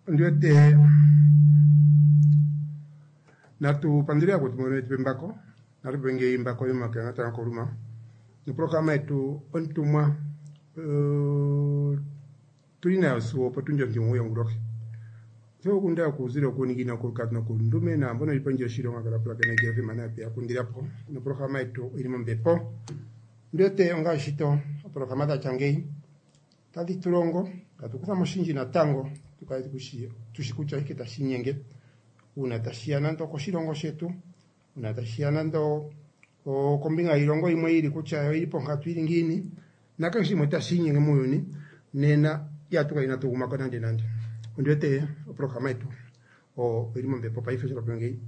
Ondi wete natu pandule yakwetu mbono yetu pembako natu penge imbako yomake natango koluma noprograma yetu ontumwa tuli nayo sigo opotundi ontimugoyi yongulohi. Osho okunda okuuzilo okuuningina okulukadhi nokulundume naambono yeli pondje yoshilongo kala pulakena JFM nayo ya kundilapo noprograma yetu oyili mombepo. Ondi wete onga oshito oprograma dhatya ngeyi tadhi tu longo tatu kutha mo oshindji natango tukale tushi kutya oshike tashi inyenge uuna tashiya nande okoshilongo shetu, uuna tashiya nande okombinga yiilongo yimwe yili kutya oyili ponkatu yili ngiini, nakehe shimwe tashi inyenge muuyuni nena ihatu kala inatu gumako nande nande. Ondi wete oprograma yetu oyili mombepo paife sho tatu ngeyi.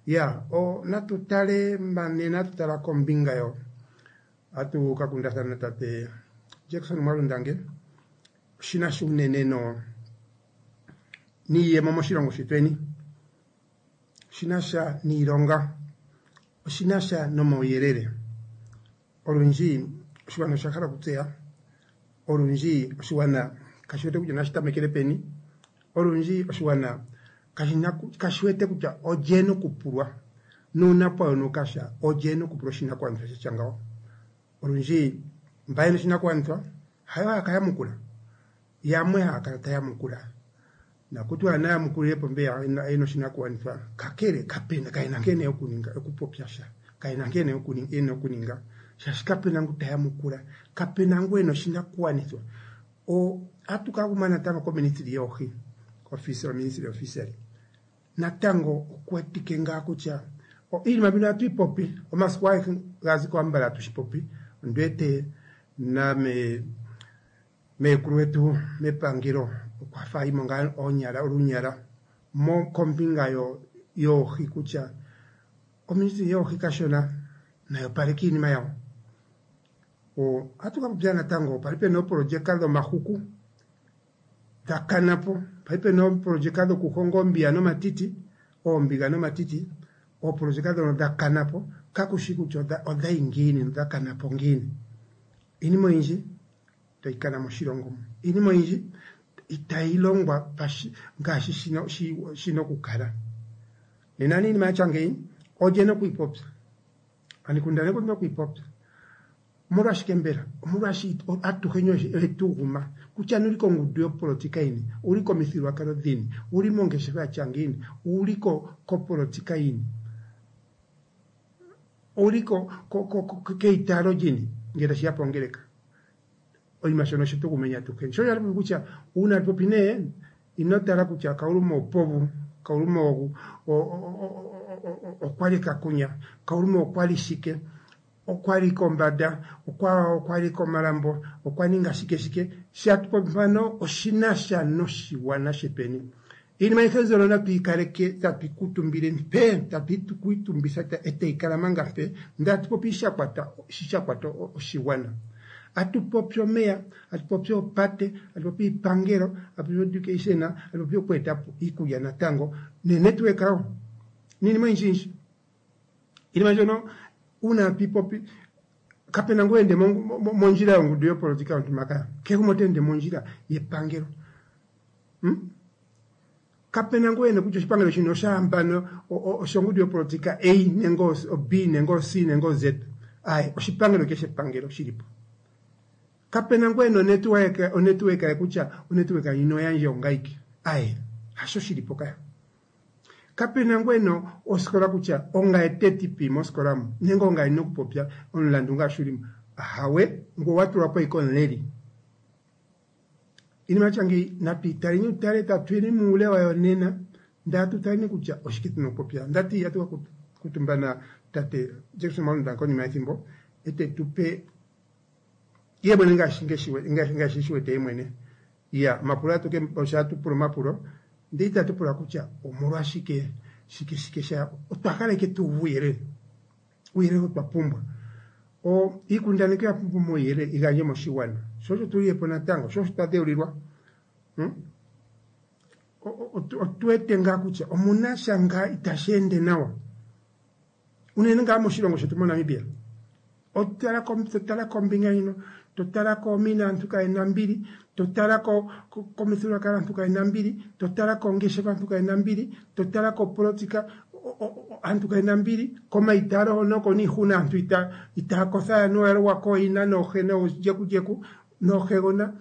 Ya, natu tale nena atu tala kombinga yo atu ka kundathana tate Jackson Mwalundange shina sha unene no niiyemo moshilongo shetweni, shina sha niilonga, oshina sha nomauyelele. Olundji oshigwana osha hala okutseya, olundji oshigwana kashi wete kutya nashi tamekele peni, olundji oshigwana kashi wete kutya olye ena okupulwa nuuna pwa yonuka sha olye ena okupulwa oshinakugwanithwa shatya ngawo. Olundji mba yena oshinakugwanithwa hayo haya ka yamukula, yamwe haya kala taya yamukula nakutiwa naya yamukulilepo mbeya yena oshinakugwanithwa, kakele kapena kayena nkene yokuninga okupopya sha, kayena nkene yena okuninga shaashi kapena ngu ta yamukula, kapena ngu ena oshinakugwanithwa. Atu ka guma natango koministry yoohi, office ministry of fishery. Natango okuwetike ngaa kutya iinima mbino ohatu yi popi omasiku agehe ga zi ko ambala hatu shi popi. Ondi wete name meekulu wetu mepangelo okwa fa ayimo ngaa oonyala olunyala kombinga yoohi kutya oministry yoohi kashona nayo opaleke iinima yawo. Ohatu ka popya natango pali pena oopolojeka dhomahuku dha kanapo, pali pena oopolojeka dhokuhonga oombiya nomatiti, oombiga nomatiti, oopolojeka dhono dha kanapo kakushi kutya odhayi ngiini nodha kanapo ngiini. Iinima oyindji tayi kana moshilongo mu, iinima oyindji itayi longwa ngaashi shina okukala. Nena iinima yatya ngeyi olye ena okuyi popya, anikundaneki otuna okuyi popya. Omolwashike mbela? Omolwashi atuheni oyetu guma kutya uli kongundu yopolitika yini, uli komithigululwakalo dhini, uli mongeshefa yatya ngiini, uli kopolitika yini, uli keitaalo lyini ngele tashiya pongeleka. Oshinima shono oshetu gumeni atuheni. Sho osha kutya uuna popi nee ino tala kutya Kauluma opovu, Kauluma okwali kakunya, Kauluma okwali shike, okwali kombanda, okwali komalambo, okwa ninga shike shike. Shatu popi mpano oshina sha noshigwana shetweni. Iinima ayihe mbyono natu yi kaleke tatu yi kuutumbile mpe, tatu yi kuutumbitha etayi kala manga mpe, ndele atu popi shi sha kwata oshigwana. Atu popi omeya, atu popi oopate, atu popi iipangelo, atu popi education, atu popi oku etapo iikulya natango nenetwork wo niinima oyindji yindji. Iinima mbyono uuna tatu yi popi kapena ngu ende mondjila yongundu yopolitika yontumba kaya, kehe gumwe ota ende mondjila yepangelo. Kapena ngu ene kutya oshipangelo shino oshahambano oshongundu yopolitika A nenge B nenge C nenge Z. Aye, oshipangelo keshe epangelo shilipo. Kapena ngu ena onetwork ye kutya onetwork ndjino oyandje ongaike. Aye, hasho shilipo kaya. Kapena ngu ena osikola kutya ongaye teti mosikola mu nenge ongaye ndina okupopya omulandu ngaashi ulimo. Ahawe, ngoye owa tulwapo ashike omuleli. Iinima yatya ngeyi natu yi taleni utale tatu yeni muule wayo nena ndele atu taleni kutya oshike tuna okupopya. Ndati atu ka kuutumba na tate Jackson Mwalunda konima yethimbo ete tupe ye mwene ngaashi eshi wete ye mwene. Ya, omapulo osha tupula omapulo ndele itatu pula kutya omolwashike shike shike sha otwa hala ike tu uve uuyelele, uuyelele otwa pumbwa. Iikundaneki oya pumbwa omauyelele igandje moshigwana, sho osho tulilepo natango, sho osho twa dheulilwa. Otu wete ngaa kutya omuna sha ngaa itashi ende nawa unene ngaa moshilongo shetu moNamibia. Otala totala kombinga yino, totala koomina aantu kayena ombili, totala komithigululwakalo aantu kayena ombili, totala koongeshefa aantu kayena ombili, totala kopolotika aantu kayena ombili, komaitaalo hono oko niihuna aantu itaya kotha anuwa oya logwa kooyina noohe noojekujeko noohegona.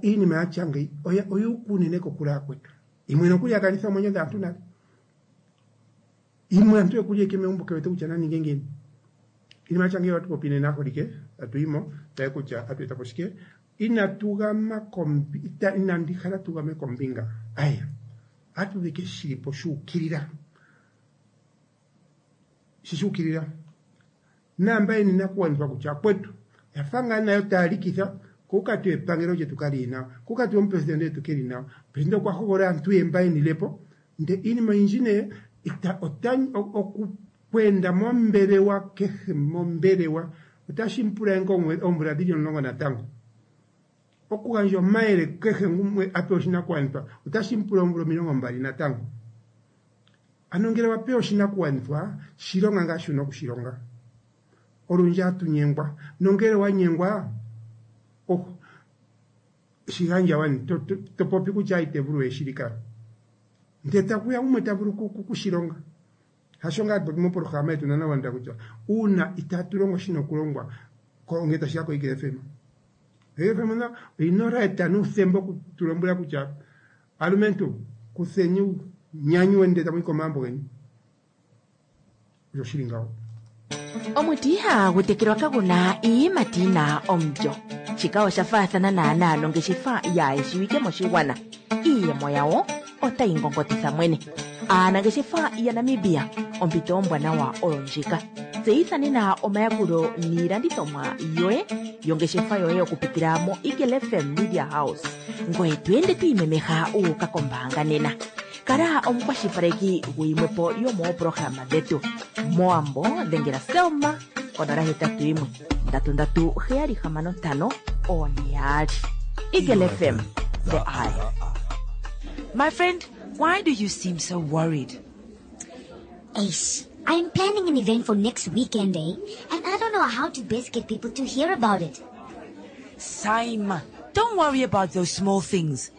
Iinima yatya ngeyi oyuuka unene kokule akwetu. Yimwe nokuli ya kanitha oomwenyo dhaantu nale. Yimwe aantu yokuli eke megumbo ke wete kutya na ninge ngiini. Iinima yatya ngeyi ohatu popi nena aaholike, tatu yi mo, tale kutya otatu eta po shike. Inatu gama kombi, inandi hala tu game kombinga. Aye, ohatu ulike shili po shu ukilila. Shi shu ukilila. Naamba yena iinakugwanithwa kutya akwetu, oya fa ngaa nayo taya likitha, ko kutya epangelo lyetu kali li nawa, ko kutya omupresidende gwetu ke li nawa. Presidende okwa hogolola aantu ye mba ye po, ndele iinima oyindji nee okweenda mombelewa kehe mombelewa otashi mu pula nge oomvula dhili 10 natango. Okugandja omayele kehe gumwe a pewe oshinakugwanithwa otashi mu pula oomvula 20 natango. Ano ngele wa pewa oshinakugwanithwa, shi longa ngaashi wuna okushilonga. Olundji ohatu nyengwa, nongele wa nyengwa, oh, shi gandja wani, to popi kutya ite vulu we shili ka. Ndele takuya gumwe ta vulu kushilonga. Hasho ngaa popi mopolohalama yetu nana wanda kutya uuna itaatu longo shina okulongwa ngele tashi ya koEagle FM. Eagle FM na oyina right nuuthemba okutulombwela kutya alumentu kutheni nyanyu ndele tamu yi komagumbo geni. Osho shili ngawo. Omuti ihagu tekelwa kagu na iiyimati yi na omulyo. Shika osha faathana naanaa nongeshefa yaayeshiwike moshigwana. Iiyemo yawo otayi ngongotitha mwene. Aanangeshefa yaNamibia, ompito ombwanawa oyo ndjika. Tseyitha nena omayakulo niilandithomwa yoye yongeshefa yoye okupitila moEagle FM Media House. Ngoye to ende to imemeha wu uka kombaanga nena. Kala omukwashilipaleki guyimwe po yomooprograma dhetu. Mowambo dhengela Selma konola hetatu yimwe ndatu ndatu heyali hamano ntano oone yaali. Eagle FM, the eye. My friend, why do you seem so worried? Ace, I'm planning an event for next weekend, eh? And I don't know how to best get people to hear about it. Saima, don't worry about those small things.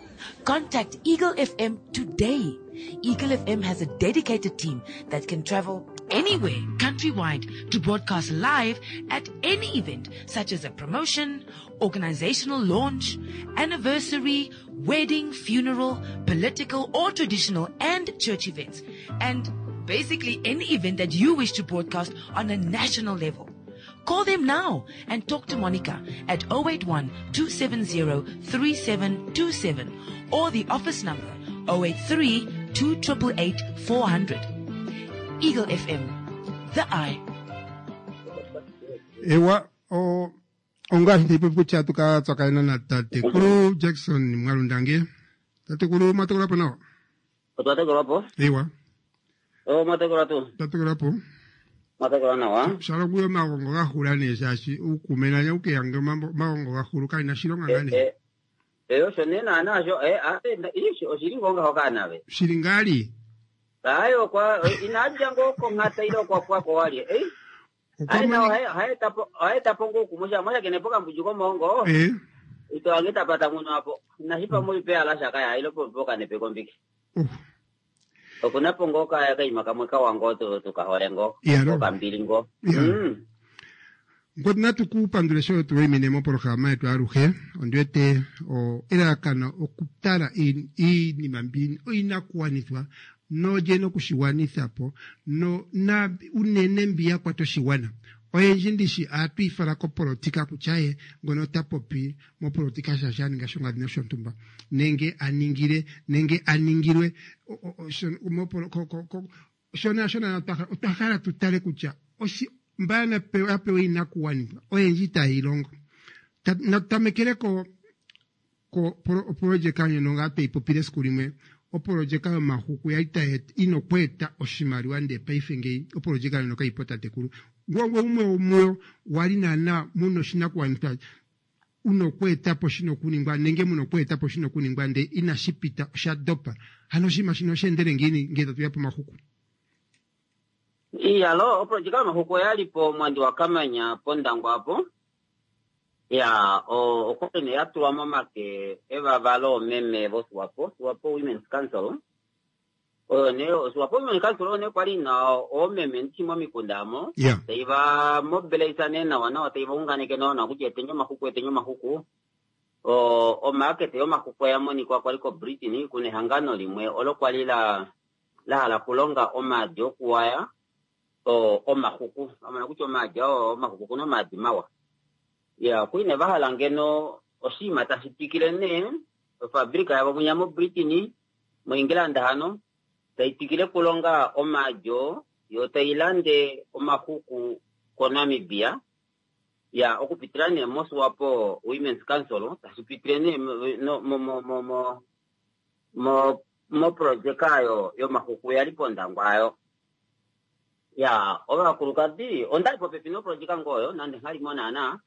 Contact Eagle FM today. Eagle FM has a dedicated team that can travel anywhere countrywide to broadcast live at any event, such as a promotion, organizational launch, anniversary, wedding, funeral, political or traditional and church events, and basically any event that you wish to broadcast on a national level. Call them now and talk to Monica at 081 270 3727 or the office number 083 288 400. Eagle FM, the eye. Ewa, ongaashi ndeipopi kutya tuka tsakanena na tatekulu Jackson Mwalundange. Tatekulu mwatekelwa po nawa? Otwa tekelwa po. Ewa. O mwatekelwa tuu? Twa po. Mwatekelwa nawa. Shalo kuyo omagongo ga hula nee shaashi uukume nanye ukeya omagongo ga hulu kalina shilonga ngaa nee. Eh, osho nee naana sho eh, oshili ngoo ngaho kaanawe. Shili ngali? Ayi okwa inadja ngoo konghata ile okwa pwako walye. Eh? Ayi na ohaeta po ngoo kumusha mwashakene po kambundju komongo. Eh. Ito ange tapata muno apo. Nashipa muipe ala shaka ya ilo po kanepe kombiki. Okuna po ngoo kaima kamwe kawa ngoo tukahole ngoo. Okambili ngoo. Ngoti natu ku pandule sho tuwayimine mopolohalama yetu aluhe. Ondi wete elalakano okutala iinima mbi iinakuwanithwa nolye nokushigwanitha po no na unene mbi ya kwata oshigwana. Oyendji ndishi ohatu ifala kopolotika kutya ye ngono ota popi mopolotika shaashi a ninga shongadhi noshontumba nenge aningile nenge aningilwe shona shona otwa hala tutale kutya mba ya pewa iinakuwanithwa oyendji itaye yi longo. Natutamekele ko opolojeka ndjono ngaa tweyi popile esiku limwe opolojeka yomahuku yali ina okweeta oshimaliwa ndele paife ngeyi opolojeka ndjono kayipo tatekulu. Ngwangwe umwe womuyo wali naana muna oshinakuwanithwa una okweeta po shina okuningwa nenge muna okweeta po shina okuningwa ndele inashi pita osha dopa. Hano oshinima shino osha endele ngiini ngele tatuya pomahuku? Iyalo, oprojeka yomahuku oya li po mwandi waKamanya pOndangwa apo. Ya, okwali nee ya tulwa momake evava loomeme voSwapo, Swapo Women's Council. Oyo nee Swapo Women's Council oyo nee kwali ina oomeme ndishi momikunda amo. Tai va mobilise nee nawa nawa, tai va unganeke nawa nawa kutya eteni omahuku, eteni omahuku. Omaakete yomahuku oya monikwa kwali koBritain kuna ehangano limwe olo kwali la hala okulonga omaadi okuwaya omahuku. Amona kutya omaadi oo omahuku kuna omaadi mawa. Ya, kuine va hala ngeno oshinima tashi twikile nee ofabrika yavo munya moBritain, moEngland hano, tai twikile okulonga omaadi oo, yo tai lande omahuku koNamibia. Ya, okupitila nee moSwapo Women's Council, tashi pitile nee moprojeka ayo yomahuku ya li pOndangwa ayo. Ya, ovakulukadi, onda li popepi noprojeka ngoo oyo, nande nghali mo naana.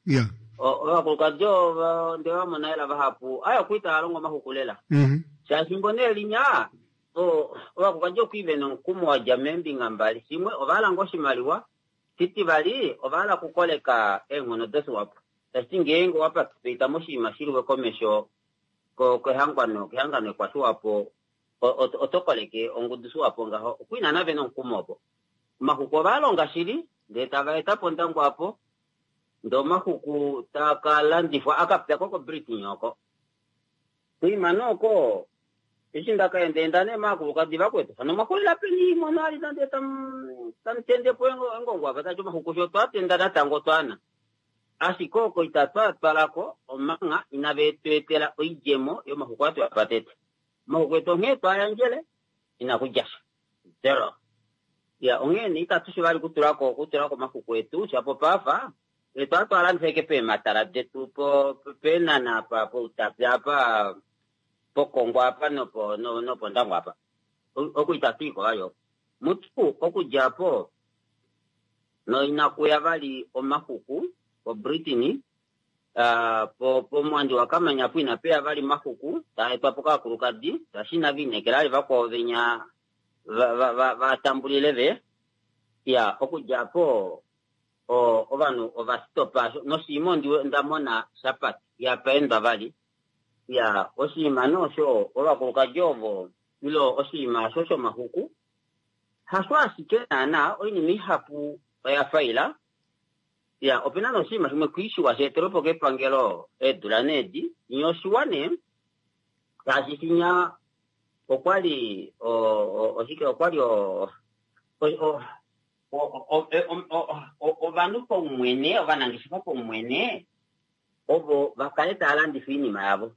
Ovakulukadi ovo nde va mona ela vahapu, ayo okwi tava longo omahuku lela. Shaashi mbo nee linya, ovakulukadi okwi ve nomukumo wa dja meembinga mbali. Shimwe, ova hala ngoo oshimaliwa. Shitivali, ova hala okukoleka eenghono doSwapo. Tashi ti ngeenge owa participate moshinima shiliwe komesho kehangano ekwaSwapo, oto koleke ongudu Swapo ngaho. Okwi naana ve nomukumo opo. Omahuku ova longa shili, ndee tava eta pOndangwa apo, ndee omahuku taa ka landifwa aka pya ko koBritain oko. Kuima oko, eshi ndaka endaenda nee maakulukadi vakwetu, hano mwaxulila peni mono ali nande tamutende po engongo apa, tati omahuku sho twatenda natango twaana. Ashike oko itatwa twalako omanga inave tu etela oidjemo yomahuku atu apa tete. Omahuku etu onghee twayandjele, inakudja sha. Zero. Ya, onghee nee itatu shi vali kutulako omahuku etu, shapo paafa, etu atu alandifa eke peematala detu, peenana apa, poutapi apa, pOkongwa apa, nopOndangwa apa. Oku itatu iko vali oko. Mutu, okudja po, noinakuya vali omahuku koBritain, pomwandi waKamanya po inapeya vali omahuku, taa etwa po kaakulukadi, shaashi inava inekela vali vakwao venya va tambulile ve. Ya, okudja po, ovanhu ova stopa noshinima nda mona shapati ya paendwa vali. Ya, oshinima nosho ovakulukadi ovo ilo oshinima osho shomahuku hasho ashike naana oinima ihapu oya faila. Ya, opena noshinima shimwe kwiishiwa sheetelwe po kepangelo eedula needi nye oshiwa nee ngaashi shinya okwali oshike okwali ovanhu paumwene ovanangeshefa paumwene ovo vakale tava landifa oinima yavo.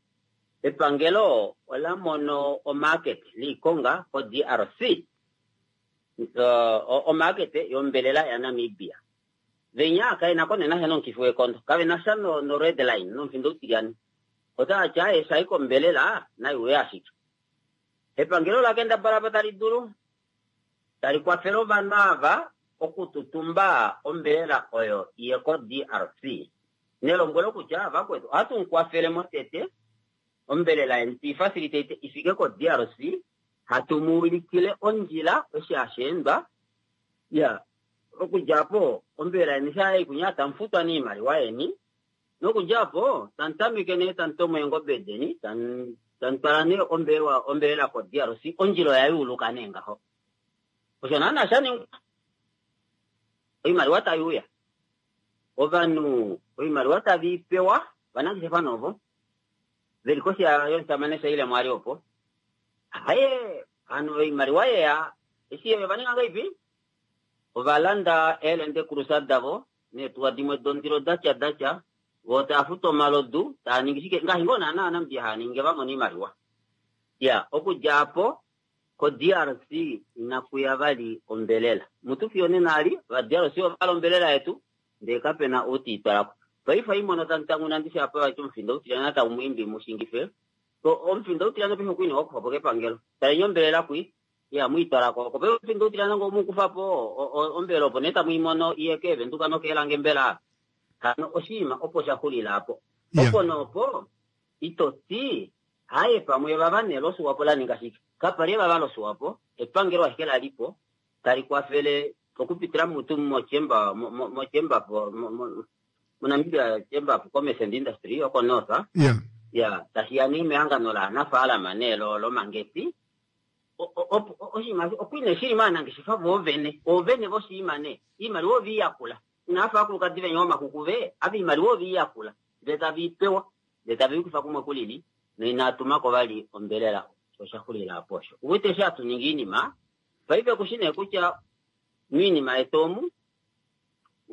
Epangelo ola mono omarket liikonga ko DRC, omarket yombelela yaNamibia. Venya kaena konena sha nomukifi wekondo, kavena sha no red line nomufindo utilyane. Otava ti aye shai kombelela naiuye ashike. Epangelo la kendabala pa tali dulu tali kwafele ovanhu ava okututumba ombelela oyo iye ko DRC. Nelombwelo kutya vakwetu ohatu mu kwafele motete ombelela yeni tuifacilitate ifike ko DRC, hatu mu ulikile ondjila eshi hasheendwa. Ya, okudja po ombelela yeni sha ikunya tamufutwa niimaliwa yeni. Nokudja po tamutameke nee tamutomo eengobe deni, tamutwala nee ombelela ko DRC, ondjila oya yuuluka nee ngaho. Osho naana sha ningwa. Oimaliwa tai uya. Ovanhu oimaliwa tave i pewa, vanangeshefa novo veli koshi yomusamane Shaile Mwali opo. Haye, hano oimaliwa yeya, eshi ova ninga ngaipi? Ova landa eelende krusa davo, neetuwa dimwe dondilo datya datya, vo tava futu omalodu, tava ningi shike, ngaashi ngoo naana Namibia hava ningi va mona oimaliwa. Ya, okudja apo, ko DRC inakuya vali ombelela. Mutu fiyo nena ali, va DRC ova lombelela yetu, ndee kapena ou te i twalako. Paife imono tamutanguna ndishi apa vati omufindo utilyana tau muimbi mushingife. Omufindo utilyana paife okwini wakufa po kepangelo. Talenye ombelela kwi, ya muitwalako. Oko paife omufindo utilyana ngo mukufa po ombelela opo nee tamu imono iye keevenduka nokeelange mbela. Hano oshinima opo sha xulila apo. Opo noopo, ito ti, haye pamwe vava nee loSwapo la ninga shike. Kapali vava loSwapo, epangelo ashike la lipo, tali kwafele Okupitila mutu mochemba mochemba moNamibia Chamber of Commerce and Industry oko North. Yeah. Ya, tashi ya nee mehangano laanafaalama nee lomangeti. Oshinima okwi nee shili maanangeshefa voovene, oovene voshinima nee. Iimaliwa ove i yakula. Inava fa aakulukadi venya omakuku ve, ava iimaliwa ove i yakula. Ndele tave i pewa, ndele tave i kufa kumwe kulili, noinaa tuma ko vali ombelela. Osha xulila apo osho. Uwete eshi hatu ningi iinima, paife kushi nee kutya miinima yetu omu,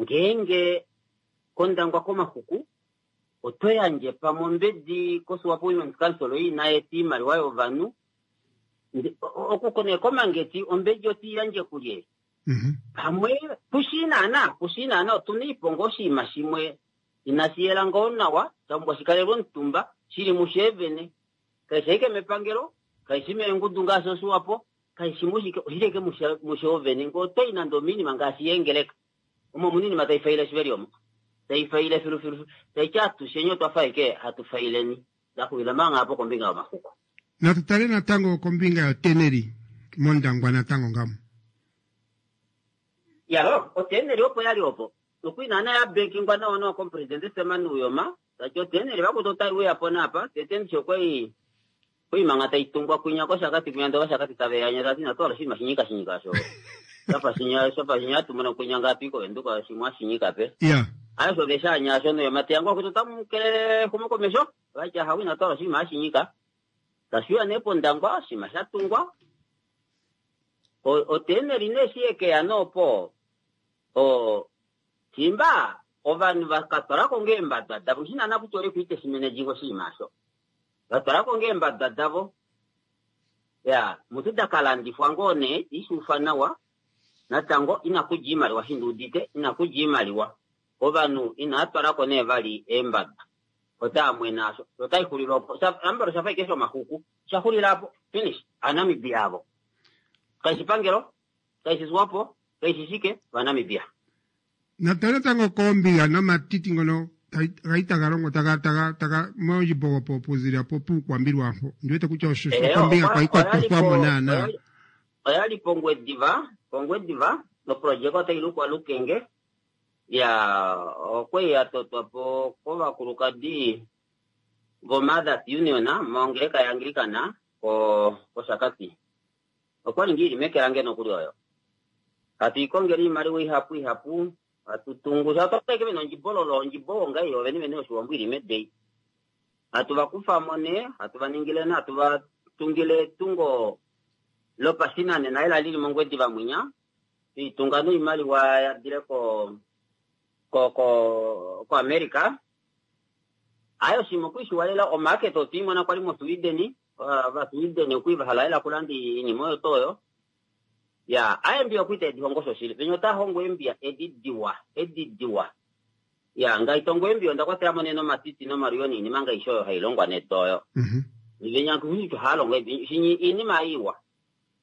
ngeenge kOndangwa komaxuku, oto yandje pamwe ombedi koSwapo Women's Council oyo ina eta iimaliwa yovanhu, oku nee komangeti ombedi oti yandje kulye? Mhm. Pamwe kushii naana, kushii naana otuna iiponga oshinima shimwe inashi yela ngoo nawa, sha pumbwa shikalelwe omutumba, shili musheevene. Kaishi ashike mepangelo, kaishi meengudu ngaashi oSwapo, kaishi mushike, oshili ashike mushoovene. Ngee otoyi nande omiinima ngaashi yeengeleka, omo omuna iinima tai faile shiveli omo. Tai faile filu filu, taiti atusheni otwa fa ashike hatu faileni. Ndaxulila manga apo kombinga yomaxuku. Natu tale natango kombinga yoteneli mOndangwa natango ngamo. Yalo, oteneli opo yali opo. Nokuli naana ya bankingwa nawa nawa komupresidente Sam Nujoma, tati oteneli vakuti otai uya po naapa, tete ndishi okwai okwai manga tai tungwa kwinya kOshakati kwinya ndee Ovashakati tave yanya tati inatu hala oshinima shinyika shinyika osho. Shafa shinya shafa shinya hatu mono kwinya ngaapi koVenduka shimwe ashinyika pe. Yeah. Ayo osho ve shaanya osho Nujoma teya ngoo kuti otamu kelele exumokomesho, vati ahawe inatu hala oshinima ashinyika. Tashi uya nee pOndangwa oshinima sha tungwa. Oteneli nee eshi yekeya nee opo o shimba ovanhu va ka twalako ngoo eembadwa davo nghishi naana kutya ole kuite shimenedjinga oshinima osho. Va twalako ngoo eembadwa davo. Ya, mutu da ka landifwa ngoo nee ishuufa nawa. Natango ina kudja iimaliwa shi nduudite, ina kudja iimaliwa. Ovanhu inaa twalako nee vali eembadwa. Otaa mwene asho. Otai xulile opo. Ambala osha fa ashike shomaxuku. Osha xulila apo. Finish. Aanamibia avo. Kaishi pangelo, kaishi Swapo, kaishi shike, Ovanamibia. Natale natango koombiga nomatiti ngono gali taga longo taga taga taga moondjimbo opo okuzilila po pUukwambi lwaampo. Ondi wete kutya osho Eh, kombinga kwali kwa oya li tothwa mo po naanaa. oya li pOngwediva, pOngwediva, noprojeka otayi lukwa Lukenge. Ya, okwali ya totwa po kovakulukadi voMothers Union mongeleka yaAnglikana ko kOshakati. Okwali ngaa ili meke lange nokuli oyo. Hatu i kongele iimaliwa ihapu ihapu, hatu tungu sha otwa eke vena ondjibololo, ondjibo ngaa iyo vene vene yoshiwambo ili medeyi. Hatu va kufa mo nee, hatu va ningile nee, hatu va tungile etungo lopashinanena ela lili mOngwediva mwinya. Tuitunga noimaliwa ya dile ko ko ko ko America. Aye oshinima okwiishiwa lela omarket otwiimona kwali moSweden, vaSweden okwi vahala lela okulanda iinima oyo tuu oyo. Ya, aye mbiya okwi tedi hongo shoshili. Venya ota hongo eembiya edi diwa, edi diwa. Ya, ngai tongo eembiya onda kwatela mo nee nomatiti nomaluyo niinima ngaashi oyo hai longwa nedo oyo. Venya kutya ohaya longo edi, shinyi iinima iwa.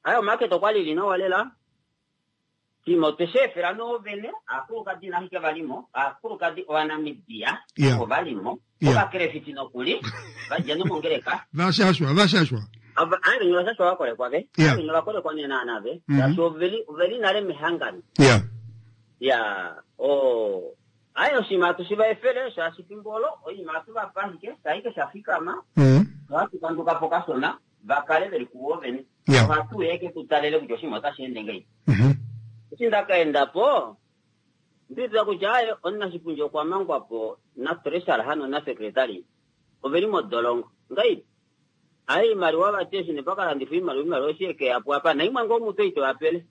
Aye omarket okwali ili nawa lela. Oshinima otwe shi efela noovene, aakulukadi inashike va li mo, aakulukadi Ovanamibia Yeah. ovo va li mo, Yeah. ovakelefiti nokuli, va dja nomongeleka. Vashashwa, vashashwa. Ava- aye venye vashashwa va kolekwa ve. Yeah. Aye venye va kolekwa nee naana ve. Mhm. Shaashi oveli oveli nale mehangano. Yeah. Ya, o aye oshinima hatu shi va efele shaashi fimbo olo oinima hatu va pa ashike, shaike sha fikama, Mhm. ohatu kanduka po kashona va kale veli kuvo vene. Yeah. Ohatu uya ashike tu talele kutya oshinima otashi ende ngahelipi. Mhm. Eshi nda ka enda po, ndiitila kutya aye omunashipundi okwa mangwa po na treasurer hano na secretary oveli modolongo. Ngahelipi? Aye iimaliwa vati eshi ne pakalandifwa iimaliwa iimaliwa eshi ekeya po apa naimwe ngoo mutu ito yapele.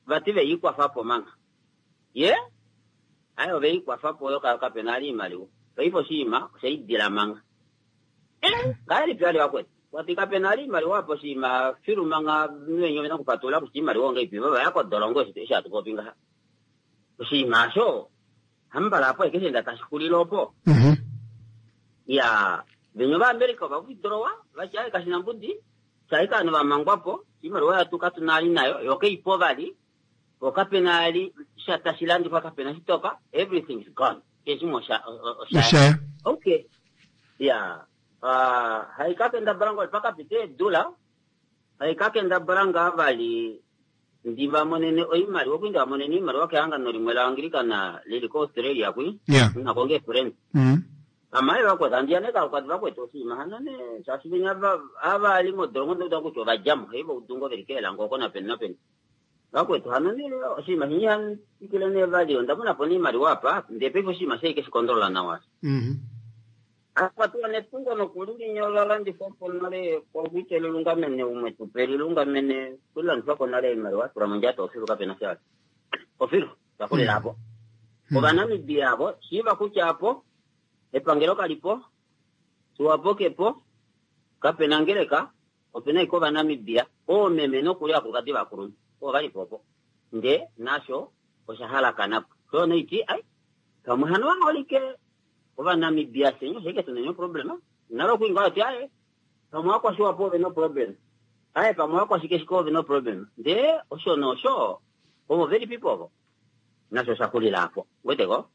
Vati ve ikwafa po manga. Ye? Aye ove ikwafa po yo kapena ali iimaliwa. Paife oshinima osha idila manga. Eh, ngahelipi ali vakwetu? Wati kapena ali iimaliwa apo oshinima filu manga venye ovena kupatulula kutya iimaliwa ongaipi vava ya kodolongo eshi hatu popi ngaha. Oshinima osho hambala apo ashike enda tashi xulile opo. Mhm. Ya, venye Ovaamerica ova withdrawa vati aye kashina mbudi shaika ovanhu va mangwa po iimaliwa yatu katuna ali nayo yo keipo vali po kapena ali sha tashi landifwa kapena shitoka everything is gone keshe shimwe osha osha Oshaya. okay ya uh, haikakendabala ngoo pakapita eedula haikakendabala ngaa vali. Ndi va monene oimaliwa okwi nda monene oimaliwa kehangano limwe laAnglikana lili koAustralia kwi. Yeah. Nako nge friend. Amaye vakwetu andiya ne kalukadi vakwetu oshinima hano ne shaashi venya ava li modolongo ndauda kutya ova djamo hei voudungo veli keelango oko napeni napeni. Vakwetu hano ne oshinima shinyi hatikile ne vali onda mona po oimaliwa apa ndee paife oshinima shai keshi kondolola nawa. Akwatiwa netungo nokulilinya ola landifwa po nale kwakuite lilungamene umwe tupe lilungamene kulilandifwa po nale oimaliwa tula mondjato ofilu kapena sha. Ofilu takulila apo. Ovanamibia avo shiiva kutya apo epangelo kalipo Swapo kepo kapena ngeleka opena ashike Ovanamibia oomeme nokuli aakulukadi vakulunhu ovo valipo opo ndee nasho osha halakanapo. Sho noiti ai pamwe hano vaholike Ovanamibia fye oshike tuna oproblema nalo okwi ngaho ti aye pamwe vakwashiwapo ove noproblem aye pamwe vakwashikeshike ove noproblem ndee osho nosho ovo velipipo ovo nasho osha xulila apo weteko.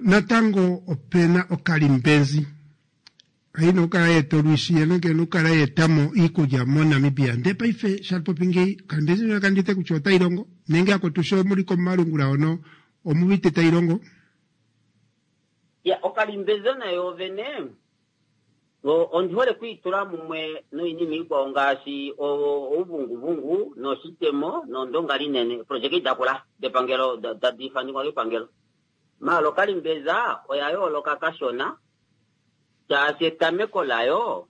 Natango opena okalimbenzi haina okukala yeeta olwishi yena kena okukala yeetamo iikulya moNamibia ndee paife shalipopi ngeyi okalimbenzi ndjono kandite kutya otayi longo nenge akwetu sho muli komalungula hono omuwite tayi longo. Ya okalimbeza nayo vene ondi hole kwiitula mumwe noinima ikwao ngaashi ouvunguvungu noshitemo nondonga linene project idakula depangelo tadi ifanekwa kepangelo. Maala okalimbeza oya yooloka kashona shaashi etameko layo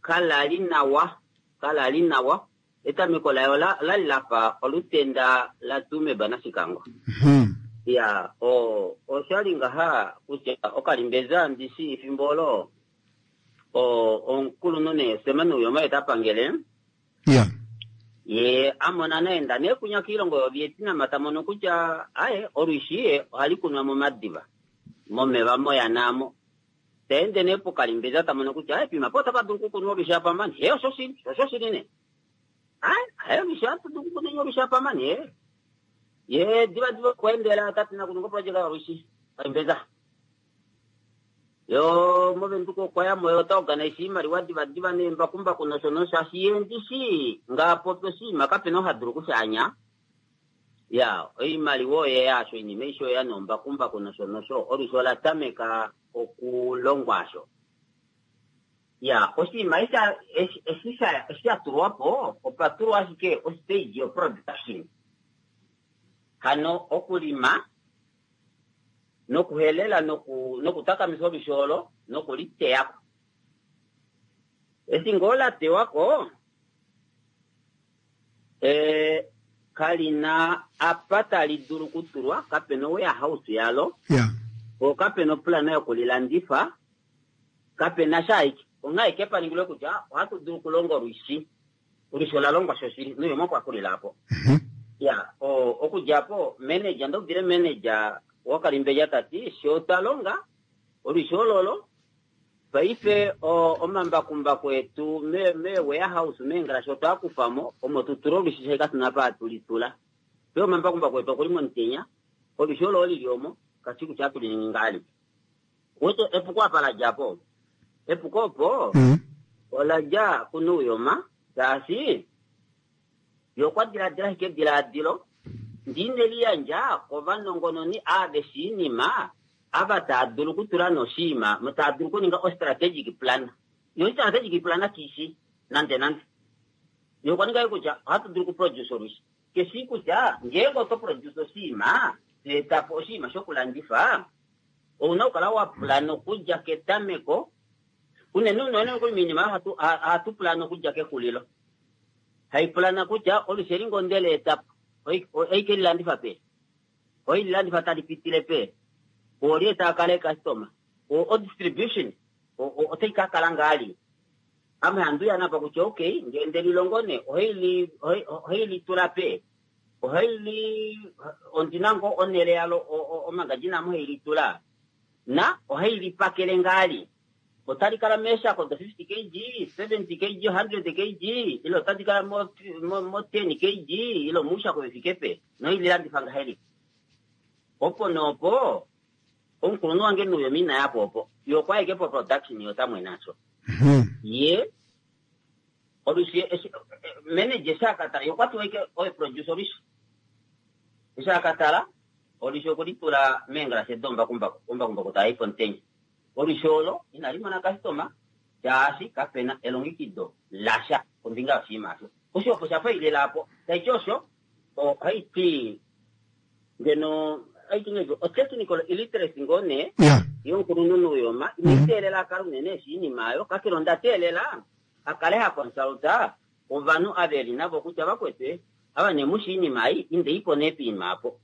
kalali nawa kalali nawa etameko layo lali lafa olutenda laTsumeb naShikango. Ya oshali ngaha kutya okalimbeza ndishi efimbo olo omukulunhu nee Sam Nujoma oye ta pangele. Ya. Ye a mona naenda nee kunya kiilongo yoVietnam ta mono kutya aye olwishi ye ohali kunwa momadiva momeva moyana amo. Ta ende nee pokalimbeza ta mono kutya aye pima po otapa dulu okukunwa olwishi apa mani. He osho shili, osho shili nee. Aye, aye olwishi ohatu dulu okukunwa olwishi apa mani he. Ye diva diva okwa endela ta ti nakuninga oprojeka yolwishi kalimbeza. Yo moVenduka okwa ya mo yo ota organise iimaliwa diva diva neembakumbaku nosho nosho shaashi ye ndishi ngaa popi oshinima kapena ou ha dulu okushaanya. Ya oimaliwa oye ya asho oinima aishe oya noombakumbaku nosho nosho olwishi ola tameka okulongwa asho. Ya oshinima eshi eshi sha tulwa po opa tulwa ashike ostage yo production hano okulima nokuhelela nokutakamifa olwishi olo nokuliteya ko. Eshi ngoo la teywa ko, kali na apa tali dulu okutulwa, kape na owarehouse yalo, po kape na oplana yokulilandifa, kape na sha ashike. Onghee ashike pa ningilwe kutya ohatu dulu okulonga olwishi. Olwishi ola longwa shoshili, Nujoma okwa xulila apo. Ya, okudja apo, manager, nda udile manager waKalimbeja ta ti, Fye otwa longa olwishi ololo, paife omambakumbaku etu mee-warehouse, meengalashe otwa a kufa mo, omo tu tule olwishi shaashi katu na apa hatu li tula. Paife omambakumbaku etu okuli momutenya, olwishi olo oli li omo, kashi shi kutya ohatu li ningi ngahelipi. Wete epuko apa la dja po? Epuko opo ola dja kuNuuyoma, shaashi ye okwa diladila ashike edilaadilo ndi ine li yandja kovanongononi ava veshiinima ava taa dulu okutula noshiima, taa dulu okuninga ostrategic plan. Yo ostrategic plan kishi nande nande. Ye okwa ninga kutya ohatu dulu okuproduce olwishi. Ke shii kutya ngeenge oto produce oshiima, to eta po oshiima shokulandifa, ou na okukala wa plana okudja ketameko. Unene unene nokuli moinima oyo ohatu plana okudja kexulilo. Hai plana kutya olwishi eli ngoo nde li eta po, ohai ke lilandifa peni? Ohai lilandifa tali pitile peni? Oolye tava kala eecustomer? O-distribution otai ka kala ngahelipi? Ame handi uya napa kutya okay, ngee nde lilongo nee, ohai litula peni? Ohai li ondi na ngoo onhele yalo omagazine amo hai litula? Na ohai lipakele ngahelipi? Otali kala meeshako do 50 kg, 70 kg, 100 kg, ile otadi kala mo, mo, mo 10 kg, ile omuushako ve fike pe? Nohai lilandifa ngahelipi? Opo noopo, omukulunhu wange Nuuyoma ina ya po opo. Ye okwa ya ashike poproduction ye ota mwene asho. Ye. Olwishi eshi manager eshi akatala ye okwa tuwa ike oye producer olwishi. Eshi akatala olwishi okwe litula meengalashe dombakumbaku, ombakumbaku taa i pomutenya. Olwishi olo inali mona customer shaashi kapena elongekido lasha kombinga yoshinima osho. Osho opo sha failela apo. Taiti osho ohai ti ngeno ohai ti ngahelipi o-technical illiteracy ngoo nee Ya. yomukulunhu Nuuyoma inai teelela a kale unene eshi oinima oyo kakele onda teelela a kale ha consulta ovanhu ava eli navo kutya vakwetu ava nee mushi oinima ei indeipo nee poima apo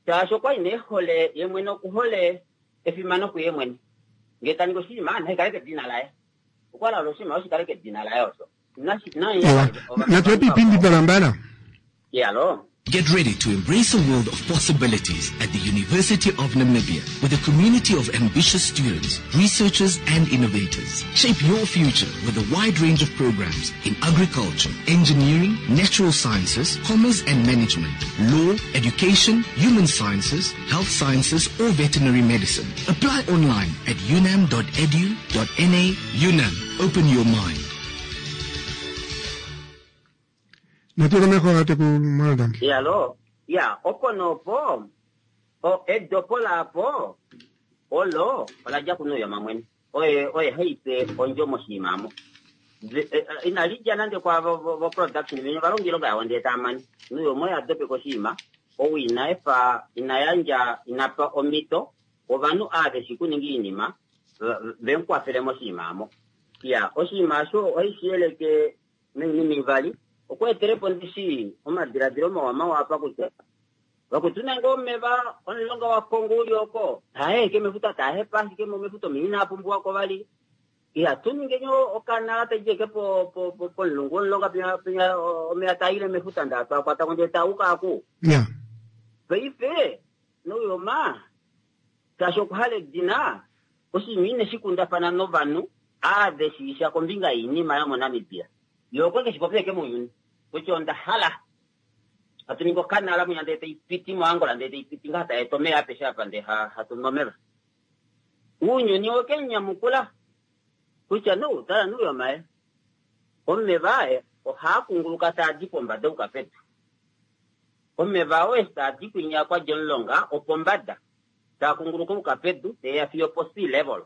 shaashi okwali nee ehole ye mwene okuhole efimano kuye mwene ngee ta ningi oshinima nashi kale kedina laye okwa hala oshinima oshi kale kedina laye osho Ewa, natu epe ipindi twalambala. Yalo. Get ready to embrace a world of possibilities at the University of Namibia with a community of ambitious students, researchers and innovators. Shape your future with a wide range of programs in agriculture, engineering, natural sciences, commerce and management, law, education, human sciences, health sciences or veterinary medicine. Apply online at unam.edu.na. UNAM, open your mind. Natu komeho tatekulu Mwaluda. Yalo, ya, opo nopo, o, edopo laapo, olo, ola dja kuNuuyoma mwene. Oye, oye haipe ondjo moshinima omo. Ve, e, e, inali dja nande kwaavo vo, vo production venye ova longa oilonga yavo ndee taa mane. Nuuyoma oye a dopeka oshinima, ou ina efa, ina yandja, ina pa omhito ovanhu ava ve shi kuninga oinima, ve, ve mu kwafele moshinima omo. Ya, oshinima osho ohashi yeleke noinima ivali, okweetelepo ndishi omadiladilo mawa mawa apa kutya vakwetu nenge omeva omulonga waKongo uli oko taaheeke mefuta taahepa ashike mefuta omeya inaa pumbiwako vali ihatu ningeni okanala taidjeke pomulungu womulonga penya penya omeya taaile mefuta ndaa twakwatako ndee taauka aku Ya. paife Nuyoma shaashi okuhala edina oshinima ine shi kundafana novanhu ave shiisha kombinga yoinima yomoNamibia. Ye okwe ke shi popya ashike mounyuni kutya onda hala hatu ningi okanala mwinya ndee tai piti moAngola ndee tai piti ngaha tai eta omeva apeshe apa ndee hatu nu omeva. Ounyuni owe ke mu nyamukula kutya no tala Nuyoma ye omeva aye ohaa kunguluka taa di pombada ouka pedu. Omeva oo eshi taa di kwinya kwa dja omulonga opombada taa kunguluka ouka pedu tee ya fiyo po sea level.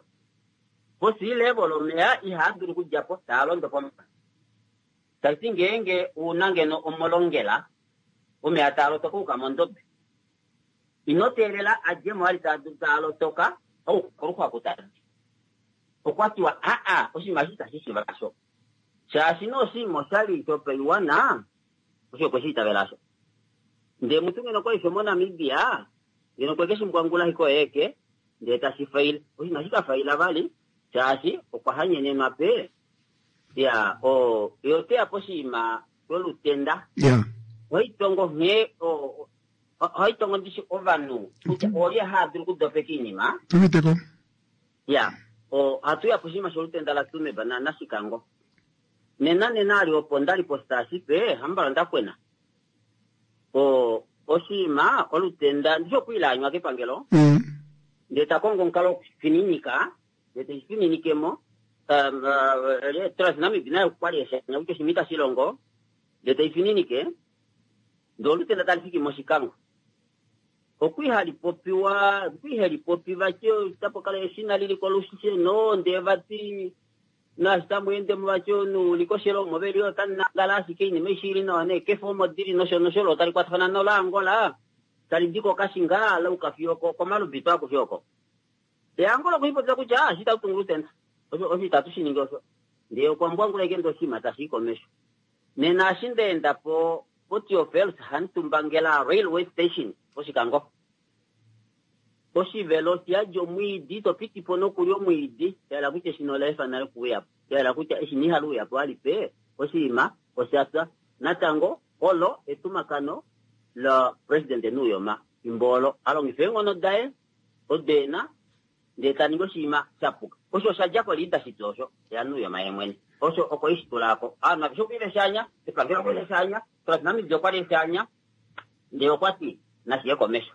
Po sea level omeya ihaa dulu okudja po taa londo pombada. Tashi ti ngeenge u na ngeno omolongela omeya taa lotoka ouka mondobe, ino teelela a dje mo vali taa dulu taa lotoka ouka koluxwaku taa di. Okwa tiwa aa oshinima eshi itashi shiiva kasho. Shaashi nee oshinima oshali shopaiwana osho okwe shi itavela osho. Ndee mutu ngeno okwali shomoNamibia, ngeno okwe ke shi mbwangula ashike oye eke, ndee tashi faile. Osho inashi ka faila vali, shaashi okwa hanyenenwa pe ya o ye ote ya poshinima sholutenda. Ya. Ohai tongo nghee o ohai tongo ndishi ovanhu kutya oolye haa dulu okudopeka iinima. Tuuditeko. Ya, ohatu ya poshinima sholutenda laTsumeb na naShikango. Nena nena ali opo ndali positaasi pe hambala onda kwena. O, oshinima, olutenda, ndishi okwa ile anywa kepangelo, ndee ta kongo omukalo wokushifininika, ndee teshi fininikemo, um, uh, TransNamib naye okwali eshi anya kutya oshinima itashi longo, ndee tei fininike, ndee olutenda tali fiki mOshikango. Okwa hali popiwa, okwa ihali popi vati tapu kala eshina lili kolusheno, ndee vati Naashi tamu ende mu vati omunhu u li koshelo omo ve li ota nangala ashike oinima aishe i li nawa neekefa omo di li nosho nosho lo tali kwatafana nolaAngola tali di kOkashinga la uka fiyo koMalubito akushe oko. Ndee Angola okwe shi popya kutya eshi itatu tungu olutenda osho osho itatu shi ningi osho. Ndee okwa mbwangula ashike ndee oshinima tashi i komesho. Nena eshi nda enda po poTeofilus Hamutumbangela Railway Station pOshikango Poshivelo osha yadi omwiidi, to piti po nokulya omwiidi. Sha yela kutya eshina ola efa nale okuuya po. Sha yela kutya eshina ihali uya po alipe, oshinima osha pya. Natango, olo etumakano laPresidente Nuuyoma fimbo olo. A longifa eenghono daye odo e na, ndee ta ningi oshinima sha puka. Osho osha dja koleadership osho, yaNuuyoma ye mwene. Osho okwe i shi tula ko. Ovanhu aveshe okwa li ve shi anya, epangelo okwa li le shi anya, Transnamibia okwa li e shi anya. Ndele okwa ti, Nashi ye komesho.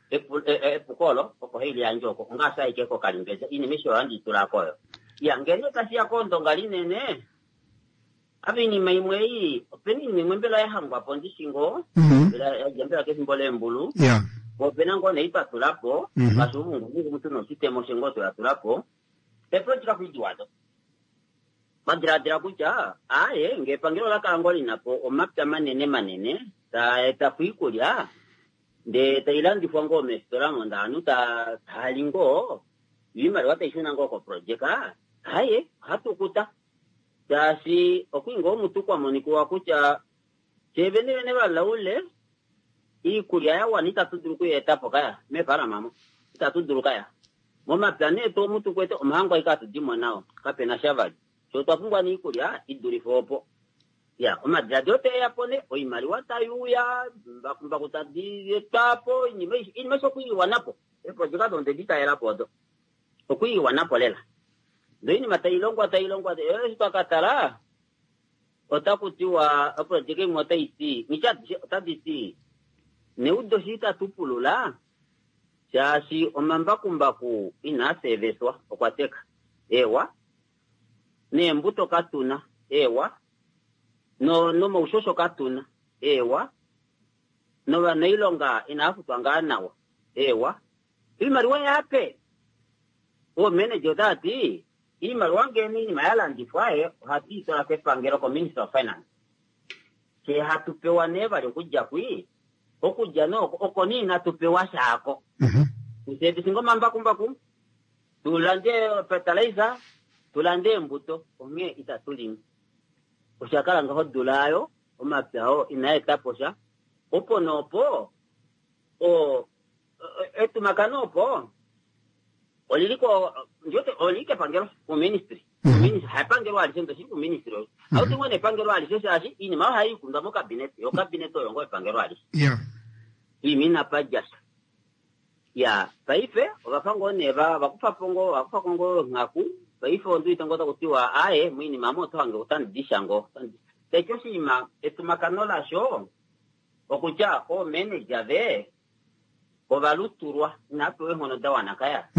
Epuko olo oko hai liyandje oko, ongaashi ashike kokalimbedja. Oinima aishe oyo ohandi i tula ko oyo. Iya, ngee nee tashi ya koondonga linene, Apa iinima imwe ei, opena iinima imwe mbela ya hangwa po ndishi ngoo, mbela ya dja mbela kefimbo leembulu, po opena ngoo nee twa tula po, ngaashi ouvunguvungu mutu noshitemo osho ngoo twea tula po, eeprojeka kuidiwa do. Twa diladila kutya, aaye, ngee epangelo ola kala ngoo lina po omapya manene manene taa eta po iikulya, ndee tai landifwa ngoo meefitola mo ndee ovanhu taa li ngoo, yo iimaliwa tai shuna ngoo koprojeka, aaye, ohatu kuta. Shaashi okwi ngoo mutu kwa monikiwa kutya fyee vene vene valaule iikulya ya wana itatu dulu okuyi eta po kaya meefaalama mo itatu dulu kaya. Momapya nee tu omu tu kwete omahangu aike hatu di mo nao kapena sha vali. Fyee otwa pumbwa nee iikulya i dulife opo. Ya omadiladilo tae ya po nee oimaliwa tai uya, mbakumbaku tadi etwa po oinima aishe oinima aishe okwi iwana po. Eeprojeka odo onde di talela po odo. Okwi iwana po lela. Ndee oinima tai longwa tai longwa eshi twa ka tala otaku tiwa oprojeka imwe otai ti nghitye adishe otadi ti neudo shi itatu pulula shaashi omambakumbaku inaa seeveswa okwa teka. Eewa, neembuto katuna. Eewa, no nomaushosho katuna. Eewa, novanailonga inava futwa ngaa nawa. Eewa, Iimaliwa yape. Oomanager otava ti iimaliwa ngee iinima ya landifwa ye ohatu i twala kepangelo ko Ministry of Finance. Fye hatu pewa nee vali okudja kwi, okudja nee oko, oko nee inatu pewa shaako. Tu service ngoo omambakumbaku, tu lande fertilizer, tu lande eembuto, onghee itatu limi. Osha kala ngaho odula aayo, omapya oo inaa eta po sha. Opo nee opo, o, etumakano opo olili ko ndiwete olili kepangelo kuministry kuministry haepangelo alishe ndoshili kuministry oyo auti ngoo nepangelo alishe shaashi iinima oyo ohai ikundwa mokabinet yo okabinet oyo ngoo epangelo alishe iima inapa dja sha ya paife ovafa ngoo nee va vakufa po ngoo vakufa ko ngoo onghaku paife ondiwete ngoo taku tiwa aaye moinima omo oto hange otandi di sha ngoo taiti oshinima etumakano lasho okutya oomeneja ve ovalutulwa inava pewa eenghono da wana kaya.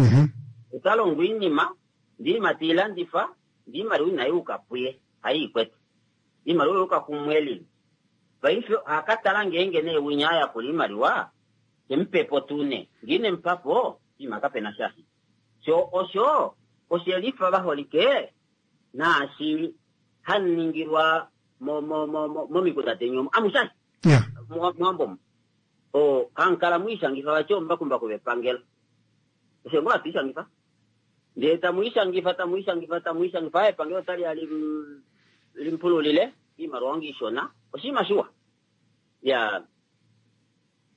Ota longo oinima, ndee oinima te i landifa, ndee oimaliwa inai yuka puye, haye i kwete. Oimaliwa oya yuka kumwelin. Paife oha ka tala ngeenge nee winya a yakula oimaliwa, te mu pe po tuu nee. Ngee ine mu pa po, oinima kape na sha. Sho osho oshe lifa vaholike naashi hamu ningilwa mo, mo, mo, mo, momikunda deni omo. Amushe Yeah. Mowambo omo. O, hamu kala mwiishangifa vati ombakumbaku vepangelo. Osho ngoo hatu ishangifa. Ndee tamu ishangifa, tamu ishangifa, tamu ishangifa, epangelo otali ya lim, limpululile iimaliwa onga ishona. Oshinima shiwa. Ya,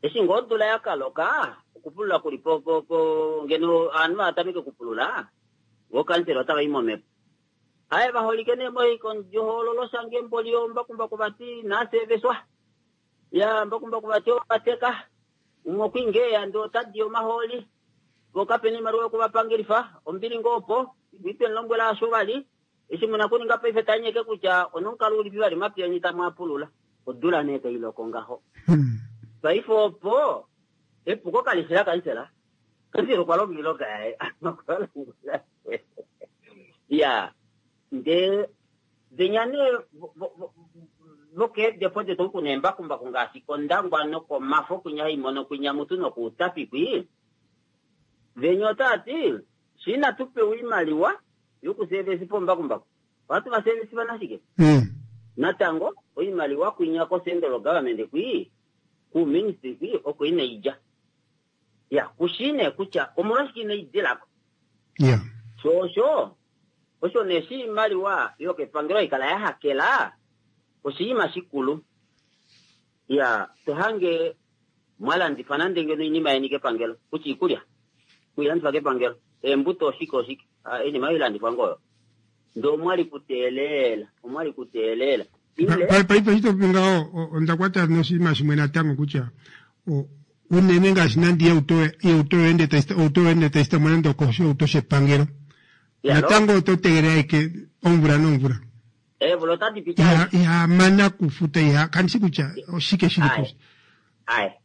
eshi ngoo odula ya ka loka, okupulula kuli po, po, po, ngeno ovanhu va tameke okupulula, vo kansela otava i momhepo. Aye vaholike nee moikondjohoololo shange mboli ombakumbaku vati naaseeveswa. Ya mbakumbaku vati ova teka. Umwe okwa ingeya ndee ota di omahooli. Vo kapena oimaliwa yokuvapangelifa. Ombili ngoo opo. Itwe mu lombwela asho vali. Eshi mu na okuninga paife tanyeke kutya onomukalo ulipi vali omapya eni tamu a pulula. Odula nee tai loko ngaho. Paife opo epuko kali fi lakansela. Kansela okwa longa oilonga yaye. Okwa longa. Ya ndee venya nee vokeedepo detu oku kuna eembakumbaku ngaashi kOndangwa nokomafo kwinya hai mono kwinya mutu nokuutapi kwi, venya otaa ti shi inatu pewa oimaliwa yokuseevesifa ombakumbaku ohatu va seevesifa nashike? Natango oimaliwa kwinya ko-central government kwi, kuuministry kwi oko inai dja. Ya, ku shii nee kutya omolwashike inai dila ko. Ya. Sho osho, osho nee shiimaliwa yokepangelo hai kala ya hakela, oshinima shikulu. Ya, to hange mwa landifa nande ngeno oinima yeni kepangelo, kutya iikulya, mwe i landifa kepangelo, eembuto oshike oshike, oinima oyo ilandifwa ngoo oyo. Ndee omwali kuteelela, omwali kuteelela. Ile. Paife eshi to popi ngaho, onda kwata noshinima shimwe natango kutya, unene ngaashi nande ihauto yoye ohauto yoye ende tayi sitama nande okoshihauto shepangelo natango oto tegelele ashike omvula nomvula. Eemvula otadi piti Iha iha mana kufuta iha kandi shi kutya oshike shili po. Aye.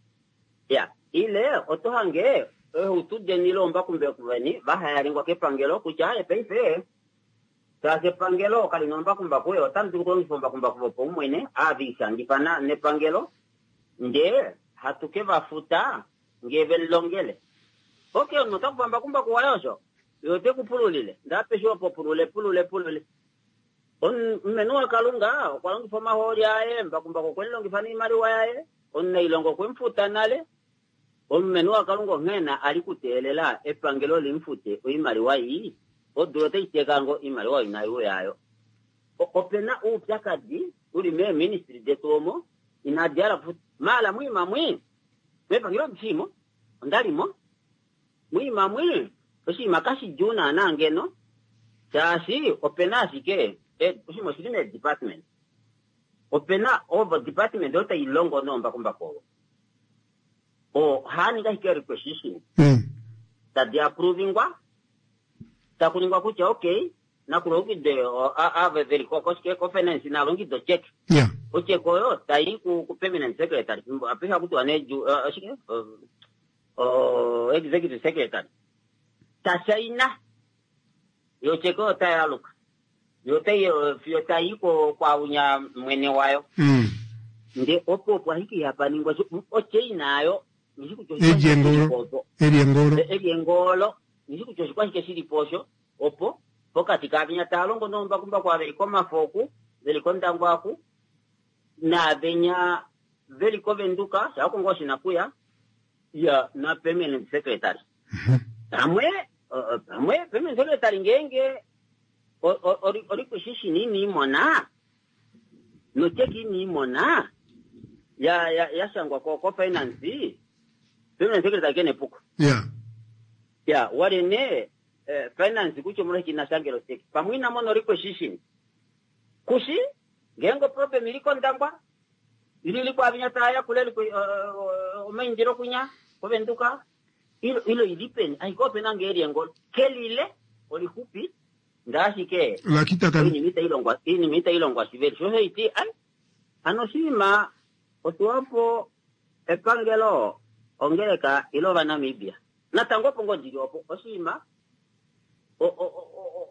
Ya, ile oto hange eehauto deni ile oombakumbaku veni va hayalingwa kepangelo kutya aye paife. Shaashi epangelo kali na ombakumbaku, ye otamu dulu okulongifa ombakumbaku vopaumwene ava ve ishangifa nepangelo, ndee hatu ke va futa ngee ve lilongele. Ok, omunhu ota kufa mbakumbaku waye osho, ye ote ku pululile, ndee apeshe opo pulule, pulule, pulule. Omulumenhu waKalunga okwa longifa omahooli aye, mbakumbaku okwe mu longifa noimaliwa yaye, omunailonga okwe mu futa nale. Omulumenhu waKalunga onghee na a li kuteelela epangelo li mu fute oimaliwa ii, odula otai teka ngoo oimaliwa oyo inai uya ayo. Ope na oupyakadi u li meeministry detu omo inadi hala okufuta. Maala mwiima mwi, mepangelo ondi shii mo, onda li mo. Mwiima mwi, oshinima kashidjuu naana ngeno, shaashi ope na ashike, oshinima oshili meedepartment. Ope na ovo department oyo tai longo noombakumbaku ovo. Ohaa ningi ashike requisition. Tadi approvingwa, taku ningwa kutya okay, nakulongekidwe ava veli koshike ko finance na longekidwe ocheck. Ocheck oyo tai ku permanent secretary, apehe haku tiwa nee oshike executive secretary ta shaina yo ocheck oyo otai aluka yo otai fiyo tai ko kwaunya mwene wayo. Nde opo opo ashike ihapa ningwa ochaina ayo nishi kutya oshike eliengolo eliengolo nishi kutya oshikwashike shili po osho opo pokati kaavinya taa longo noombakumbaku ava veli komafo oku veli kOndangwa aku naavenya veli koVenduka shaako ngoo oshinakuya ya na permanent secretary pamwe pamwe permanent secretary ngeenge orikushishi nini imona nocheki ini imona ya ya yashangwa ko ko finance permanent secretary kene epuko ya wali ne finance kutya omolwashike ina shangela ocheki pamwe ina mona requisition kushi ngeenge oproblem ili kOndangwa ili ili kwaavinya taa yakula omaindilo kunya koVenduka ilo ilo ili peni ashike opena ngee eliengolo kelile olixupi ndee ashike oinima itai longwa oinima itai longwa shiveli sho osho iti ai hano oshinima otiwapo epangelo ongeleka ile Ovanamibia natango opo ngoo ndili opo oshinima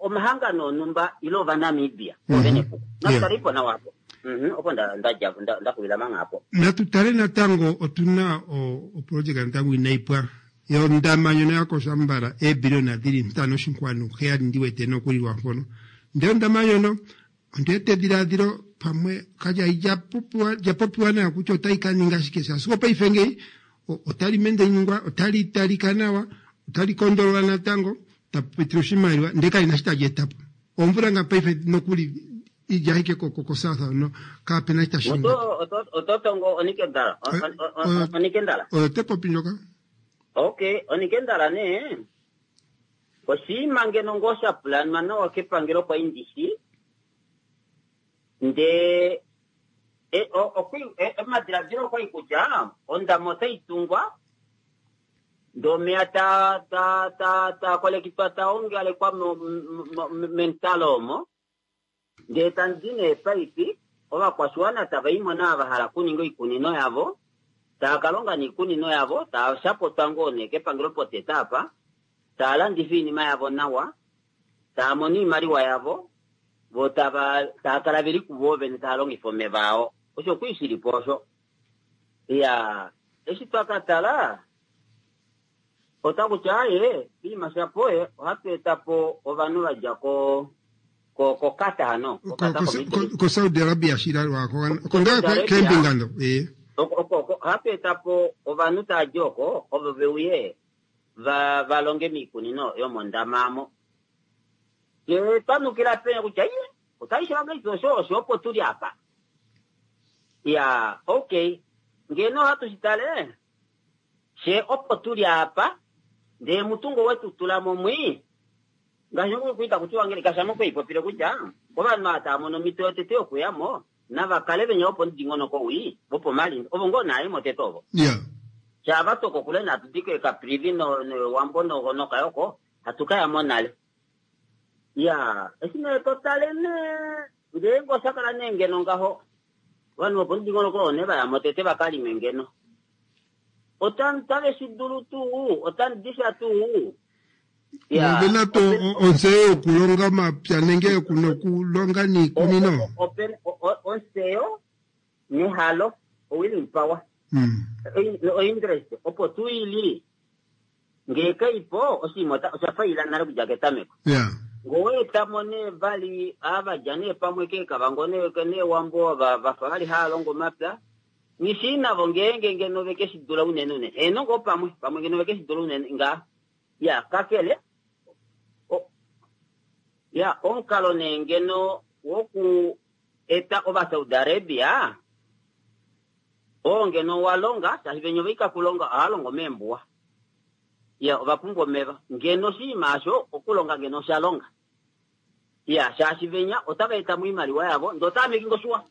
omahangano onumba ile Ovanamibia ovene epuko natutale ipo nawa apo opo ndadja ndaxulila manga apo. Natutale natango otuna oprojeka natango inai pwa yondama ndjono yakoshambala eebiliona dili 5.7 ndiwete nokuli lwampono ndee ondama ndjono ondiwete edilaadilo pamwe kalya li lya popiwa nawa kutya otai ka ninga shike shaashi opaife ngeyi otali mende ningwa otali talika nawa otali kondolola natango tapu pitile oshimaliwa ndee kali na shi tali etapo omvula nga paife nokuli idja ashike koSouth no kapena shi tashi ningwa oto tongo onikendala onikendala oyo te popi ndjoka okay onikendala nee oshinima ngeno ngoo sha pulanwa nawa kepangelo kwa indishi ndee omadiladilo okwai kutya ondama otai tungwa ndee omeya ta ta ta ta kolekitwa ta ongalekwa mentalo omo ndee tandi neepaipi ovakwashiwana tava imo naa va hala okuninga oikunino yavo tava kalonga niikunino yavo tava shapotwa ngoo nee kepangelo potete apa tava landifa oinima yavo nawa tava mono oimaliwa yavo vo tava tava kala veli kuvo vene tava longifa omeva ao osho okwi shilipo osho ya eshi twakatala otakutya aye inima shapo ye ohatu etapo ovanhu vadja ko koQatar hano ko Saudi Arabia shila konga kembinga ndo ohatu etapo ovanhu taaji oko ovo veuye va longe miikunino yomondama amo ye twanukila penya kutya iye otashi osho osho opo tuli apa ya okay ngeno ohatu shitale she opo tuli apa ndee mutungo wetu tula momwi ngaashi okuita kutiwa ngele kasha mokuipopile kutya ovanhu ava tava mono omhito yotete yokuyamo nava kale venya vopomudingonoko wii vopomalindi ovo ngoo naayemo tete ovo shava tokokule natu dike Caprivi nowambo nokayoko hatu kayamo nale ya eshi nee totale nee ngeenge osha kala nee ngeno ngaho ovanhu vopomudingonoko oo nee vayamo tete vakalime ngeno otave shi dulu tuu otandisha tuu. Ya, Ovena to ontseyo yokulonga omapya nenge yokunokulonga niikunino. Ontseyo nehalo, o-willing power. O-interest opo tuu ili ngee kaipo oshinima osha faila nale okudja ketameko. Ngee owa etamo nee vali ava dja nee pamwe keekavango neewambo vafa vali hava longo omapya, nghi navo ngeenge ngeno veke shi dula unene unene. Heeno ngoo pamwe, pamwe ngeno veke shi dula unene ngaa. Ya, kakele ya, omukalo nee ngeno woku eta Ovasaudi Arabia oo ngeno wa longa, shaashi venya ovaika kulonga ohava longo meembuwa. Ya, ova pumbwa omeva. Ngeno oshinima osho okulonga ngeno osha longa. Ya, shaashi venya otava eta mo oimaliwa yavo, ndee otava making oshiwa.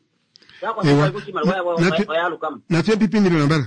Ewa. Kutya oimaliwa yavo oya aluka mo. Natu ye pipindilo nambala.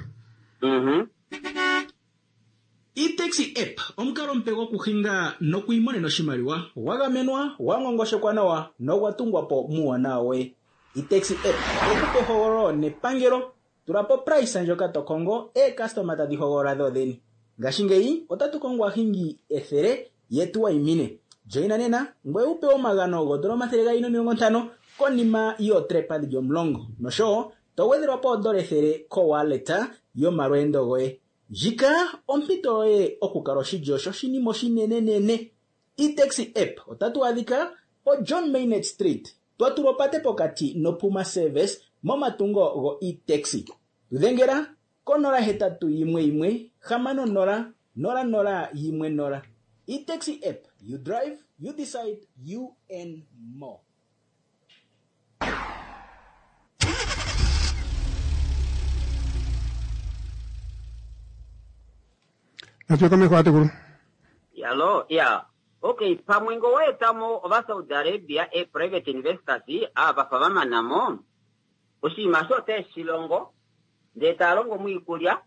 E-taxi app omukalo omupe gokuhinga nokwiimonena oshimaliwa gwa gamenwa, gwa ngongoshekwa nawa nogwa tungwa po muuwanawa woye. E-taxi app oye ku pa ehogololo nepangelo. Tula po price ndjoka to kongo, eekastoma tadhi hogolola dho dhene. Ngashingeyi otatu kongo aahingi 100 ye tu wayimine. Joina nena ngoye wu pewe omagano goodola 250 konima yootrepa dhili 10 noshowo to gwedhelwa po oodola 100 kowallet yomalweendo goye. Ndjika ompito yoye okukala oshilyo shoshinima oshinenenene. E-taxi app otatu adhika poJohn Maynard Street, twa tulwa opate pokati noPuma Service momatungo go-e-taxi. Tu dhengela ko081 60 00 10. E-taxi app, you drive, you decide, you earn more. Natu komeho atekulu. Yalo, ya. Okay, pamwe ngo waetamo ova Saudi Arabia e private investors ava fa vamanamo oshinima osho ote shi longo ndee taya longo moikulya,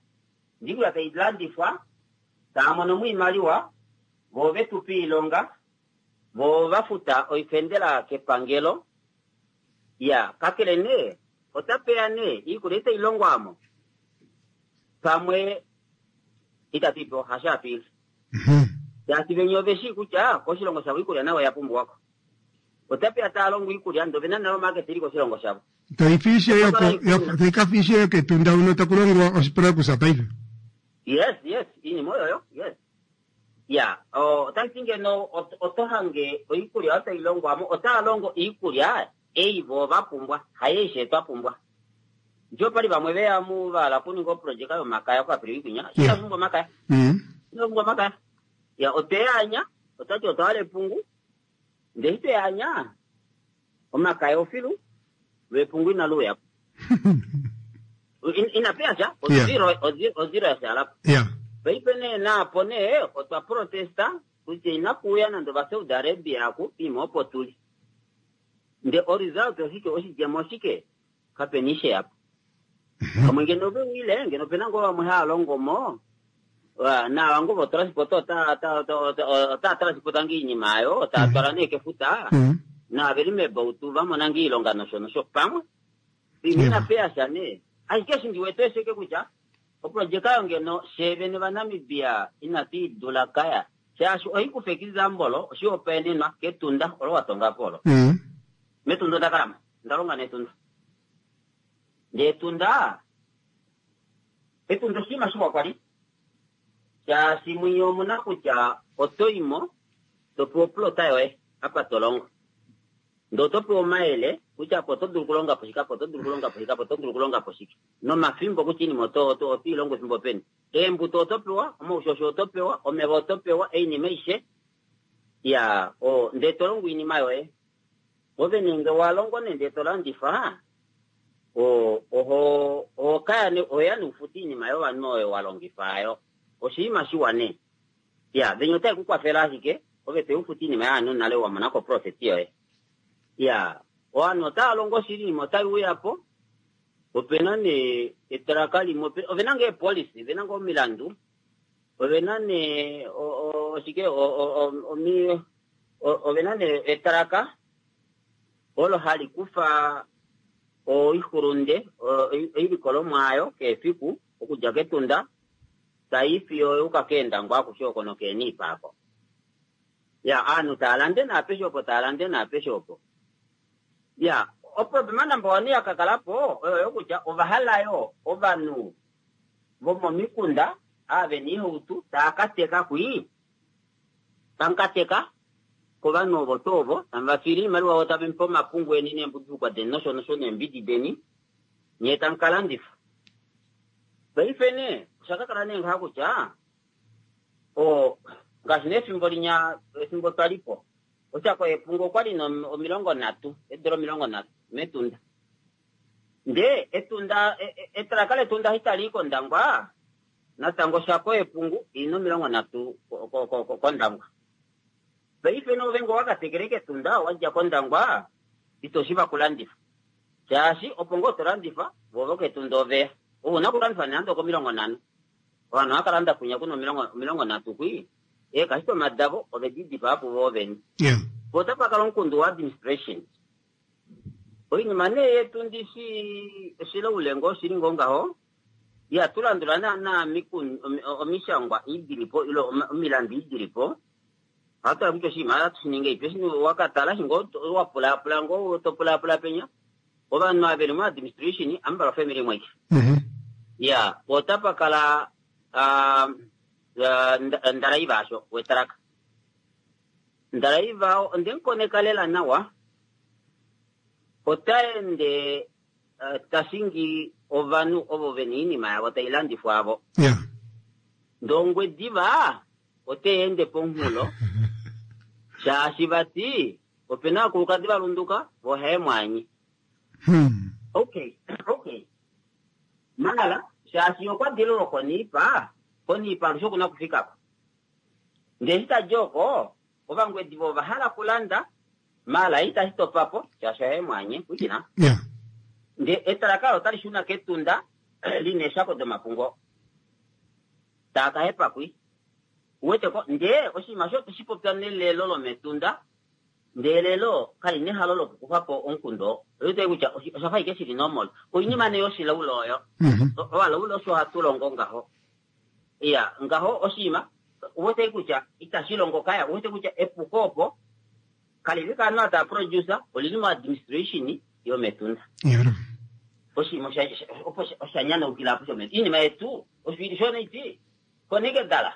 ndee iikulya tai landifwa, taya mono mo iimaliwa, vo ve tu pa iilonga, vo va futa oifendela kepangelo. Ya, kakele nee otapeya nee iikulya itai longwa amo pamwe itatu i pewa hasho hatu ili. Shaashi venya ove shii kutya koshilongo shavo iikulya nayo oya pumbiwako. Otapeya taya longo iikulya ndee ovena nale omarket ili koshilongo shavo. Tai ka fiishe yokEtunda huno taku longwa oshiprakusa paife. Yes, yes, iinima oyoyo, yes. Ya, otashi ngeno oto hange oikulya oyo tai longwa mo, otava longo iikulya ei vo va pumbwa, hayeishe twa pumbwa. Ndjo pali vamwe veya mu vala kuninga oprojeka yomakaya koAprili kwinya, ina pumbwa omakaya. Ina pumbwa omakaya. Ya, otweyaanya, otwati otwa hala epungu, ndee eshi tweyaanya, omakaya ofilu, lwepungu inali uyapo. Ina peya sha, ozero ya shaalapo. Paife nee naapo nee otwa protesta kutya inakuuya nande ovaSaudi Arabia aku piima opo tuli. Nde oresult oshike, oshidjemo oshike, kapena ishe yapo. Pamwe ngeno veuyile, ngeno opena ngoo vamwe hava longo mo, naava ngoo votransport otava transporta ngoo iinima ayo, tava twala nee kefuta, naava veli meebautu vamona ngoo iilonga nosho nosho pamwe. Piima ina peya sha nee. Ashike eshi ndi wete oshike kutya oprojeka oyo ngeno fye vene vaNamibia inatu i dula kaya, shaashi ohaikufa example, oshihopaenenwa kEtunda olo wa tonga po olo. Metunda onda kalamo, onda longa nEtunda. Ndee Etunda, Etunda oshinima shiwa kwali, shaashi mwinya omuna kutya oto imo to pewa oplota yoye apa to longo. Ndee oto pewa omayele kutya apa oto dulu okulonga po shike, apa oto dulu okulonga po shike, apa oto dulu okulonga po shike. Nomafimbo kutya oinima oto i longo efimbo peni. Eembuto oto pewa, omaushosho oto pewa, omeva oto pewa, oinima aishe. Ya, ndee to longo oinima yoye. Ove nenge wa longo nende to landifa, oho kaya oya noufuta oinima yovanhu oyo wa longifa ayo. Oshinima shiwa nee. Ya, venya otai ku kwafela ashike, ove to ufuta oinima yovanhu nale wa mona ko profit yoye. Ya, ovanhu otava longo shili, oinima otai uya po. Opena nee etraka limwe, ovena ngoo eepolisi, ovena ngoo omilandu, ovena nee oshike, ovena nee etraka olo hali kufa oixulunde, oilikolomwa ayo keefiku okudja kEtunda tai fiyo yuka kEendangwa akushe oko nokeeniipa ako. Ya, aanhu taya lande naapeshe opo taya lande naapeshe opo. Ya, oproblema number one ya ka kala po oyo yo kutya ova hala yo ovanhu vomomikunda ava ve na oihauto taya ka teka kwii, tamu ka teka kovanhu ovo tuu ovo, tamu va fiile oimaliwa vo tave mu pe omapungu eni neembudulukwa deni nosho nosho neembidi deni, nyee tamu ka landifa. Paife nee osha ka kala nee ngaha kutya o ngaashi nee efimbo linya efimbo twa li po oshako yepungu okwa li na 30 eedula 30 mEtunda. Ndee Etunda etraka lEtunda eshi tali i kOndangwa natango oshako yepungu i na 30 kOndangwa. Paife nee ove ngee owa ka tekele kEtunda wa dja kOndangwa ito shiva kulandifa shaashi opo ngoo to landifa vo vokEtunda oveya. Ove una okulandifa nande oko 50. Ovanhu ohava kala landa kwinya kuna 30 kwii, eekasitoma davo ove di dipaa puvo vene. Po otapa kala omukundu wa administration. Oinima nee yetu ndishi oshilaule ngoo oshili ngoo ngaho, ihatu landula naana omishangwa ii dili po ile omilandu ii dili po. Ohatu tala kutya oshinima ohatu shi ningi ngahelipi. Eshi wa ka tala eshi ngoo wa pulaapula ngoo to pulaapula penya, ovanhu ava veli mo administration amubalwa family imwe aike. Ya, po otapa kala ndalaiva asho wetraka. Ndalaiva onde mu koneka lela nawa, ota ende ta shingi ovanhu ovo ve na oinima yavo tai landifwa avo. Ndee Ongwediva ote ende pomunghulo shaashi vati opena aakulukadi va lunduka vo ohaye mu anye. Okay, okay. Mala, shaashi okwa dile lwokOniipa, kOniipa alushe oku na okufika ko. Ndee eshi ta di oko, Ovangwediva ova hala okulanda, mala itashi topa po, shaashi ohaye mu anye, pwilikina. Ndee etalaka olo otali shuna kEtunda li na eeshako domapungo. Taa ka hepa kwi. Uwete ko? Ndee oshinima osho otwe shi popya nelelo lomEtunda, ndee elelo kali na ehalo lokukufa po omukundu oo. Oye wete kutya osha fa ashike shi li normal. Oinima nee yoshilaula oyo. Ovalaule osho hatu longo ngaho. Iya, ngaho oshinima uwete kutya itashi longo kaya, uwete kutya epuko opo kali li kaanhu ava tava produce, olili mo administration yomEtunda. Oshinima opo osha nyanaukila apo shomEtunda. Iinima yetu osho ili sho naiti koneke dala.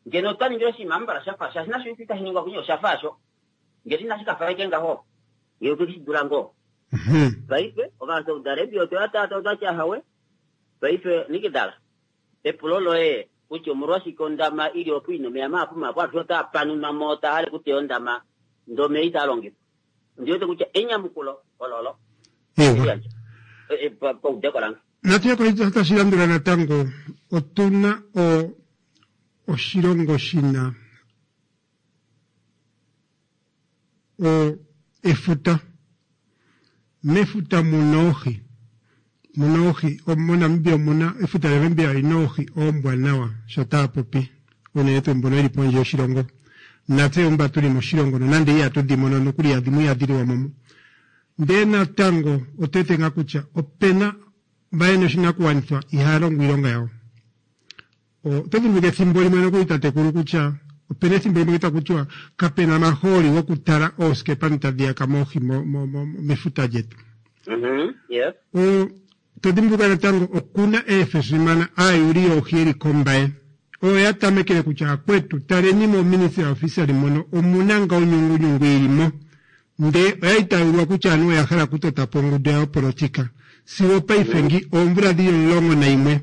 Ngeno otwa ningile oshinima ambala shafa shaashi nasho itashi ningwa kunye osha fa asho. Ngeno inashi ka fa ashike ngaho, ngeno otwe shi dula ngoo. Paife Ovasaudi Arabia otwe va taata otwa tya hawe. Paife Nikidala, epulo loye kutya omolwashike ondama ili opo ina omeya mahapu mahapu alushe otaa panunwa mo taa hale kuteya ondama ndee omeya itaa longifwa. Ondi wete kutya enyamukulo ololo. Ewa. Paudeko lange. Natu ye koshitya tashi landula natango. Otu na o, oshilongo shi na o, efuta. Mefuta mu na oohi. Mu na oohi. MoNamibia omu na, efuta lyaNamibia oli na oohi oombwanawa, sho taya popi, unene tuu mbono ye li pondje yoshilongo. Natse mba tu li moshilongo, nonande ihatu dhi mono nokuli dhimwe ihadhi liwa mo. Ndee natango otu wete ngaa kutya opena mba yena oshinakuwanithwa ihaya longo iilonga yawo. Oto dhimbuluka ethimbo limwe nokuli tatekulu kutya opena ethimbo limwe taku tiwa kapena omahooli gokutala oosikepa ndhi tadhi yaka mo oohi mefuta lyetu. To dhimbuluka natango okuna eefesimana aayuli yoohi yeli kOmbaye oyo ya tamekele kutya akwetu taleni mo Ministry of Fishery mono omuna nga onyungunyungu yili mo ndee oya li taya ulwa kutya anuwa oya hala okutota po ongundu yawo yopolotika. Sigo opaife ngi oomvula dhili 11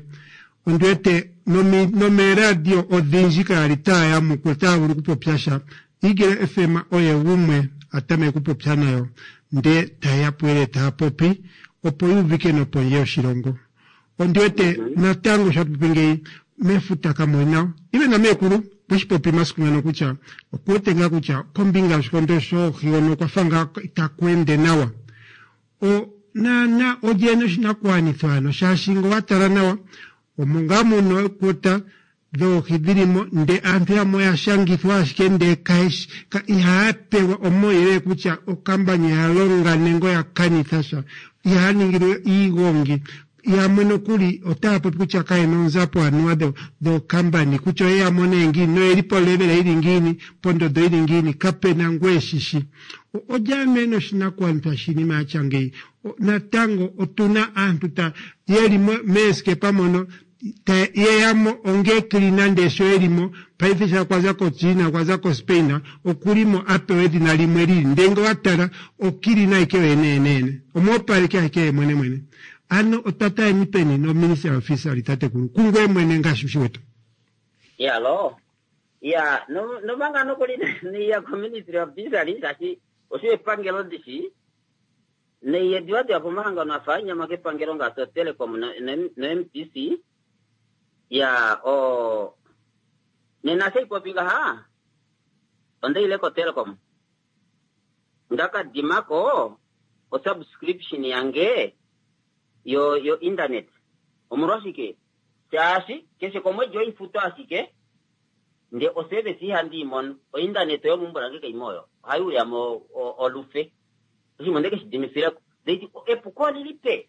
ondi wete nomeeradio odhindji kaya li taya yamukula, taya vulu okupopya sha. Eagle FM oye gumwe a tameke okupopya nayo ndee taye ya puuyelele taya popi opo yu uvike nopondje yoshilongo. Ondi wete natango sho hatu popi ngeyi mefuta kamu li nawa. Ile nameekulu okwe shi popi omasiku ngano kutya okuwete ngaa kutya kombinga yoshikondo shoohi hono okwa fa ngaa itaku ende nawa. O, naana olye ena oshinakuwanithwa ano shaashi nge owa tala nawa omo ngaa muna ookota dhoohi dhili mo nde aantu yamwe oya shangithwa ashike nde kayeshi ka, ihaya pewa omauyelele kutya okambani oya longa nenge oya kanitha sha. Ihaya ningilwe iigongi. Yamwe nokuli otaya popi kutya kaye na oonzapo anuwa dhookambani kutya oye ya mone ngiini noye li polevela yi li ngiini, pondondo yi li ngiini, kape na ngu e shi shi. Olye ano e na oshinakugwanithwa shiinima ya tya ngeyi? Natango otu na aantu ta ye li meesikepa mono ta ye ya mo ongeecleaner ndee sho ye li mo paife sha kwa za koChina okwa za koSpain oku li mo a pewa edhina limwe li li ndee nge owa tala ocleaner ashike yoyene yeneyene omwoopaleki ashike ye mwene mwene. Ano otwa taleni peni noministry officially tatekulu kungoye mwene ngaashi u shi wete? Iyaloo. Iya, no, nomanga nokuli niya koministry of fisheries shaashi osho epangelo ndishi neiye diva diva pomahangano afa anyama kepangelo ngaashi oTelecom no-MTC ya o nena shaipopi ngaha ondaile koTelecom ndakadimako osubscription yange yo yo internet omolwashike shaashi keshe komwedi oifuto ashike nde oservice ihandi i mono ointernet yomeumbo lange kaimo oyo ohai uyamo olufe oshinima onde keshi dimifileko ndeti epuko olili pe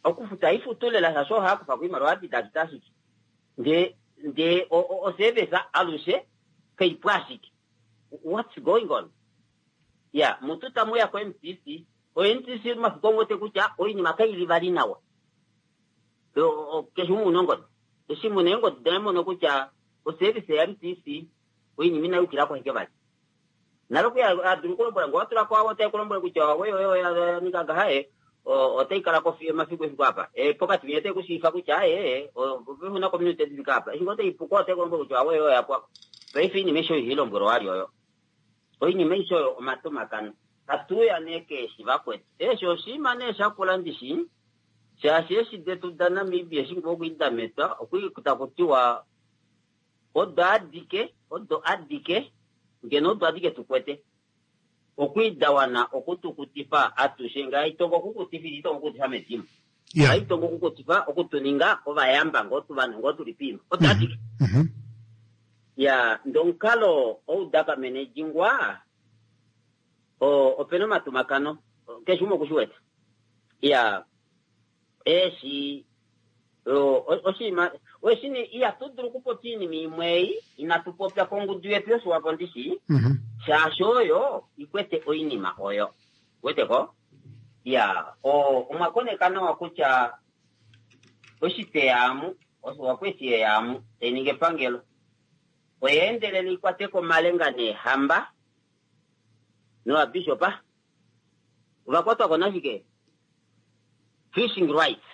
okufuta ifutu lela shaashi ohaya kufa ko iimaliwa yadidakita ashike nde nde oservice alushe kaipu ashike what's going on ya mutu tamuya ko MTC o MTC omafiku omu kutya oinima kaili vali nawa keshe umwe una ongodi eshi muna eengodi daye mono kutya oservice ya MTC oinima inayukilako ashike vali nale okuya adulu okulombwela nge watula ko otai kulombwele kutya owe oyo ya ninga ngaha e otai kala ko fiyo omafiku efiku apa pokati winya otai kushiifa kutya aye una kominute difika apa eshi ngoo otai puko otai kulombwele kutya awe oyo yapwako paife oinima eshi oyo ilombwelwa wali oyo oinima eshi oyo omatomakano hatuya nee keeshi vakwetu eeshi oshiima nee shakula ndishi shaashi eeshi detu daNamibia eshi ngoo okwiidametwa okwi takutiwa odo adike odo adike ngeno odo adike tukwete okwiidawana okutukutifa atushe ngaa itongo okukutifa itongo okukutifa medimo itongo okukutifa okutuninga ovayamba ngoo tuvanhu ngoo tuli piima odo adike ya ndomukalo oudakamenejingwa opena omatumakano keshe umwe okushiwete ya eeshi oshinima oshini ihatu dulu okupopya iinima imwe ei inatu popya kongudu yetu yoshiwapo ndishi shaashi oyo ikwete oinima oyo weteko ya omwa koneka nawa kutya oshiteyaamu oshiwapo eshi yeyaamu tai ningi epangelo oyeendelele ikwateko omalenga neehamba novabishopa ovakwatwako nashike fishing rights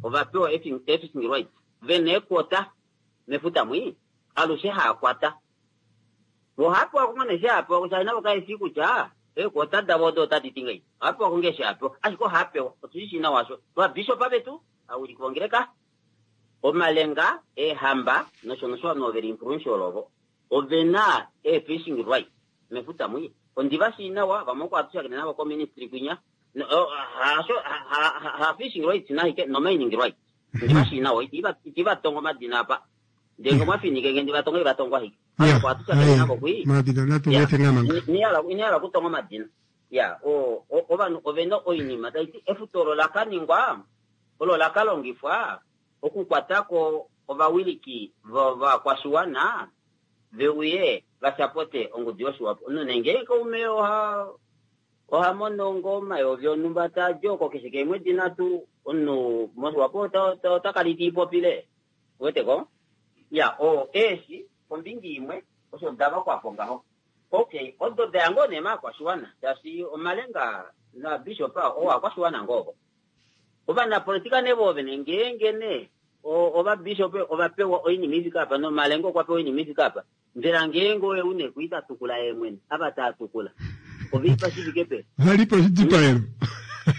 ovapewa fishing rights vena eequota mefuta mwi alushe haakwata ohapewa kongone eshi hapewa kutya navo kaeshi kutya eequota davo odo otadi ti ngei ohapewa konge eshi hapewa ashike ohapewa otushi nawa sho ovabishopa vetu awiliki vongeleka omalenga eehamba nosho nosho ovanhu oveli influential ovo ovena ee-fishing rights mefuta mwi ondiva shii nawa vamwe oko hatu shakene navo koministry kwinya hasho ha fishing rights nahike no mining rights ndiva shii nawa iti vatonga omadina apa ndenge mwafinike nge ndivatonga ivatongwa hike oko hatu shakene navo kwi inihala okutonga omadina ya ovanhu ovena oinima taiti efuto olo lakaningwa olo lakalongifwa okukwatako ovawiliki vakwashiwana veuye vasapote ongudu yoshiwapo omunhu nenge kaume oha oha mono ngoo omayovi onhumba taadi oko keshe keemwedi nhatu omunhu moshiwapo ota kala itiipopile weteko ya o eeshi kombinga imwe osho davakwapo ngaho okay odo daya ngoo nee maakwashiwana shaashi omalenga nabishopa owakwashiwana ngoo ovo ovanapolitika nee voovene ngeenge nee ovabishop ovapewa oinima ifika apa nomalenga okwa pewa oinima ifika apa mbela ngeenge oye une kuita tukula ye mwene ava taa tukula oveipa shifike pe valipo oshidipaelo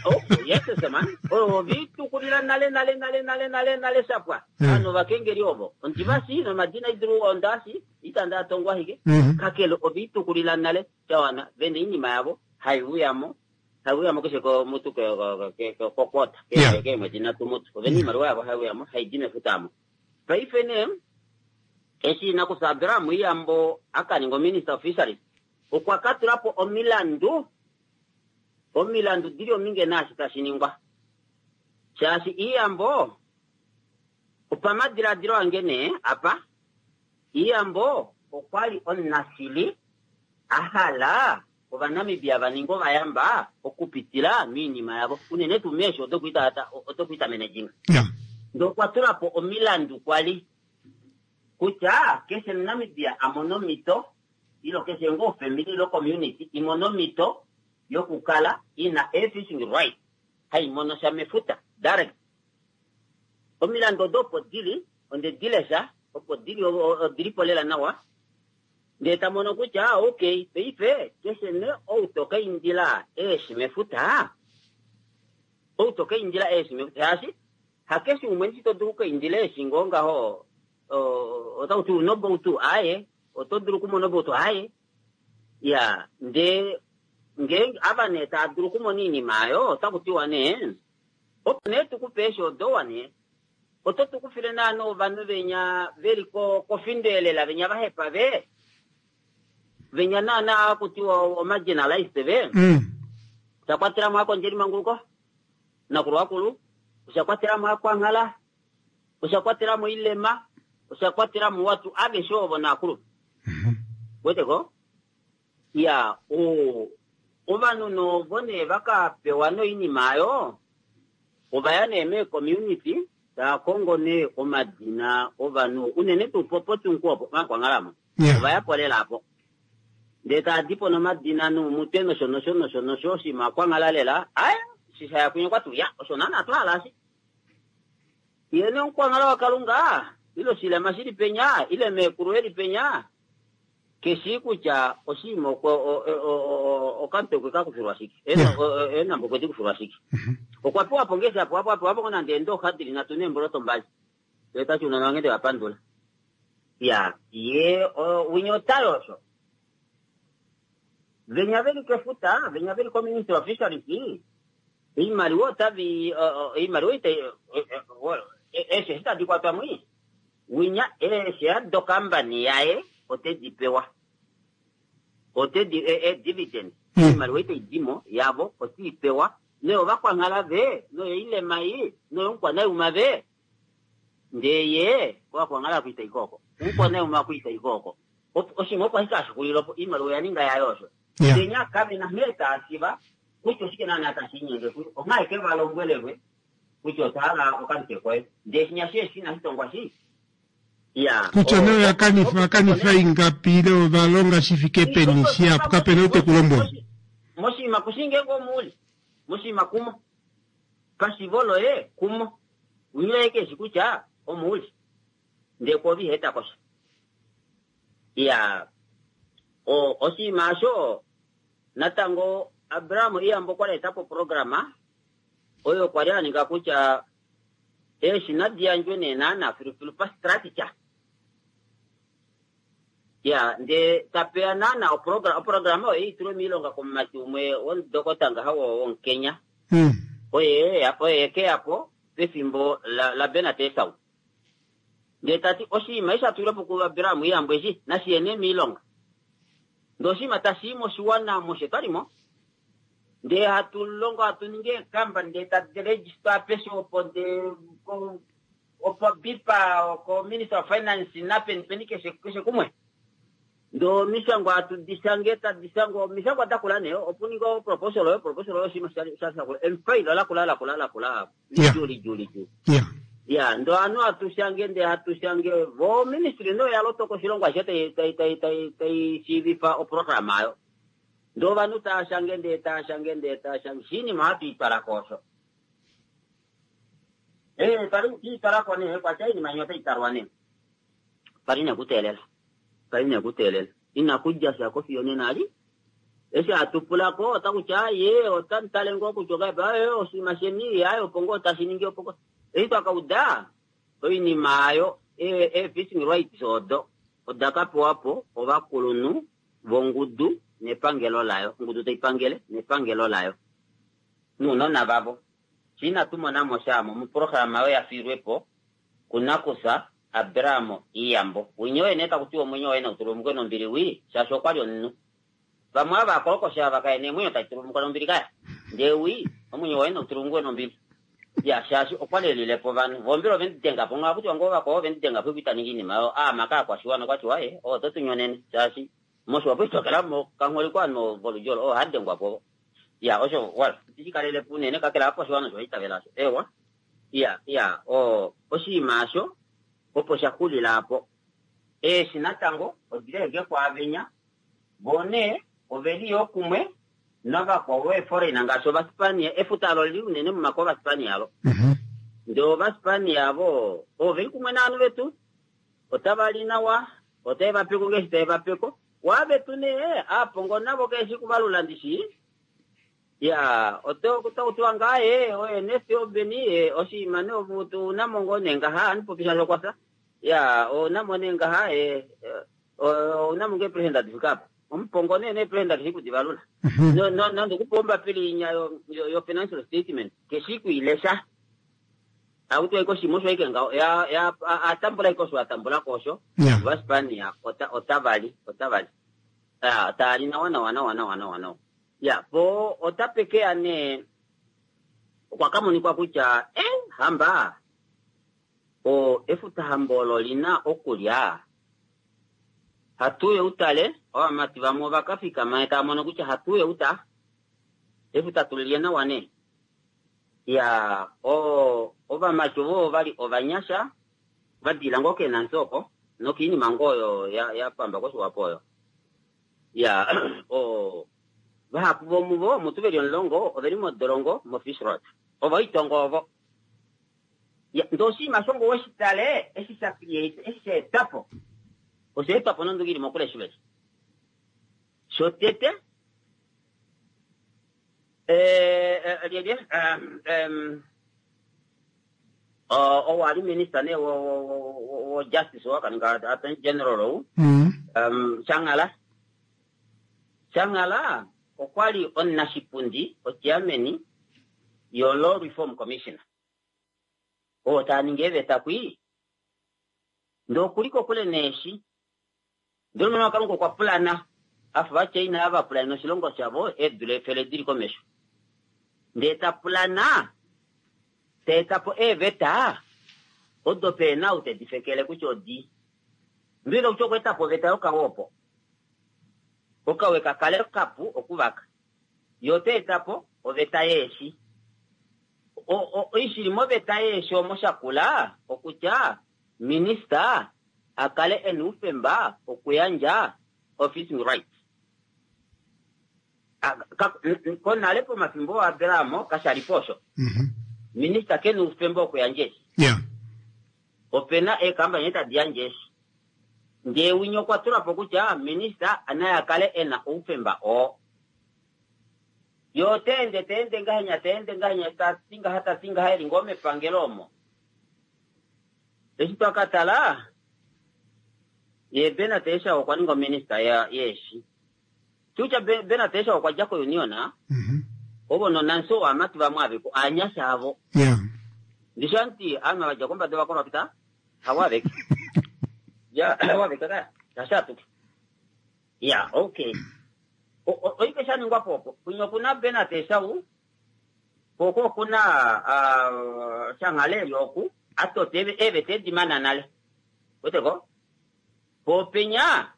oh yes man ovitukulila nale nale nale nale nale nale shapwa ovanhu ovakengeli ovo ondivasi nomadina idulu ondasi itanda atongwa ashike kakele oviitukulila nale shawana vena oinima yavo hai uyamo hai uyamo keshe komutu kokota keemwedi nhatu mutu ovena oimaliwa yavo hai uyamo haidi mefuta amo paife nee eshi nakusa Abraham Iyambo akaninga ominister of fisheries okwa katulapo omilandu omilandu dili ominge naashi tashi ningwa. Shaashi Iiyambo opamadiladilo ange nee apa, Iiyambo okwa li omunashili a hala Ovanamibia va ninge ovayamba okupitila moinima yavo, unene tuu meeshi odokwiita managing. Ndee okwa tula po omilandu kwa li kutya keshe Omunamibia a mone omhito ile keshe ngoo ofamily ile community i mone omhito yokukala i na ee-fishing right hai mono sha mefuta direct. Omilandu odo opo di li, onde di lesha, opo di li, odi li po lela nawa. Ndee ta mono kutya ok, paife keshe nee ou to ka indila eeshi mefuta, ou to ka indila eeshi mefuta, shaashi hakeshe umwe ndishi to dulu oku ka indila eeshi ngoo ngaho, otaku ti una oboutu, aaye, oto dulu okumona oboutu, aaye. Iya, ndee ngeenge ava nee tava dulu okumona oinima oyo, otaku tiwa nee, opo nee tu ku pe eeshi odo wa nee, Oto tu kufile naana ovanhu venya ve li kofindo elela, venya va hepa ve, venya naana haku tiwa omarginalized ve. Osha kwatela mo aakondjelimanguluko, nakulu akulu, osha kwatela mo aakwanghala, osha kwatela mo oilema, osha kwatela mo watu aveshe ovo naakulu. Wete ko? Ya, o, ovanhu novo nee va ka pewa noinima ayo, ova ya nee meecommunity tava kongo nee omadina ovanhu, unene tuu po poTunku opo, Omakwanghalamo. Yeah. Ova ya po lela apo. Ndee tava di po nomadina noumutwe nosho nosho nosho nosho, oshinima Okwanghala lela, aye, eshi sha ya kunye okwa ti, ya, osho naana twa hala eshi. Ye nee Omukwanghala waKalunga, ile oshilema shi li penya, ile meekulu e li penya, Ke shii kutya oshinima okwe okamutwe okwe ka kufilwa shike. Eenhambo okwe di kufilwa shike. Okwa pewa po ngeshi a pewa po, a pewa po ngoo nande eendooxa di li nhatu neemboloto mbali. Ndele ta ti ounona vange nde va pandula. Ya, ye winya ota yosho. Venya ve li kefuta, venya ve li koMinistry of Fisheries, oimaliwa otavi, oimaliwa itai, eeshi eshi tadi kwatwa mwii. Winya eeshare dokambani yaye ote di pewa. Ote di, e, e, dividend, oimaliwa ei tai di mo yavo ote i pewa. Noyovakwanghala ve, noyoilema ei, noyomukwanauma ve. Ndee ye, kovakwanghala oku itai ko oko. Omukwanauma oku itai ko oko. Oshinima opo ashike hashi xulile opo, oimaliwa oya ninga yaye osho. Ndee nya kave na nghee taa shiva kutya oshike naana tashi linyenge kuyo. Onghee ashike va lombwelelwe kutya otwa hala okamutwe koye. Ndee shinya shi eshi inashi tongwa shi. Iya. Kutya nee oya kanifa, va kanifa ingapi ile ova longa shi fike peni shihapu, kape na ou te ku lombwele. Moshinima ku shii ngeenge omo u li. Moshinima kumo. Pashivo loye kumo. Winya oye ke shi kutya omo u li. Ndee kwoove iha eta ko sha. Iya. O, oshinima osho, natango Abraham Iyambo okwa li a eta po oprograma oyo kwa li a ninga kutya eeshi nadi yandjwe nee naana filufilu pastructure. Ya, ndee tapeya naana oprogram, oprograma oyo i tulwe miilonga komumati umwe womudokota ngaha womuKenya. Oye oye ke ya po pefimbo la, la Bernard Esau. Ndee ta ti oshinima eshi sha tulwe po kuAbraham Iyambo eshi nashi ye nee miilonga. Ndee oshinima tashi i moshiwana mushe twa li mo. Ndee hatu longo hatu ningi eekamba ndee tadi register apeshe opo ndee ko opo bipa ko Minister of Finance napeni peni keshe keshe kumwe. Ndee omishangwa hatu di shange tadi shangwa omishangwa da kula nee opo ninga o proposal oyo proposal oyo oshinima sha sha shakula emfailo lakula lakula lakula lidjuu lidjuu lidjuu. Yeah. Ya, ndee ovanhu hatu shange ndee hatu shange vo ministry nee oya lotoka oshilongo ashishe tai tai tai tai tai shiivifa oprograma ayo. Ndee ovanhu taa shange ndee taa shange ndee taa shange, shinima ohatu i twala ko osho. Ee, twali twi twala ko nee, kwatya oinima inya otai talwa nee. Twali nee kuteelela. Twali nee kuteelela. Inaku dja sha ko fiyo nena ali. Eshi hatu pula ko, otaku ti, aaye, otamu tale ngoo kutya ongahelipi, aaye, oshinima sheni, aaye, opo ngoo tashi ningi, opo ngoo. Eshi twa ka uda, oinima oyo, ee-fishing rights odo, oda ka pewa po ovakulunhu vongudu nepangelo layo, ongudu tai pangele nepangelo layo nounona vavo. Fye inatu mona mo sha mo moprograma oyo ya fiilwe po kunakufya Abraham Iiyambo. Winya oye nee taku tiwa omwenyo waye nau tulumukwe nombili wii, shaashi okwa li omunhu. Vamwe ava vaakolokoshi ava kaye na eemwenyo tadi tulumukwa nombili kaya. Ndee wii, omwenyo waye nau tulumukwe nombili. Ya, shaashi okwa lelile po ovanhu. Vo mbela ove mu denga po, ngaha kutiwa ngoo vakwao ove mu denga po ita ningi iinima oyo. Aama kaakwashiwana okwa tiwa e, oto tu nyonene shaashi mOshiwapo ito kala mo kangholi kwaanhu voludji olo, oo ha dengwa po. Ya, osho, well, itishi kalele po unene kakele aakwashiwana osho va itavela osho. Eewa. Ya, ya, o, oshinima osho opo sha xulila apo. Eeshi natango odili ashike kwaavenya, voo nee oveli yoo kumwe navakwao veeforeigner ngaashi Ovaspania. Efuta alo olili unene momake Ovaspania alo. Ndee Ovaspania avo oveli kumwe naanhu vetu, otava li nawa, otave va peko ngeeshi tave va peko. Waavetu nee, aapongo navo keeshi kuvalula ndishi. Ya, oto otaku tiwa ngaa ee, oye nesi obeni, ee, oshinima nee ouna mo ngoo nee ngaha, ohandi popi shaashi okwa fya. Ya, ouna mo nee ngaha, ee, ouna mo ngoo eepresenda di fike apa. Omupongo nee neepresenda keshi kudivalula. Nande okupewa ombapila inya yo financial statement, keshi kuilesha. Akuti waike oshinima osho aike ngaho, ya, ya, atambula aike osho atambula ko osho. Ovaspania otava li, otava li. Ya, tava li nawa nawa nawa nawa nawa nawa. Ya, po otape ke ya nee, okwa ka monikwa kutya, eh, hamba, o, efuta hamba olo li na okulya. Hatu uye utale, ovamati vamwe ova ka fikama tava mono kutya hatu uye uta, efuta tu lilye nawa nee. Ya, o, ovamati ovo ova li ovanyasha, va dila ngoo keenansi oko, nokiinima ngoo oyo ya, ya pamba kOshiwapo oyo. Ya, o, vahapu vomuvo, mutu veli 10, oveli modolongo moFishrot. Ovo oitongo ovo. Ya, ndee oshinima shongo weshitale, eshi sha create, eshi sha etwa po. Osha etwa po nonduki ili mokule shiveli. Shotete, lyelye, ou ali minister nee wo justice wakaninga attorney general ou, Shanghala. Shanghala okwa li omunashipundi, ochairman yo Law Reform Commissioner. Oo taa ningi eeveta kwii. Ndee okuli kokule neeshi. Ndele Omwene waKalunga okwa pulana, a fa Ovachina ava va pulanena oshilongo shavo eedula efele dili komesho. Ndee ta pulana, ta eta po eeveta odo pehe na ou te di fekele kutya odii. Mbela kutya okwa eta po oveta yokawe opo okawe ka kale kapu okuvaka. Ye ota eta po oveta yeeshi. Oishili moveta yeeshi omo sha kula okutya minista a kale e na oufemba okuyandja o-fishing rights. Konale pomafimbo ooAbraham kasha li po osho. Minista ke na oufemba wokuyandja eeshi. Ope na eekambani tadi yandje eeshi. Ndee winya okwa tula po kutya minista naye a kale e na oufemba oo. Ye ota ende ta ende ngahenya ta ende ngahenya ta ti ngaha ta ti ngaha e li ngoo mepangelo omo. Eshi twa ka tala, ye Bernard Esau okwa ninga ominista yeeshi. Kutya Bernard Esau okwa dja koUnion, ovo nonansi ovamati vamwe aveko aanyasha avo. Ndishi anti ovanhu va dja kombada ova corrupta, havo aveke. Ya, havo aveke kaya. Kasha atuke. Ya, okay. Oike sha ningwa po opo. Kwinya okuna Bernard Esau, ko oko okuna Shanghala eli oku, atota eeveta edi mana nale. Weteko? Po penya,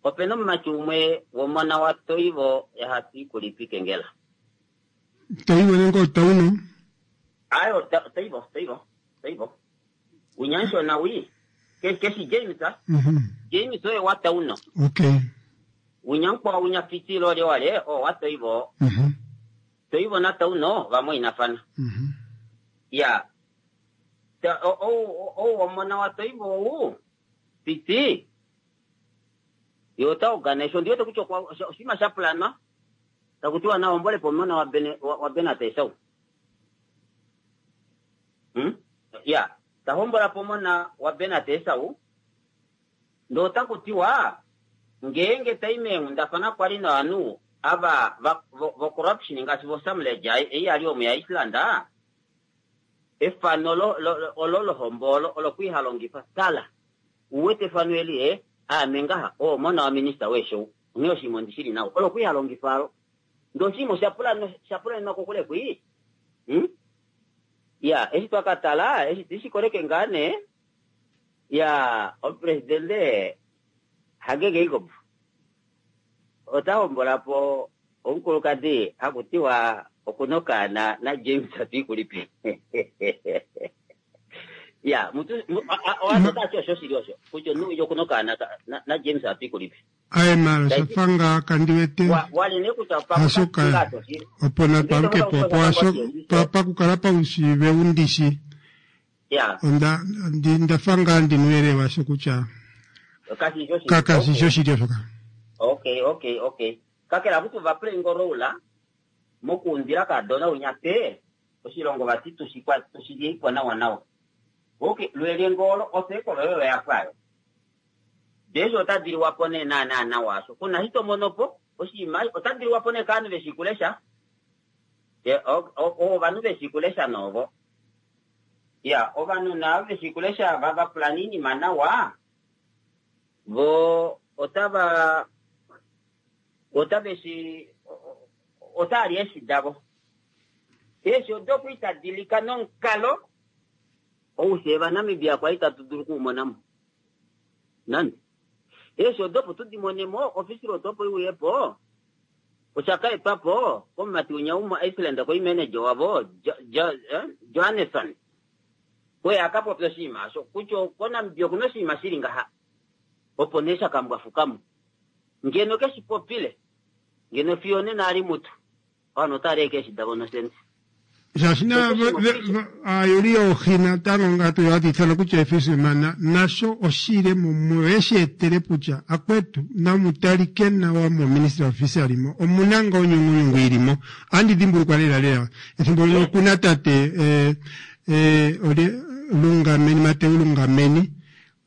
opena omumati umwe womona waToivo yaHatwiikulipi Kengela. Toivo nenge oTauno? Ayo, Toivo, Toivo, Toivo. Unyanshona wi. Keshi James, ah? James oye waTauno. Unyankwao unyafitilo ole wale, o waToivo. Toivo naTauno vamwainafana. Ya. Ou womona waToivo ou, Piti, ye ota organise, ondi wete kutya oshinima sha pulanwa, taku tiwa na hombole po omona waBernard Esau. Ya, ta hombola po omona waBernard Esau, ndee otaku tiwa ngeenge tai meenghundafana kwali novanhu ava vo corruption ngaashi vo Samleja ei yali omu yaIceland, efano olo lohombo olo olo kwi halongifa. Tala, uwete efano eli e aame ngaha oo omona wa minista weesho onghee oshinima ondi shili nawa olo kwi halongifa alo. Ndee oshinima osha pulanenwa kokule kwii. Ya, eshi twa ka tala, eshi tishikoleke ngaa nee, ya, omupresidente Hage Geingob ota hombola po omukulukadi haku tiwa okuna okaana naJames Hatuikulipi. Ya, mutu, owatu tati osho shili osho, kutya omunhu okuna okaana naJames Hatuikulipi. Aye maala osha fa ngaa kandi wete hasho ka opo natwaluke po opo hasho pakukala paushiive undishi onda nda fa ngaa ndi nuuyelele washo kutya kashi shi oshili osho ka. Okay, okay, okay. Kakele akuti ova play ngo role mokuundila kaadona winya pe oshilongo vati tushilye nawa nawa. Okay, lwelye ngolo osekolo oyo ya pwayo. Jesu ota diliwa po nee naanaa nawa asho. Kuna hito mono po, oshinima ota diliwa po nee kaanhu veshi kulesha. Ovanhu veshi kulesha novo. Ya, ovanhu navo veshi kulesha vava pulana iinima nawa. Vo otava otaveshi otali eshi davo. Eshi odo kuitadilika nomukalo oushe vaNamibia kwali tatu dulu kuumonamo. Nande. Eeshi odo opo tu di mone mo, ofisili odo opo i uye po, osha ka etwa po komumati winya womuIceland koi manager wavo, Johannesson. Oye a ka popya oshinima osho, kutya koNamibia okuna oshinima shi li ngaha. Opo nee sha ka mbwafuka mo. Ngeno ke shi popile, ngeno fiyo onena a li mutu. Ovanhu otava li ashike eeshi davo nosende. Shaashi na aayuli yoohi natango ngatu hatu ithana kutya efisherman nasho oshile mumwe oyeshi etele kutya akwetu namutalike nawa mo Ministry of Fishery mo omuna nga onyungunyungu ilimo. Andi dhimbulukwa lela lela ethimbo lino okuna tate eh, eh, olye Lungameni Mateu Lungameni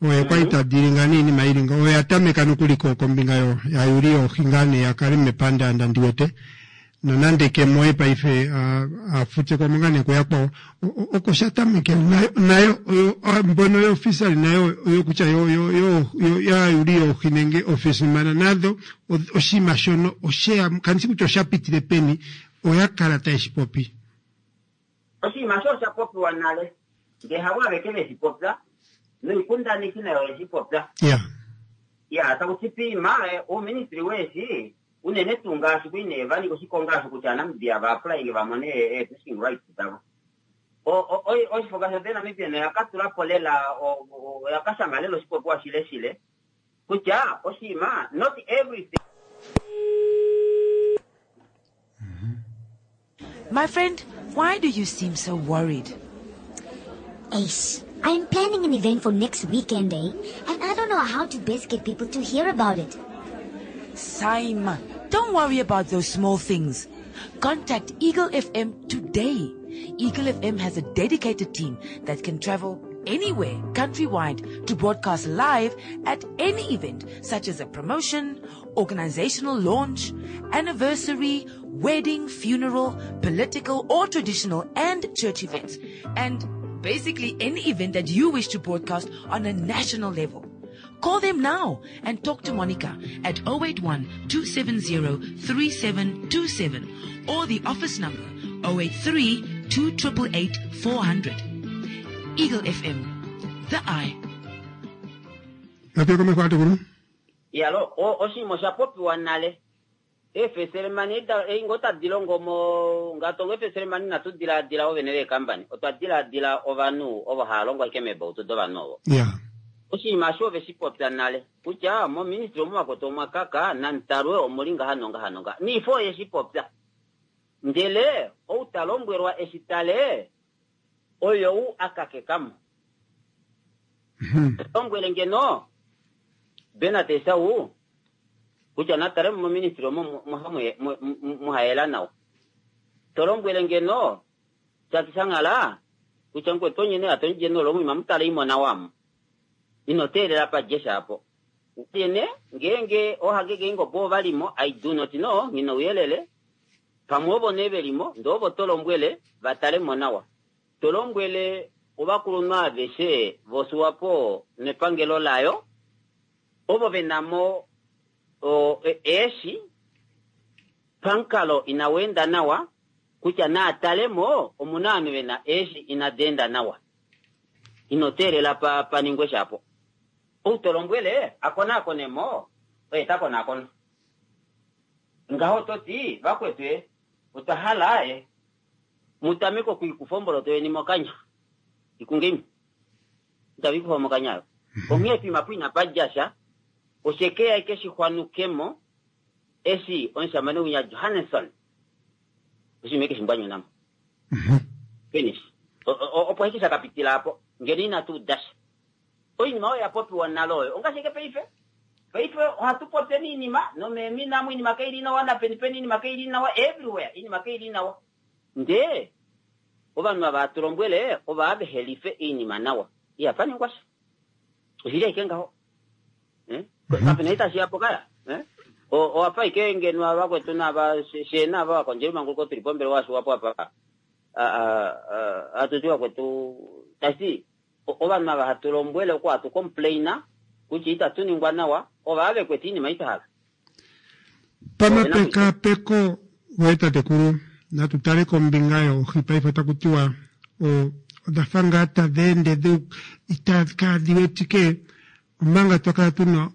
oye kwali ta dilinga niinima ili nga oye a tameka nokuli ko kombinga yo yaayuli yoohi ngaa nee ya kale mepandaanda ndi wete nonande ke mo ye paife a futsekwa mo ngaa nee kuyakwawo oko sha tameke nayo nayo mbono yoofisali nayo oyo kutya yo yo yo yaayuli yoohi nenge ofisimana nadho oshinima shono osheya kandi shi kutya osha pitile peni oya kala taye shi popi. Oshinima osho osha popiwa nale, ndee havo aveke ve shi popya, noikundaneki nayo oye shi popya. Yeah. Ya, taku ti piima, uuministry weeshi, unene tuu ngaashi kui nee va ninga oshikonga osho kutya Aanamibia va applyinge va mone ee fishing rights davo. Oshifo ngaashi oThe Namibian oya ka tula po lela, oya ka shanga lela oshipopiwa shileshile kutya oshinima not everything. My friend, why do you seem so worried? Ace, I'm planning an event for next weekend, eh? And I don't know how to best get people to hear about it. Saima, don't worry about those small things. Contact Eagle FM today. Eagle FM has a dedicated team that can travel anywhere countrywide to broadcast live at any event such as a promotion, organizational launch, anniversary, wedding, funeral, political or traditional and church events, and basically any event that you wish to broadcast on a national level. Call them now and talk to Monica at 081 270 3727 or the office number 083 288 400. Eagle FM, the eye. Natu komeho atukulu. Yalo, oshinima osha popiwa nale. Eefeselemani ei ngoo tadi longo mo ngatongo eefeselemani inatu dilaadila ovene veekambani, otwa dilaadila ovanhu ovo hava longo ashike meebautu dovanhu ovo. Yeah. Oshinima osho ove shi popya nale kutya moministry omu vakwetu omwa kaka namutalwe omuli ngaha nongaha nongaha. Niifo oye shi popya. Ndele ou ta lombwelwa eshi tale oyou a kakeka mo. Lombwele ngeno Bernard Esau kutya natale mo moministry omo muhayela nawa. To lombwele ngeno Jacky Shanghala kutya mukwetu onyene atondje nolomu ima mutale imona wamo. Ino teelela pa jesha apo. Yene ngeenge ooHage Geingob ova limo I do not know nghi na ouyelele. Pamwe ovo nee ve limo ndee ovo to lombwele va tale mo nawa. To lombwele ovakulunhu aveshe voSwapo nepangelo layo ovo ve na mo eeshi pamukalo inau enda nawa. Kutya naa tale mo omu na ovanhu ve na eeshi inadi enda nawa. Ino teelela pa, pa ningwe shapo. Ou to lombwele a konaakone mo, oye ta konaakona. Ngaho oto ti, Vakwetu e, otwa hala e, mu tameke okwiikufa omboloto yeni mokanya. Ikungeni. Itava ikufa mokanya ayo. Onghee poima po inapa dja sha, oshe ke ya eke shi xwanuke mo, eshi omushamane winya Johannesson, oshinima eke shi mbwanyuna mo. Finish. Opo ashike sha ka pitila apo, ngeno inatu uda sha. Oinima oyo ya popiwa nale oyo ongaashi ashike paife. Paife ohatu popyeni iinima nomeemina amu iinima kai li nawa napeni peni iinima kai li nawa everywhere iinima kai li nawa. Ndee ovanhu ava hatu lombwele ova vehe life iinima nawa. Ihapa ningwa sha. Oshili ashike ngaho. Eh? Kapena itashi yapo kaya. Eh? Owafa ashike ngeno ava vakwetu nava she nava vakondjeli manguluko tuli pombelewa yashiwapo apa. Hatu ti vakwetu tashi Ovanhu ava hatu lombwele oku hatu complaina kutya itatu ningwa nawa, ova ve kwete iinima ei twa hala. Pamapekapeko goye tatekulu, natu tale kombinga yoohi paife otaku tiwa odha fa ngaa tadhi ende kaadhi wetike omanga twa kala tuna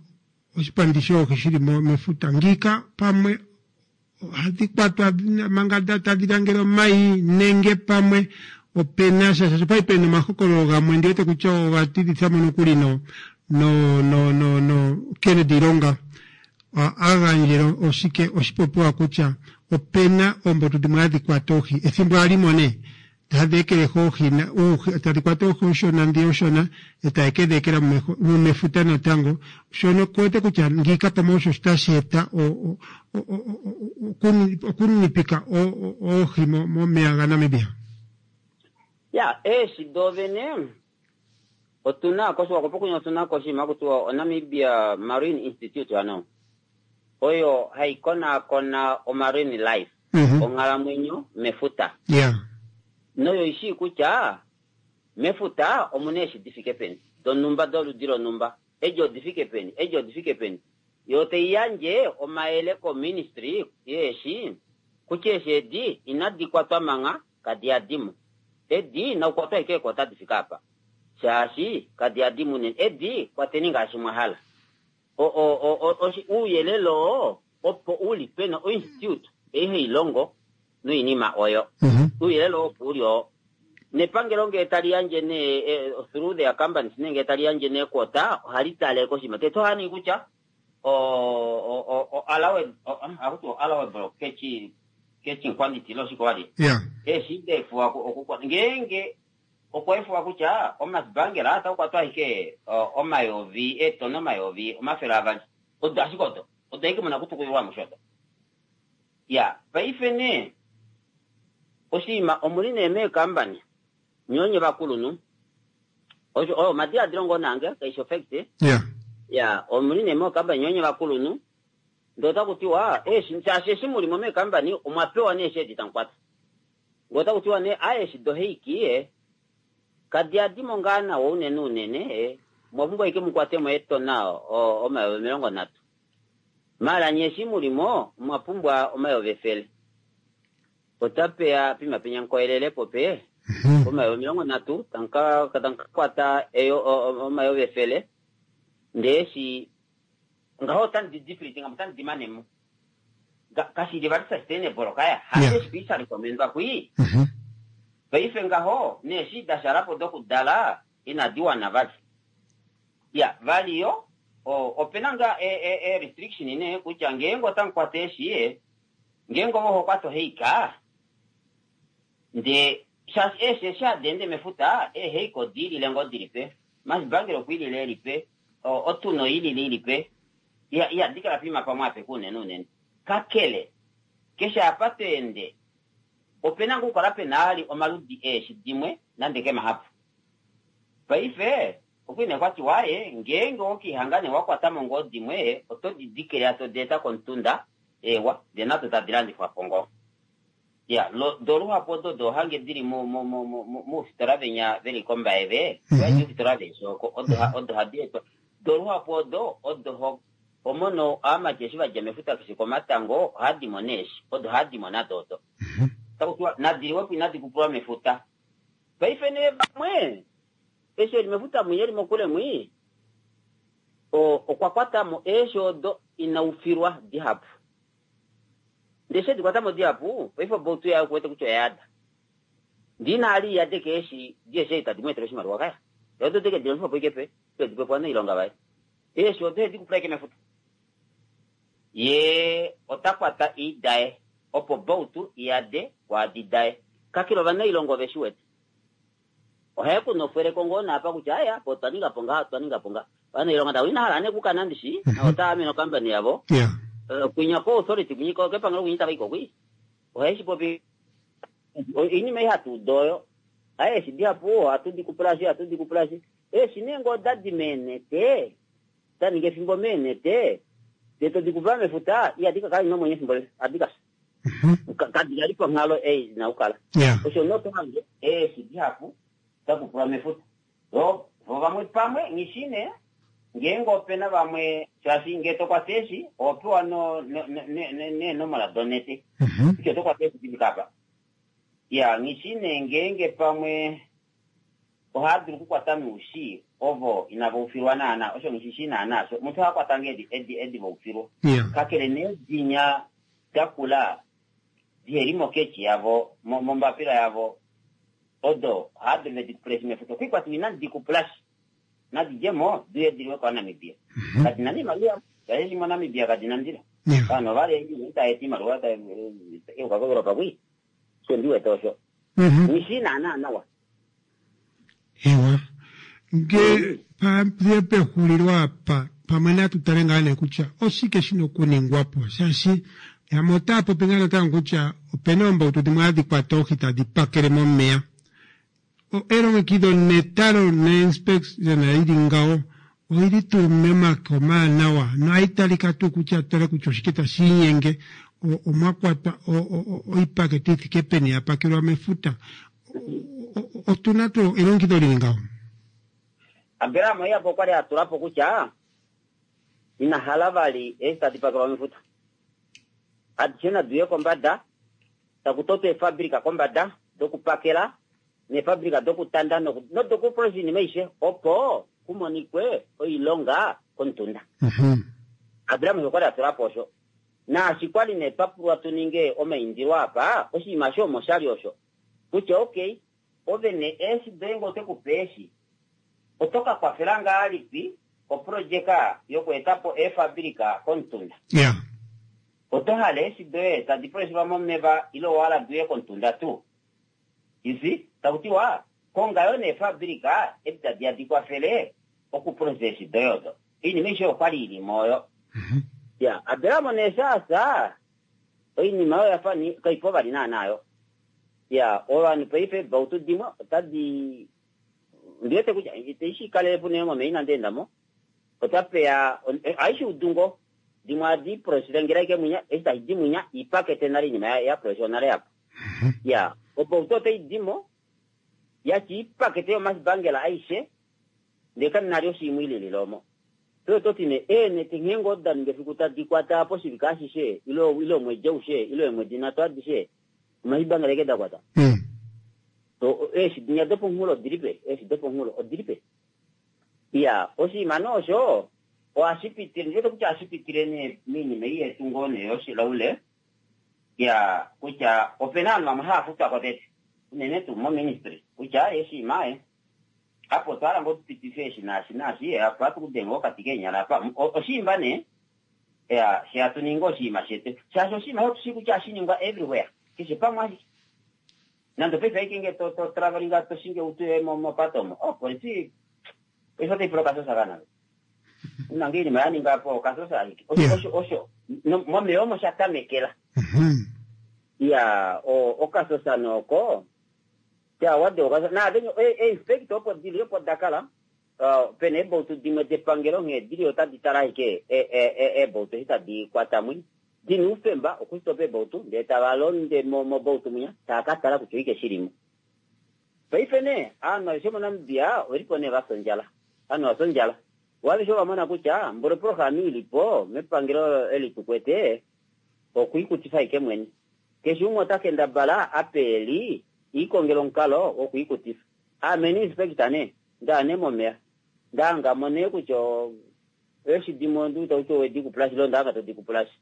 oshipandi shoohi shili mefuta ngiika pamwe Ohadhi kwatwa manga tadhi langele omayi nenge pamwe opena sha shaashi opwali pena omahokololo gamwe ndi wete kutya oga tidhitha mo nokuli no no no no no Kennedy Ilonga a gandjele oshike oshipopiwa kutya opena oombotu dhimwe hadhi kwata oohi ethimbo a li mo nee tadhi ekelehi oohi oohi tadhi kwata oohi oonshona ndhi oonshona e taye ke dhi ekela mefuta natango shono ku wete kutya ngiika pamwe osho tashi eta okuninipika oohi momeya gaNamibia. Ya, eeshi doovene otu na koSwakopo kunya otu na ko oshinima haku tiwa oNamibia Marine Institute ano oyo hayi konaakona omarine life onghalamwenyo mefuta. Yeah. Noyo i shii kutya mefuta omu na eeshi di fike peni, donhumba doludi lonhumba, edi odi fike peni, edi odi fike peni. Yo tai yandje omayele koministry yeeshi kutya eeshi edi inadi kwatwa mangha, kadi yadi mo. Edi nakukwatwa ashike eequota di fike apa, shaashi kadi yadi mo unene. Edi kwateni ngaashi mwa hala. O, o, o, o, ouyelele oo opo u li pena oinstitute ei hai longo noinima oyo. Ouyelele oo opo u li oo. Nepangelo ngee tali yandje nee eh, through their companies nee ngee tali yandje nee quota ohali tale koshinima. Tete ohaya ningi kutya o, o, o, o allowed, o, haku tiwa allowable catch, catching quantity ile oshike wali. Yeah. Eeshi da efuwa oku, ngeenge Okwa efuwa kutya omasbangela otaa kwatwa ashike omayovi eetona 200,000. Odo ashike odo. Odo ashike muna okutukulilwa amushe odo. Ya, paife nee, oshinima omuli nee meekambani, nye onye vakulunhu, osho, oyo omadiladilo ngoo naange, kaishi ofact. Ya. Ya, omuli nee meekambani nye onye vakulunhu, ndee otaku tiwa, eeshi, shaashi eshi muli mo meekambani, omwa pewa nee eshi edi tamu kwata. Ngee otaku tiwa nee aaye eshi doheiki e, kadi yadi mo ngaa nawa unene unene e, omwa pumbwa ashike mu kwate mo eetona 30,000. Maala nye eshi mu li mo omwa pumbwa 100,000. Otapeya pima penya nkoyelele po pe 30,000 tamu ka tamu ka kwata 100,000 ndee eshi ngaho otamu di deplete ngamo otamu di mane mo. Kashi li vali sustainable kaya. Hasho eshi kwii sha recommendwa kwii. Paife ngaho neeshi da shala po dokudala inadi wana vali. Ya, vali yo opena ngaa e restriction nee kutya ngeenge otamu kwata eeshi, ngeenge ove oho kwata oheika, ndee shaashi eeshi eshi hadi ende mefuta, eeheika odi ilile ngoo dili pe, masibangela okwa ilile eli pe, otuna oi ilile ili pe, Ihadi kala poima pamwe apeke unene unene. Kakele, keshe apa to ende, ope na ngoo okukala pe na vali omaludi eeshi dimwe, nande ke mahapu. Paife, okwa li nee kwa tiwa, Aaye, ngeenge owe ke lihanga nee wa kwata mo ngoo dimwe, oto di dikele to di eta komutunda, eewa, ndee nado tadi landifwa po ngoo. Iya, lo, do luhapu odo do hange di li mo, mo, mo, mo, moufitola venya ve li kOmbaye ve, mm oufitola veeshi oko, odo, odo hadi etwa. Do luhapu odo, odo ho, ho mono aamati eshi va dja mefuta keshe komatango, ohadi mono eeshi. Odo hadi mono ado odo. Taku tiwa nadi liwe po inadi kupulwa mefuta. Paife nee vamwe eshi eli mefuta mwi eli mokule mwi okwa kwata mo eeshi odo ina ufilwa dihapu. Ndee eshi edi kwata mo dihapu, paife obautu yaye okuwete kutya oya yada. Ndee ina hala iyade keeshi di eshi tadi mu etele oshimaliwa kaya. Yee odo teke di longifa po ike pe, pe di pe po ovanailonga vaye. Eeshi odo ohedi kupula ike mefuta. Ye ota kwata iidaye opo bautu iyade kwaadi daye. Kakele ovanailonga ove shi wete. Ohae ku nofweleko ngoo naapa kutya aya apa otwa ninga po ngaha, otwa ninga po ngaha. Ovanailonga tava ina hala nee okukana ndishi, navo otava amene okampani yavo. Kwinya ko authority kwinya kepangelo kwinya itava i ko kwii. Ohae shi popi. Oinima ei hatu udu oyo. Aye eeshi dihapu ohatu di kupulashi, ohatu di kupulashi. Eeshi nee ngee oda di meenete, da ninga efimbo meenete, ndee to di kupula mefuta, ihadi ka kala di na omwenyo efimbo lile, ohadi ka fya. Kadi li ponghalo ei di na okukala. Osho nee oto hange eeshi dihapu da kupulwa mefuta. Vo vamwe pamwe, nghi shii nee ngeenge ope na vamwe, shaashi ngee to kwata eeshi, oho pewa neenomola donete kutya oto kwata eeshi di fike apa. Iya, nghi shii nee ngeenge pamwe ohaa dulu okukwata noushi ovo inava ufilwa naana, osho nghi shi shii naana osho. Omuntu oha kwata ngoo edi, edi, edi va ufilwa. Kakele nee dinya da kula diheli moketchi yavo, mo, mombapila yavo, odo ohaa dulu vedi kupulashi mefuta. Okwiikwatiwa inadi di kupulashi. Nadi dje mo, di uye di liwe kOvanamibia. Kadi na nee iimaliwa ihapu, shaashi eshi moNamibia kadi na ndilo. Ovanhu ova li itava eta iimaliwa tai yuka koEuropa kwii. Osho ndi wete osho. Nghi shii naana nawa. Ewa. Nge pa pexulilo apa, pamwe natu tale ngaa nee kutya oshike shi na okuningwa po, shaashi yamwe otaa popi ngaa natango kutya opena oombautu dimwe hadhi kwata oohi tadi pakele momeya. Elongekido netalo neinspection i li ngaho oi li tuu momake omaanawa nohai talika tuu kutya tale kutya oshike tashi inyenge, omwa kwatwa oipakete i fike peni ya pakelwa mefuta. Otu na tuu elongekido li li ngaho? Abraham Iyapo okwa li a tula po kutya ina hala vali eeshi tadi pakelwa mefuta. Adishe nadi uye kombada, taku totwa eefabrika kombada dokupakela neefabrika dokutanda nodokuprocess oinima aishe opo ku monikwe oilonga komutunda. Abraham osho kwa li a tula po osho. Naashi kwa li nee twa pulwa tu ninge omaindilo apa, oshinima osho omo sha li osho. Kutya okay, ove nee eeshi doye ngee ote ku pe eeshi, oto ka kwafela ngahalipi oprojeka yokueta po eefabilika komutunda? Oto hala eeshi doye tadi puleshilwa momeva ile owa hala di uye komutunda tuu? You see? Taku tiwa, konga yoo neefabilika edi tadi ya di kwafele okuprocesa eeshi doye odo. Oinima aishe oyo okwali i li mo oyo. Ya, Abraham nee eshi a fya, oinima oyo ya fa kai po vali naanaa yo. Ya, ovanhu paife eebautu dimwe otadi Ondi wete kutya itaishi kalele po unene momeya inandi enda mo. Otapeya, ohaishi udu ngoo. Dimwe ohadi process ngela ashike mwinya, eshi tashi di mwinya, ipakete nale iinima ya process nale yapo. Ya, obautu otai di mo, yatya ipakete yomasibangela aishe, ndee kamu na ali oshiimwe ililile omo. Pee oto ti nee, eenete nghee ngoo da ninga efiku tadi kwata apa oshivike ashishe, ile, ile omwedi aushe, ile eemwedi nhatu adishe, omashibangela eke da kwata. So, eeshi dinya dopomunghulo odili pe? Eeshi dopomunghulo odili pe? Iya, oshinima nee osho ohashi pitile, ndi wete kutya ohashi pitile nee miinima ei yetu ngoo nee yoshilaule, ya kutya ope na ovanhu vamwe hava futwa ko tete, unene tuu moministry, kutya oshinima e, apa otwa hala ngoo tu pitife eshi naashi naashi, apa ohatu ku denge okati keenyala apa. Oshiimba nee, ya, she hatu ningi oshinima shetu, shaashi oshinima osho otu shii kutya ohashi ningwa everywhere, keshe pamwe ashike. Nande paife aike nge to to traveling to shingi utu yoye mo mopate omo. Oh, polisi paife otai pula okasosa kana. Una nge iinima ya ninga po okasosa ashike. Osho osho osho no, momeya omo sha tamekela. Ya, o okasosa noko. Ya wade okasosa. Na venye e, e inspector opo dili opo dakala. Uh, pena eebautu dimwe depangelo nghee dili otadi tala ashike e, e, e, eebautu eshi tadi kwata mwi. Di na oufemba okusitopa eebautu ndele tava londe mo mobautu mwinya tava ka tala kutya oshike shi li mo. Paife nee ovanhu aveshe moNamibia ove li po nee va fya ondjala. Ovanhu va fya ondjala. Vo aveshe ova mona kutya mboli oprograma i li po mepangelo eli tu kwete okuikutifa ashike mwene. Keshe umwe ota kendabala apa e li iikongele omukalo wokwiikutifa. Aame nee inspector nee, ndaa nee momeya. Nda hanga mo nee kutya eeshi dimwe ondi wete kutya owedi kupulashi ile onda hanga todi kupulashi.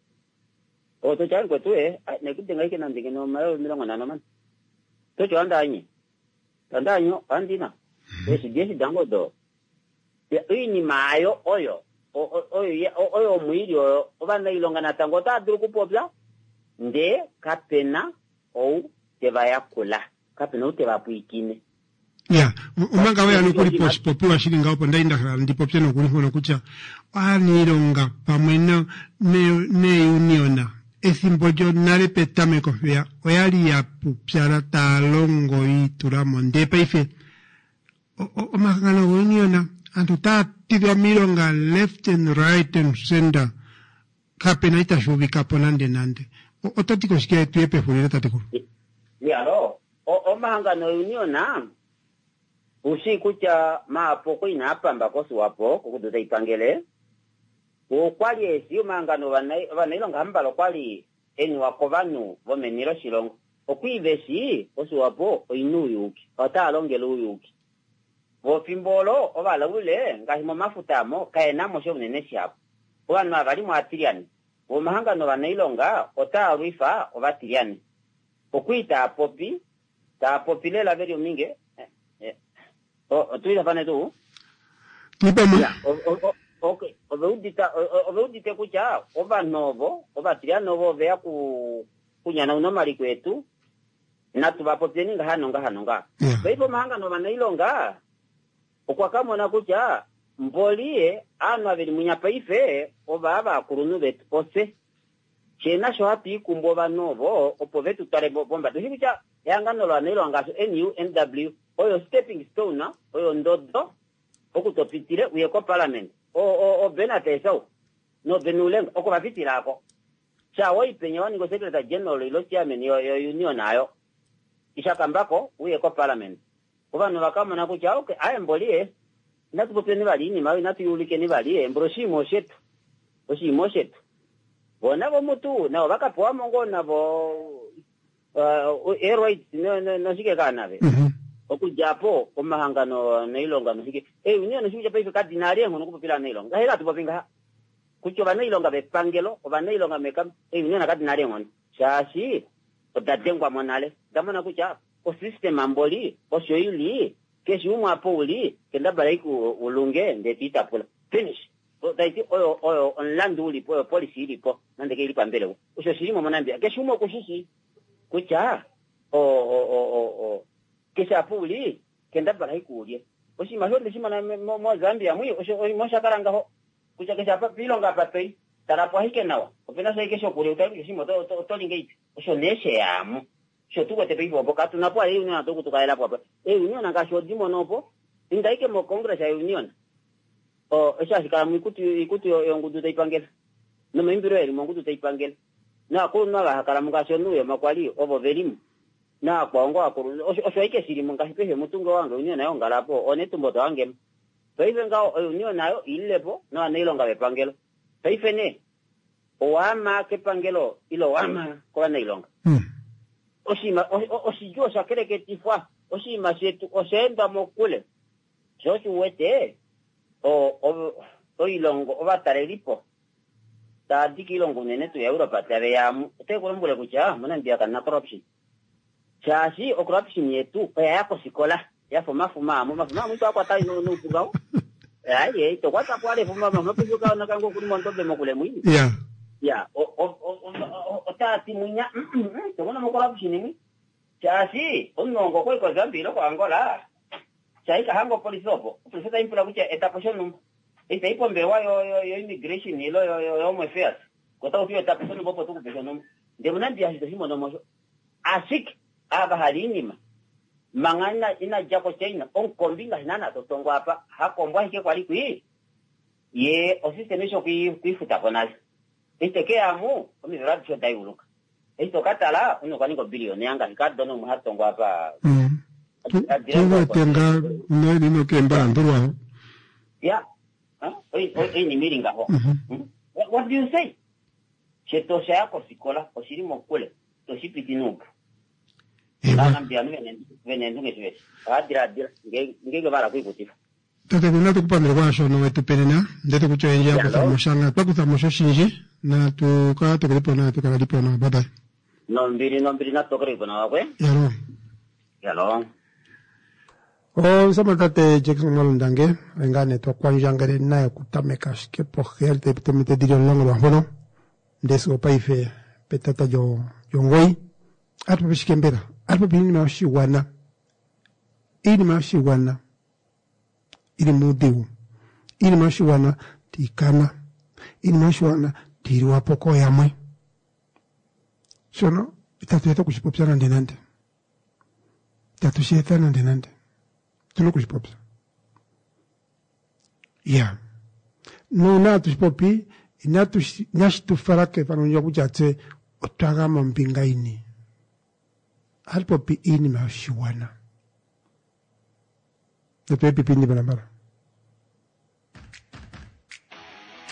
Oto tya mukwetu e, ai nekudenga ashike nande ngeno omayovi 50 mani. Oto tya ohandi anye. Ohandi anye, ohandi na. Eeshi di eshi dange odo. Oinima ayo oyo, oyo, oyo omwiili oyo, ovanailonga natango otava dulu okupopya, ndee kapena ou te va yakula. Kapena ou te va pwiikine. Ya, omanga weya nokuli poshipopiwa shili ngaho, opo ndali nda hala ndi popye nokuli mpono kutya aaniilonga pamwe neeuniona ethimbo lyonale petameko mpeya oyali ya pupyala taya longo yi itula mo, ndee paife omahangano gouniona aantu otaya tidhwa miilonga left and right and center, kapena itashi uvika po nande nande. Oto ti ko shike tuye pehulilo tatekulu? Iyaloo, omahangano ouniona ushii kutya mahapu okwa inaa pamba koSwapo kokudu tai pangele. Okwali eshi omahangano ovanailonga hamuvala okwali eniwa kovanhu vomeni loshilongo. Okwii veshi oSwapo oina ouyuuki, otaa longele ouyuuki. Vo fimbo olo ovalaule ngaashi momafuta amo kaena mo sha unene shihapu. Ovanhu ava li mo aatilyane. Vo omahangano ovanailonga otaa lwifa ovatilyane. Okwii taa popi, taa popi lela veli ominge. Otu tuu? Tuipamwe. Okay, ove udita ove udite kutya ovanhu ovo ovatilyane ovo ove ya ku kunyanauna omaliko etu, natu va popyeni ngaha nongaha nongaha. Paife omahangano ovanailonga okwa ka mona kutya mboli aanhu ave li munya paife ova vakulunhu vetu ofye. Fye nasho hatu ikumbu ovanhu ovo opo ve tu twale pombada. Oshi kutya ehangano lovanailonga ngaashi NUNW oyo stepping stone, oyo ndodo oku to pitile uye koparliament. O Bernard Esau no Ben Ulenga oko va pitila ako. Sha woipenya wa ninga secretary general ilo chairman yo union ayo. Ishakambako uye koparliament. Ovanhu va ka mona kutya okay, aye mboli ye inatu popyeni vali iinima oyo, inatu yuulikeni vali mboli oshinima oshetu. Oshinima oshetu. Vo navo mutu navo va ka pewa mo ngoo navo air rights noshike kaa nave. Okudja po omahangano onailonga noshike. Eunion oshike paife kadi na ali eenghono okupopila ovanailonga. Ngahe hatu popi ngaha. Kutya ovanailonga vepangelo, ovanailonga meka, eunion kadi na ali eenghono. Shaashi oda dengwa mo nale. Oda mona kutya osystem mboli osho ili, keshe umwe apa uli, kendabala ashike ulunge ndee to itapula. Finish. Tai ti oyo oyo omulandu ulipo, oyo policy ilipo, nande ke ili pambelewa. Osho oshili mo moNamibia. Keshe umwe okushishi kutya keshe apa uli, kendabala ashike ulye. Oshinima osho ndeshi mona moZambia mwi, osho osha kala ngaho. Kutya keshe apa piilonga apa toi, tala po ashike nawa. Opena sha ashike shokulya, utale kutya oshinima oto li ngahelipi. Osho nee sheyamo. Osho tu wete paife opo katu na po eunion atu kutukalela po apa. Eunion ngaashi odi mono opo, inda ashike moCongress ya union. Osho hashi kala moikutu yongudu tai pangele. Nomaimbilo eli mongudu tai pangele. Novakulunhu ava ha kala mo ngaashi oNuuyoma kwali ovo ve li mo. Navakwao ngoo vakulunhu. Osho ashike shili mo ngaashi paife mutunge wange union yongala po, onetumbo to hangemo. Paife ngaho ounion ayo ilile po novanailonga vepangelo. Paife nee owaama kepangelo ile owaama kovanailonga. Oshinima oshidjuu osha keleketifwa. Oshinima shetu osha endwa mokule. Sho osho uwete oilongo ovatalelipo tava di koilongo unene tuu yaEuropa tave ya amu, otai ku lombwele kutya moNamibia kamu na corruption. Shaashi ocorruption yetu oya ya kofikola ya fa omafuma amo. Omafuma amwe ito a kwata noupu ngaho. Ai, ito kwata po ale efuma, omafuma paife okaana kange okuli mondobe mokule mwi. Ya, otaa ti mwinya, ito mono mo corruption mwi. Shaashi omunongo okwali koZambia ile koAngola, shaashi ka hanga opolifi opo. Opolifi otai mu pula kutya eta po shonhumba. Eshi tai pombelewa yo immigration ile yo home affairs, ota ku ti eta po shonhumba opo tukupe shonhumba. Ndele moNamibia osho ito shi mono mo osho. Ashike ava hali iinima manga ina dja koChina, omukombi ngaashi naana to tongo apa, hakombo ashike kwali kwii, ye osystem eshi okwiifuta po nale. Eshi te ke ya mu, omivelo adishe oda yuluka. Eshi to ka tala, omunhu okwa ninga obiliyona ngaashi Cardona umwe ha tongo apa. Tu wete nga nokeembalandulwa. Ya, oinima ili ngaho. What do you say? Shetu osha ya kofikola, oshili mokule. Ito shi piti nuupu. Aanamibia aantu vena eendunge shiveli. Ohava diladila ngeenge va hala okwiikutifa. Tatekulu natu ku pandule kwaashono wetu pe nena. Ndete kutya oyendji ya kutha mo sha nga twa kutha mo sha oshindji. Natu ka tokele po nawa tu kala lipo nawa. Bye bye. Nombili nombili natu tokele po nawa kwe. Yalo. Yalo. Omusamane tate Jackson Mwalundange oye ngaa nee twa kwandjangele naye okutameka ashike poheyali tayi piti ominute dhili omulongo lwaampono ndele sigo paife petata lyomugoyi. Atu popi shike mbela? Atu popi iinima yoshigwana, iinima yoshigwana ili muudhigu, iinima yoshigwana tiikana, iinima yoshigwana tiiliwa po kooyamwe. Shono itatu etha okushi popya nande nande, itatu shi etha nande nande, otuna okushi popya. Ya nuuna hatu shi popi inatu inashi tu fala kefano ndyoka kutya tse otwa gama ombinga yini. Ohatu popi iinima yoshigwana. Natu epipi mbalambala.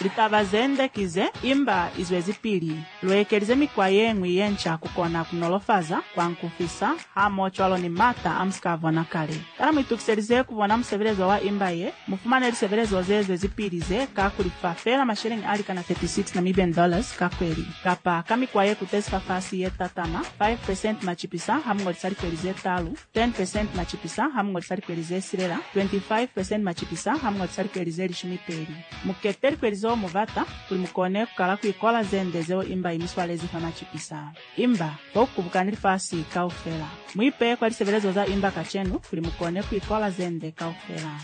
Litaba ze nde ki ze, imba izwezipili. Lu ekelize mikwa ye ñwi ye nca ku kona ku nolofaza, ku ankufisa, hamohocwalo ni m'ata a mu si ka bona kale. Kana mu itukiselize ku bona musebelezo wa imba ye? Mu fumane lisebelezo ze zwezipili ze ka ku lifa feela masheleñi a likana 36 Namibian dollars ka kweli, kapa ka mikwa ye kutezi fafasi ye tatama, 5 percent macipisa ha mu ngolisa likweli ze talu, 10 percent macipisa ha mu ngolisa likweli ze silela, 25 percent macipisa ha mu ngolisa likweli ze lishumi peli. Mu kete likweli zeo mu bata, kuli mu kone ku kala ku ikola ze nde zeo imba i mi swalezi fa macipisa. Imba, fo ku kubukani lifasi kaufela. Mu ipeye kwa lisebelezo za imba kacenu, kuli mu kone ku ikola ze nde kaufela.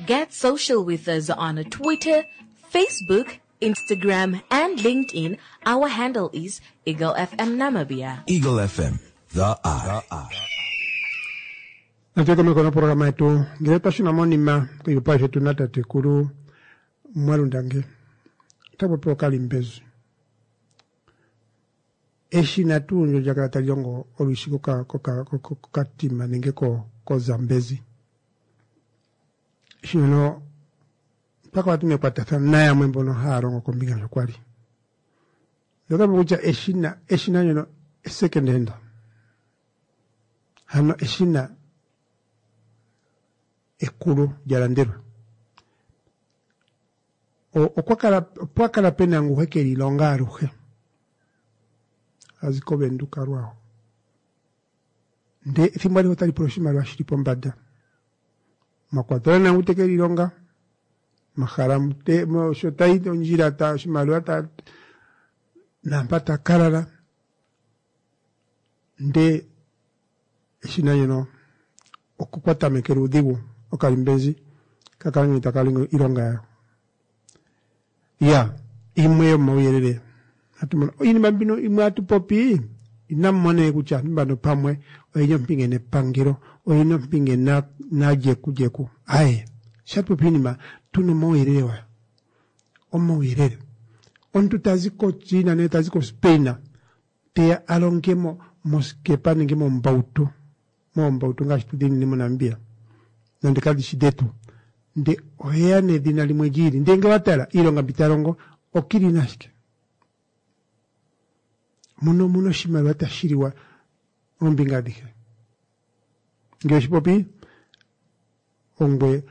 Get social with us on Twitter, Facebook, Instagram, and LinkedIn. Our handle is Eagle FM Namibia. Eagle FM, the eye. Natu komeko noprograma yetu ngele twa shuna monima koipopiwa shetu natatekulu Mwalundange ota popi okalimbezu eshina tuu ndjo lya kala tali longo olwishi kokatima nenge koZambezi. Eshina no mpaka watu mekwatathano nayamwe mbono haya longo kombinga ndjo kwali. Ndota popi kutya eshina eshina ndjono second hand. Hano eshina ekulu lya landelwa. Okwa kala opwa kala pena ngu he ke li longa aluhe. A zi koVenduka lwaho. Nde ethimbo alihe otali pula oshimaliwa shili pombanda. Mwa kwatelwa nangu te ke li longa, mahala te, sho tayi ondjila ta oshimaliwa ta naampa ta ka lala. Nde eshina ndjono oko kwa tamekele uudhigu okalimbenzi ka kala ngeno taka longo iilonga yayo. Ya imwe yomauyelele hatu mono iinima mbino imwe hatu popi inamu mona kutya aantu mbano pamwe oyena ompinge nepangelo oyena ompinge na najekudjeku aye sho hatu popi iinima tuna omauyelele wayo omauyelele omuntu tazi koChina nenge tazi koSpain teya a longe mo mosikepa nenge mombautu moombautu ngaashi tu dhinine moNamibia nande kadhi shi dhetu nde oheya nedhina limwe lyi ili ndee ngele owa tala iilonga mbi ta longo okilina ashike muno omuna oshimaliwa tashi liwa oombinga adhihe ngele oshi popi ongwe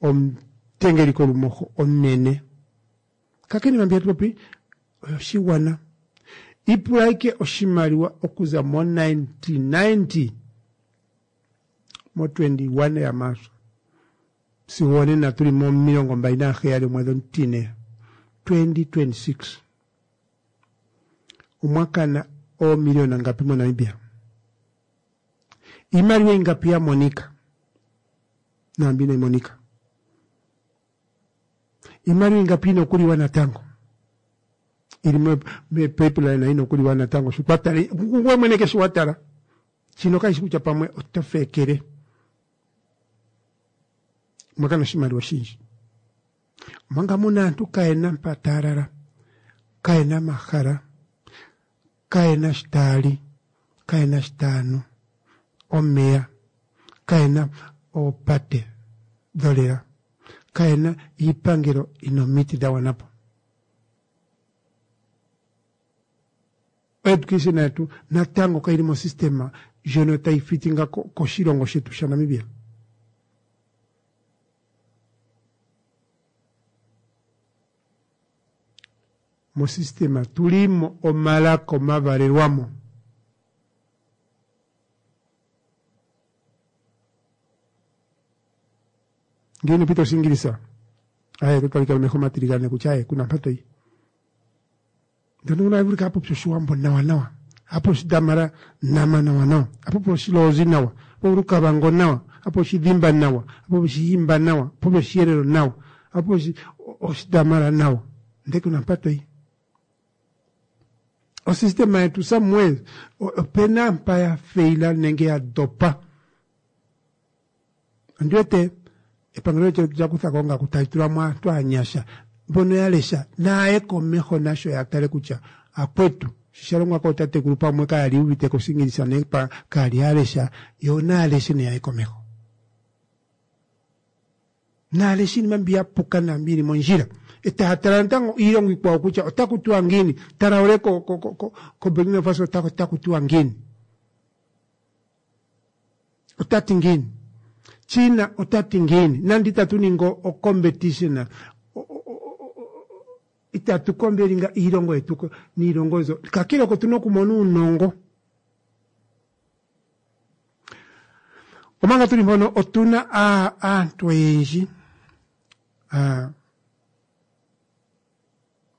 omutengeli kolumoho omunene kakele iinima mbi hatu popi oyoshigwana Ipula ashike oshimaliwa okuza mo 1990 mo 21 yaMaarsa sigo onena tuli mo 27 omwedhi omutine 2026 omwa kana oomiliona ngapi moNamibia? Iimaliwa ingapi ya monika naambi inayi monika? Iimaliwa ingapi ina okuliwa natango? Ili me-pipeline ina okuliwa natango sho twa tala ngoye mwene keshi wa tala shino kashi kutya pamwe oto feekele omwa kana oshimaliwa oshindji omanga muna aantu kayena mpa taya lala kayena amahala kayena shi taya li kayena shi taya nu omeya kayena oopate dholela kayena iipangelo ina omiti dha gwana po. Oeducation yetu natango kaili mosystema ndjono tayi fitinga koshilongo shetu shaNamibia. Mosystema tulimo omalaka omavalelwamo. Ngele ino pita Oshingilisa, aye oto talika nomeho omatiligane kutya aye kuna mpa toyi. Ndono una vulika a popi Oshiwambo nawa nawa, a popi Oshidamara nama nawa nawa, a popi Oshilozi nawa, a popi Olukavango nawa, a popi Oshidhimba nawa, a popi Oshihimba nawa, a popi Oshiherero nawa, a popi Oshidamara nawa, ndele kuna mpa toyi. Osystema yetu somewhere opena mpa ya faila nenge ya dopa. Ondi wete epangelo letu olya kutha ko ongaku tali tula mo aantu aanyasha mbono ya lesha naaye komeho nasho ya tale kutya akwetu shi sha longwa kootatekulu pamwe kaya li yu uvite ko Oshingilisa nenge kaya li ya lesha yo naya leshe neyaye komeho. Naya leshe iinima mbi ya puka naambi yi li mondjila e taya tala natango iilongo iikwawo kutya otaku tiwa ngiini. Traoré ko ko ko ko Burkina Faso otaku tiwa ngiini. Ota ti ngiini? China ota ti ngiini? Nande itatu ningi ocompetition, itatu kombelinga iilongo yetu niilongo mbyo, kakele oko tuna okumona uunongo. Omanga tuli mpono otuna aantu oyendji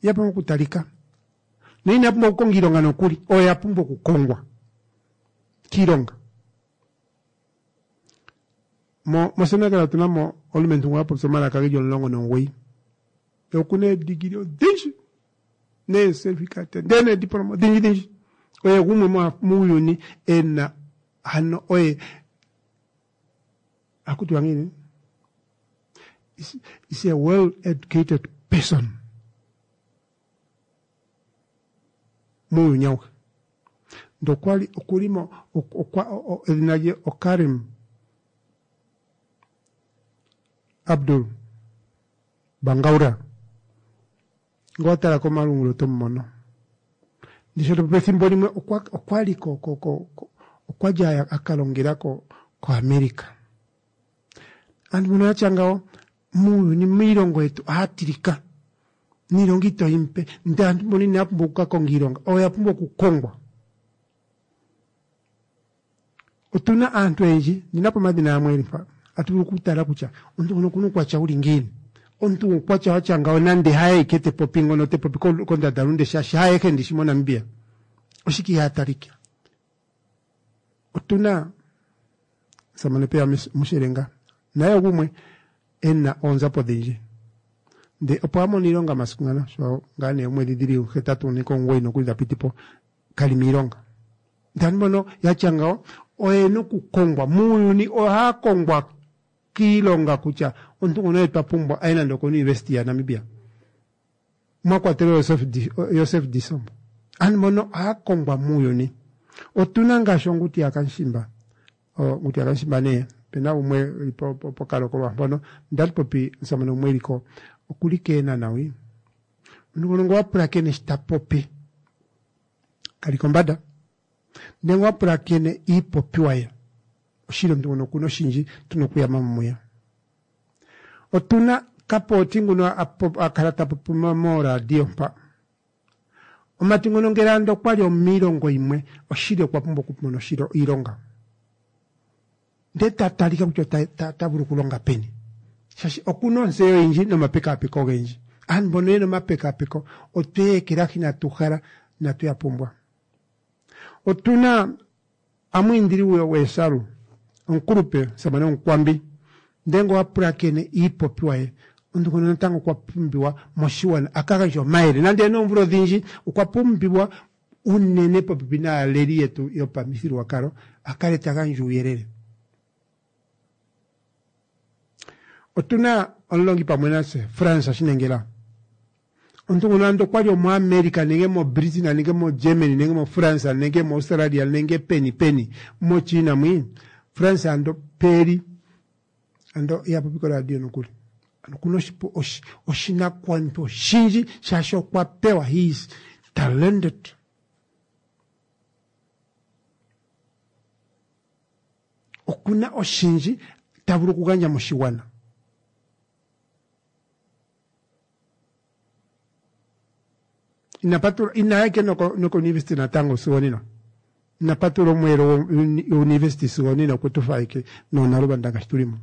ya pumbwa okutalika no inaya pumbwa okukonga iilonga nokuli oyo ya pumbwa okukongwa kiilonga. Mo moSenegal otu na mo omulumentu ngoka a popya omalaka ge li 19. Ye oku na eedigili odhindji neesertificate ndee neediploma odhindji dhindji. Oye gumwe muuyuni e na ano oye Ohaku tiwa ngiini? Is a well educated person muuyuni auhe. Ndele okwa li okuli mo okwa edhina lye oKarim Abdul Bangaura. Ngele owa tala komalungula oto mu mono. Ndishi pethimbo limwe okwa okwa li ko ko ko okwa li a ka longela ko koAmerica. Aantu mbono ya tya ngawo muuyuni miilongo yetu ohaya tilika niilonga ito yi mupe. Ndele aantu mbono inaya pumbwa oku ka konga iilonga, oya pumbwa okukongwa. Otu na aantu oyendji, ndi na po omadhina gamwe geli mpa, atu vulu okutala kutya omuntu ngono okuna uukwatya wuli ngiini. Omuntu guukwatya watya ngawo nande haye ike te popi ngono te popi kondandalunde shaashi haayehe ndishi moNamibia. Oshike ihaa talika? Otu na omusamane Peya Mushelenga naye ogumwe e na oonzapo odhindji. Ndele opo a mono iilonga masiku ngano sho ngaa nee oomwedhi dhili 8 nenge 9 nokuli dha piti po kali miilonga. Ndele aantu mbono ya tya ngawo oye na okukongwa. Muuyuni ohaya kongwa kiilonga kutya omuntu ngono oye twa pumbwa aye nande okouniversity yaNamibia. Mwa kwatelwa Josef Disombo. Aantu mbono ohaya kongwa muuyuni. Otu na ngaashi Onguti yaKamushimba. Onguti yaKamushimba nee, ope na gumwe e li pokalokolwa mpono, ndali popi omusamane gumwe e li ko, oku li kEenhana hwi. Omuntu ngono ngele owa pulakene shi ta popi, kali kombanda ndele wa pulakene iipopiwa ye oshili omuntu ngono okuna oshindji tuna okuyama mo muye. Otuna Kapooti nguno a kala ta popi mooradio mpa. Omumati ngono ngele ando okwali omiilongo yimwe oshili okwa pumbwa okumona iilonga. Ndele ta talika kutya ota vulu okulonga peni shaashi okuna ontseyo oyindji nomapekaapeko ogendji. Aantu mbono yena omapekaapeko otwe ya ekelahi inatu hala inatu ya pumbwa. Otuna Amwiindili Weesalu, omukulupe, omusamane Omukwambi, ndele ngele owa pulakene iipopiwa ye, omuntu ngono natango okwa pumbiwa moshigwana a ka gandje omayele. Nande e na oomvula odhindji, okwa pumbiwa unene popepi naaleli yetu yopamithigululwakalo a kale ta gandja uuyelele. Otu na omulongi pamwe natse, Frans Shinengela. Omuntu nguno ando okwa li omuAmerica nenge moBritain nenge moGermany nenge moFrance nenge moAustralia nenge peni peni moChina mwi, Frans ando peli ando iha popi koradio nokuli. Ano okuna oshinakugwanithwa oshindji shaashi okwa pewa, he is talented. Okuna oshindji ta vulu okugandja moshigwana. Ina patula inaya ike noko noko-university natango sigo onena. Ina patula omweelo wo-university sigo onena okwe tu fa ike noonaluvanda ngaashi tu li mo.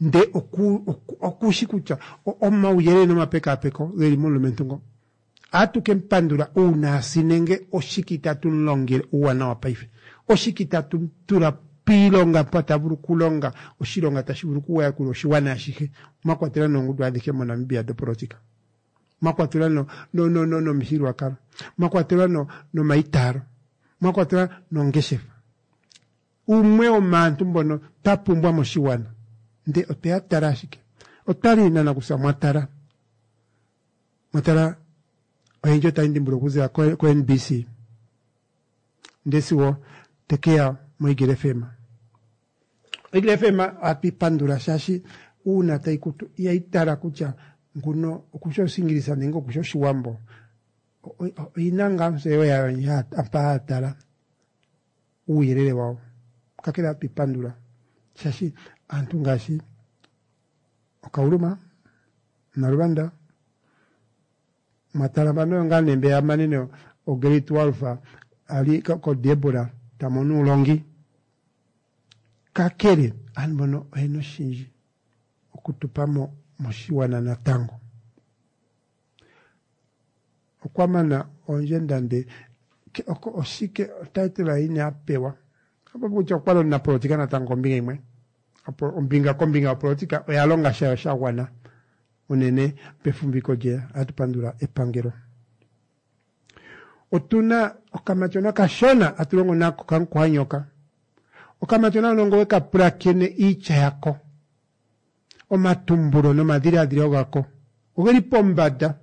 Nde oku, oku, oku shi kutya omauyelele nomapekaapeko ge li momulumentu ngo. Ohatu ke mu pandula uuna a si nenge oshike itatu mu longele uuwanawa paife. Oshike itatu mu tula piilonga mpa ta vulu okulonga oshilonga tashi vulu okuyakula oshigwana ashihe, mwa kwatelwa noongundu adhihe moNamibia dhopolotika. Mwa kwatelwa no, no, no, no, nomithigululwakalo. Mwa kwatelwa no, nomaitaalo. Mwa kwatelwa nongeshefa. Umwe womaantu mbono twa pumbwa moshigwana. Nde otwe ya tala ashike. Otwa li nanakusa mwa tala. Mwa tala oyendji otaya ndhimbula okuza ko, ko NBC. Nde sigo te ke ya moEagle FM. Oeagle FM ohatu yi pandula shaashi uuna tayi kutu ihayi tala kutya nguno okushi Oshiingilisa nenge okushi Oshiwambo. Oyi na ngaa ontseyo yayo mpa haya tala. Uuyelele wawo. Kakele ohatu ipandula shaashi aantu ngaashi Okauluma, Naluvanda, Mwatala mpano oyo ngaa nee mbeya ya manene o grade 12 ali ko Debora ta mono uulongi. Kakele aantu mbono oyena oshindji okutupa mo moshigwana natango. Okwa mana oondjenda nde oshike otitle yini a pewa? Opo kutya okwa li omunapolotika natango kombinga yimwe. Opo ombinga kombinga yopolotika oya longa shayo sha gwana unene pefumviko lye. Ohatu pandula epangelo. Otuna okamatyona kashona hatu longo nako kamukuhanyoka. Okamatyona hono ngele oweka pulakene iitya yako, omatumbulo nomadhiladhilo gako ogeli pombanda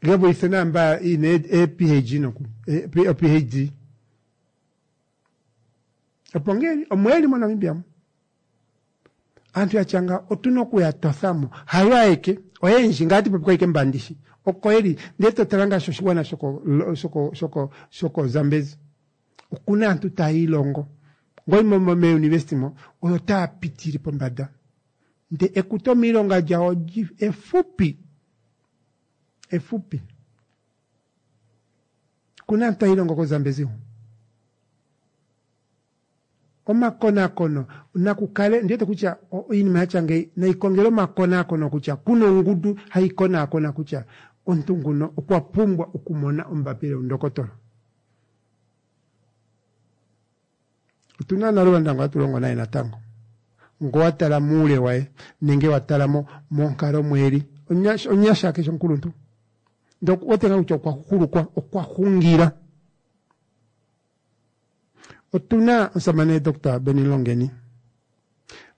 ge vulithe naamba yina ee-PhD nokuli, o-PhD. Opo ngeli, omo yeli moNamibia mo. Aantu ya tya ngawo otu na okuya totha mo. Hayo ayeke, oyendji, ngaa ati popi ko ayike mbandishi, oko yeli. Ndele to tala ngaashi oshigwana shoko, shoko, shoko, shoko Zambezi. Okuna aantu taya ilongo. Ngoyi mo, mo, meeuniversity mo, oyo taya pitile pombanda. Nde ekuto miilonga lyawo lyi, efupi. Efupi. Okuna aantu taya ilongo koZambezi hu. Omakonakono naku kale, ndi wete kutya iinima ya tya ngeyi nayi kongelwe omakonakono kutya kuna ongundu hayi konaakona kutya omuntu nguno okwa pumbwa okumona ombapila yondokotola. Otu na Naluvanda ngo hatu longo naye natango. Ngo wa tala muule waye nenge wa tala mo monkalo mweli onyasha keshi omukuluntu. Ndele oku wete ngaa kutya okwa hulukwa, okwa hungila. Otu na omusamane Doctor Benny Longeni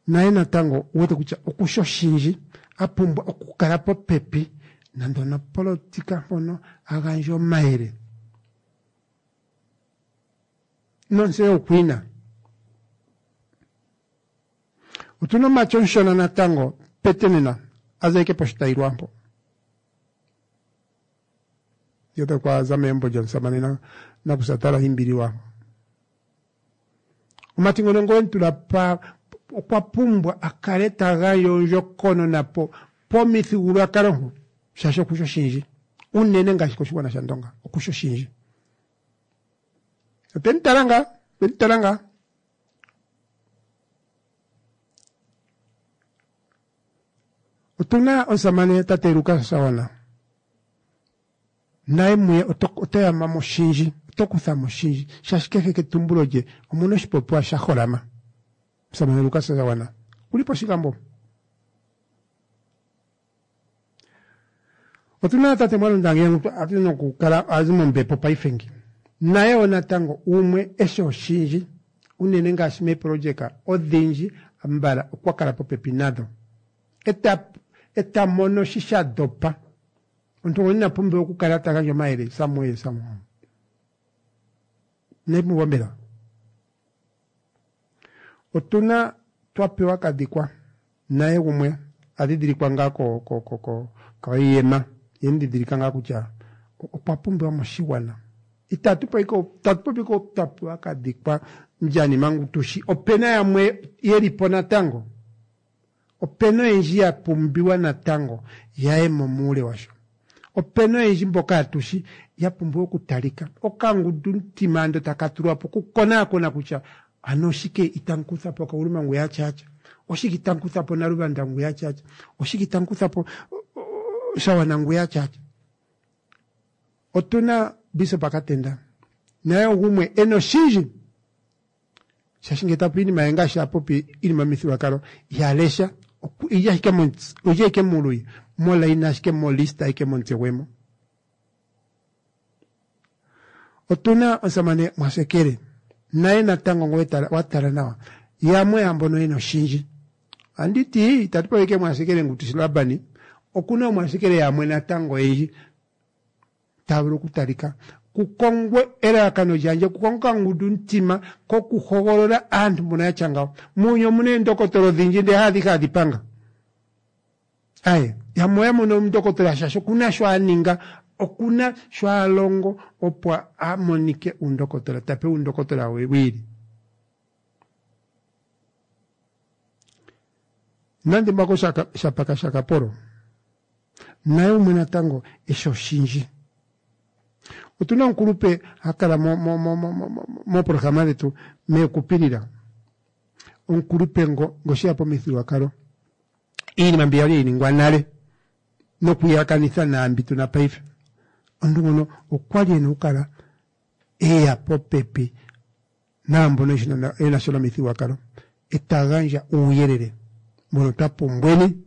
naye natango uwete kutya okushi oshindji a pumbwa okukala popepi nando onopolotika mpono a gandje omayele nontseyo okwiina. Otu na omumati omushona natango Petenena a za ike poshitayilwa mpo. Ye okwa za megumbo lyomusamane nakusa Tala Himbiliwa. Omumati ngono ngowe mu tula pa okwa pumbwa a kale ta gandja ondjokonona po pomithigululwakalo mpo shaashi okushi oshindji unene ngaashi koshigwana shaNdonga okushi oshindji. Otwe mu tala ngaa, otwe mu tala ngaa. Otu na omusamane tate Lukas Sawana. Naye muye oto, oto yama mo oshindji, oto kutha mo oshindji, shaashi kehe ketumbulo lye omuna oshipopiwa sha holama. Omusamane Lukas Sawana okuli pOshigambo. Otu na tate Mwalunda Ngeenge a ti nokukala a zi mombepo paife ngi. Naye wo natango umwe e shi oshindji, unene ngaashi meeprojeka odhindji ambala okwa kala popepi nadho. Eta, eta mono shi sha dopa. Omuntu ngono ina pumbiwa okukala ta gandja omayele somewhere, somehow. Inayi pumbiwa mbela? Otu na Twapewa Kadhikwa naye gumwe a dhidhilikwa ngaa ko, ko, ko, ko, koiyema. Ye mu dhidhilika ngaa kutya okwa pumbiwa moshigwana. Itatu popi ko twa pewa kadhikwa Ndjanima ngu tushi. Opena yamwe yeli po natango. Opena oyendji ya pumbiwa natango yaye mo muule washo. Opena oyendji mboka atushi ya pumbiwa okutalika. Okangundumutima ando taka tulwa po okukonaakona kutya ano oshike itamu kutha po Kauluma ngu yatyatya, oshike itamu kutha po Naluvanda ngu yatyatya, oshike itamu kutha po Shawana ngu yatyatya. Otuna Bishop Katenda naye ogumwe ena oshindji shaashi ngele ta popi iinima ye ngaashi a popi iinima yomithigululwakalo iha lesha oyili ashike oyili ashike muuluyi molaina ashike molista ashike momutse gwe mo. Otuna omusamane Mwasekele naye natango ngoye wa tala nawa yamwe yaambono yena oshindji. Andi ti itatu popi ike Mwasekele ngu tushi Labani okuna oMwasekele yamwe natango oyendji taya vulu okutalika kukongwe elalakano lyandje okukonga okangundumutima kokuhogolola aantu mbono ya tya ngawo. Muuyuni omuna eendokotola odhindji ndele haadhihe hadhi panga. Aye, yamwe oya mono omundokotola shaashi okuna sho a ninga, okuna sho a longo opo a monike uundokotola, ta pewa uundokotola we wiili. Nande mbako Shapaka Shakapolo naye umwe natango eshi oshindji. Otuna omukulupe ha kala moprograma dhetu meekupilila. Omukulupe ngo ngo sheya pomithigululwakalo iinima mbi yali hayi ningwa nale nokuyakanitha naambi tuna paife. Omuntu ngono okwali ena okukala eya popepi naambono yena sha nomithigululwakalo eta gandja uuyelele mbono twa pumbweni.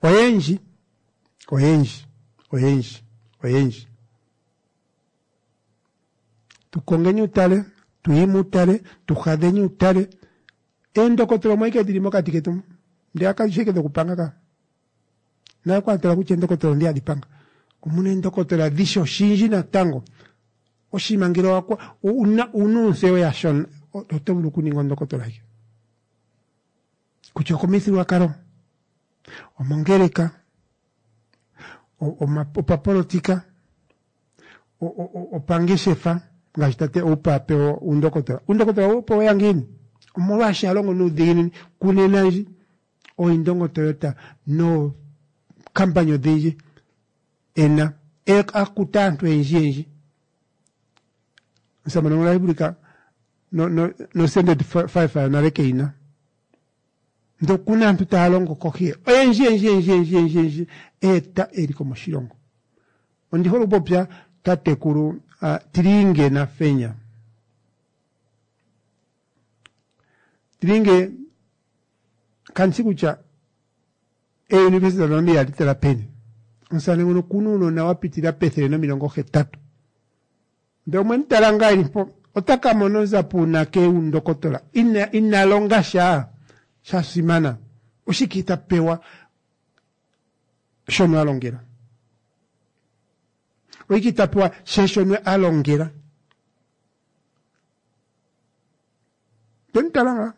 Oyendji, oyendji, oyendji, oyendji. Tu kongeni utale, tu yimi utale, tu hadheni utale. Eendokotola omo ashike dhili mokati ketu mu. Ndele kadhi shi ashike dhokupanga ka. Naye kwa tala kutya eendokotola ondhi hadhi panga. Omuna eendokotola dhi shi oshindji natango. Oshinima ngele owakwa, una, una ontseyo yasho, oto vulu okuninga ondokotola ashike. Kutya okomithigululwakalo, omongeleka, opapolotika, opangeshefa, ngaashi tate Oupa a pewa uundokotola. Uundokotola owe weya ngiini? Omolwaashi a longo nuudhiginini. Kunena ndji, ooIndongo Toyota nookampani odhindji ena, a kuta aantu oyendji yendji. Omusamane ngono otashi vulika no, no, no Standard 5 yonale keyina. Ndele okuna aantu taya longo kohi ye oyendji yendji yendji yendji yendji yendji eta eliko moshilongo. Ondi hole okupopya tatekulu uh, Tilinge Nafenya. Tilinge kandi shi kutya eeuniversity dhaNamibia ohadhi tala peni. Omusamane ngono okuna uunona wa pitilila pethele nomilongo hetatu. Ndele omwe mu tala ngaa eli mpo, ota ka mona onzapo uunake yuundokotola? Ina, ina longa sha sha simana. Oshike ta pewa shono a longela? Oshike ta pewa she shono a longela? Te mu tala ngaa.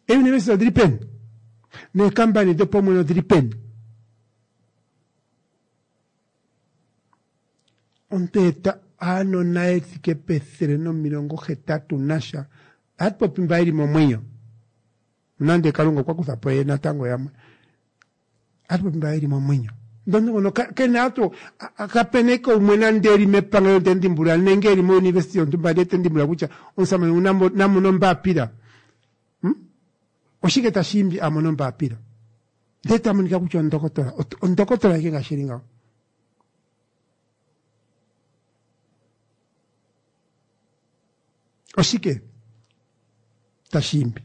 Eeuniversity odhili peni? Neekampani dhopaumwene odhili peni? Omuntu eta aanona ye thike pethele nomilongo hetatu nasha, ohatu popi mba yeli momwenyo, nonande Kalunga okwa kutha po ye natango yamwe, ohatu popi mba yeli momwenyo. Ndele omuntu ngono kena atu, kapena ike umwe nande eli mepangelo te mu dhimbulula nenge eli mouniversity yontumba ndele te mu dhimbulula kutya omusamane ngu na mone ombaapila. Hmm? Oshike tashi imbi a mone ombaapila? Ndele ta monika kutya ondokotola, ondokotola ike ngaashi eli ngaho. Oshike tashi imbi?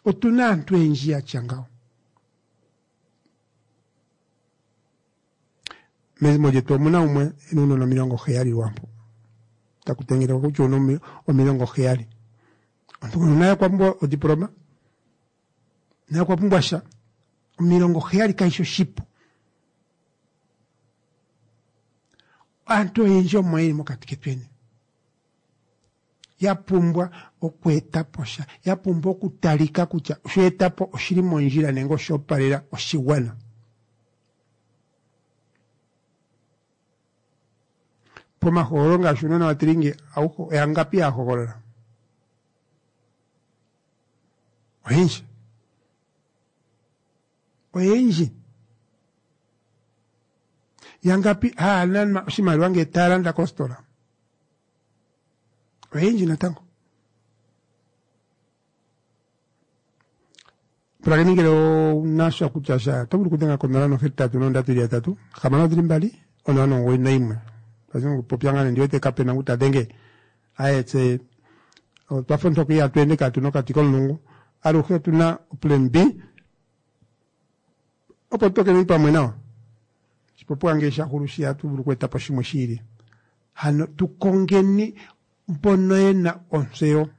Otu na aantu oyendji ya tya ngawo. Mezimo lyetu omu na umwe e na uunona 70 lwaampo. Taku tengenekwa kutya ouna 70. Omuntu ngono naye okwa pumbwa odiploma, naye okwa pumbwa sha. 70 kashi shi oshipu. Aantu oyendji omo yeli mokati ketweni ya pumbwa okweeta po sha, ya pumbwa okutalika kutya osho eta po oshili mondjila nenge osho opalela oshigwana. Pomahogololo ngaashi uunona watilingi auhe oyangapi ya hogolola? Oyendji. Oyendji. Yangapi haya nanwa oshimaliwa ngele taya landa kositola? Oyendji natango. Pulakeni ngele owuna sha kutya sha oto vulu okudhenga konola nohetatu nondatu ili yatatu hamano dhili mbali onola nomugoyi noyimwe twazi mokupopya ngaa nee ndi wete kapena ngu ta dhenge aye tse otwa fa ontoka ihatu ende kaatuna okati komulungu aluhe otuna oplan B opo tutokeni pamwe nawa oshipopiwa ngele sha hulu shi ohatu vulu oku etapo shimwe shi ili hano tu kongeni mbono yena ontseyo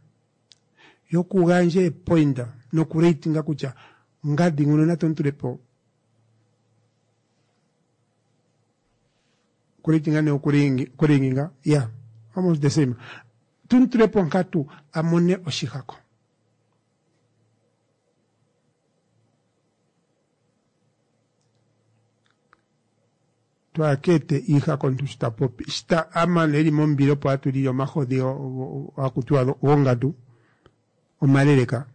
yokugandja eepointa nokuratinga kutya ngandi nguno natu mu tule po okuratinga nee okuringinga ya almost the same tu mu tule po onkatu a mone oshihako. Twakeete iihako omuntu shi ta popi shi ta a mana eli mombila opo atu lili omahodhi haku tiwa gongandu omaleleka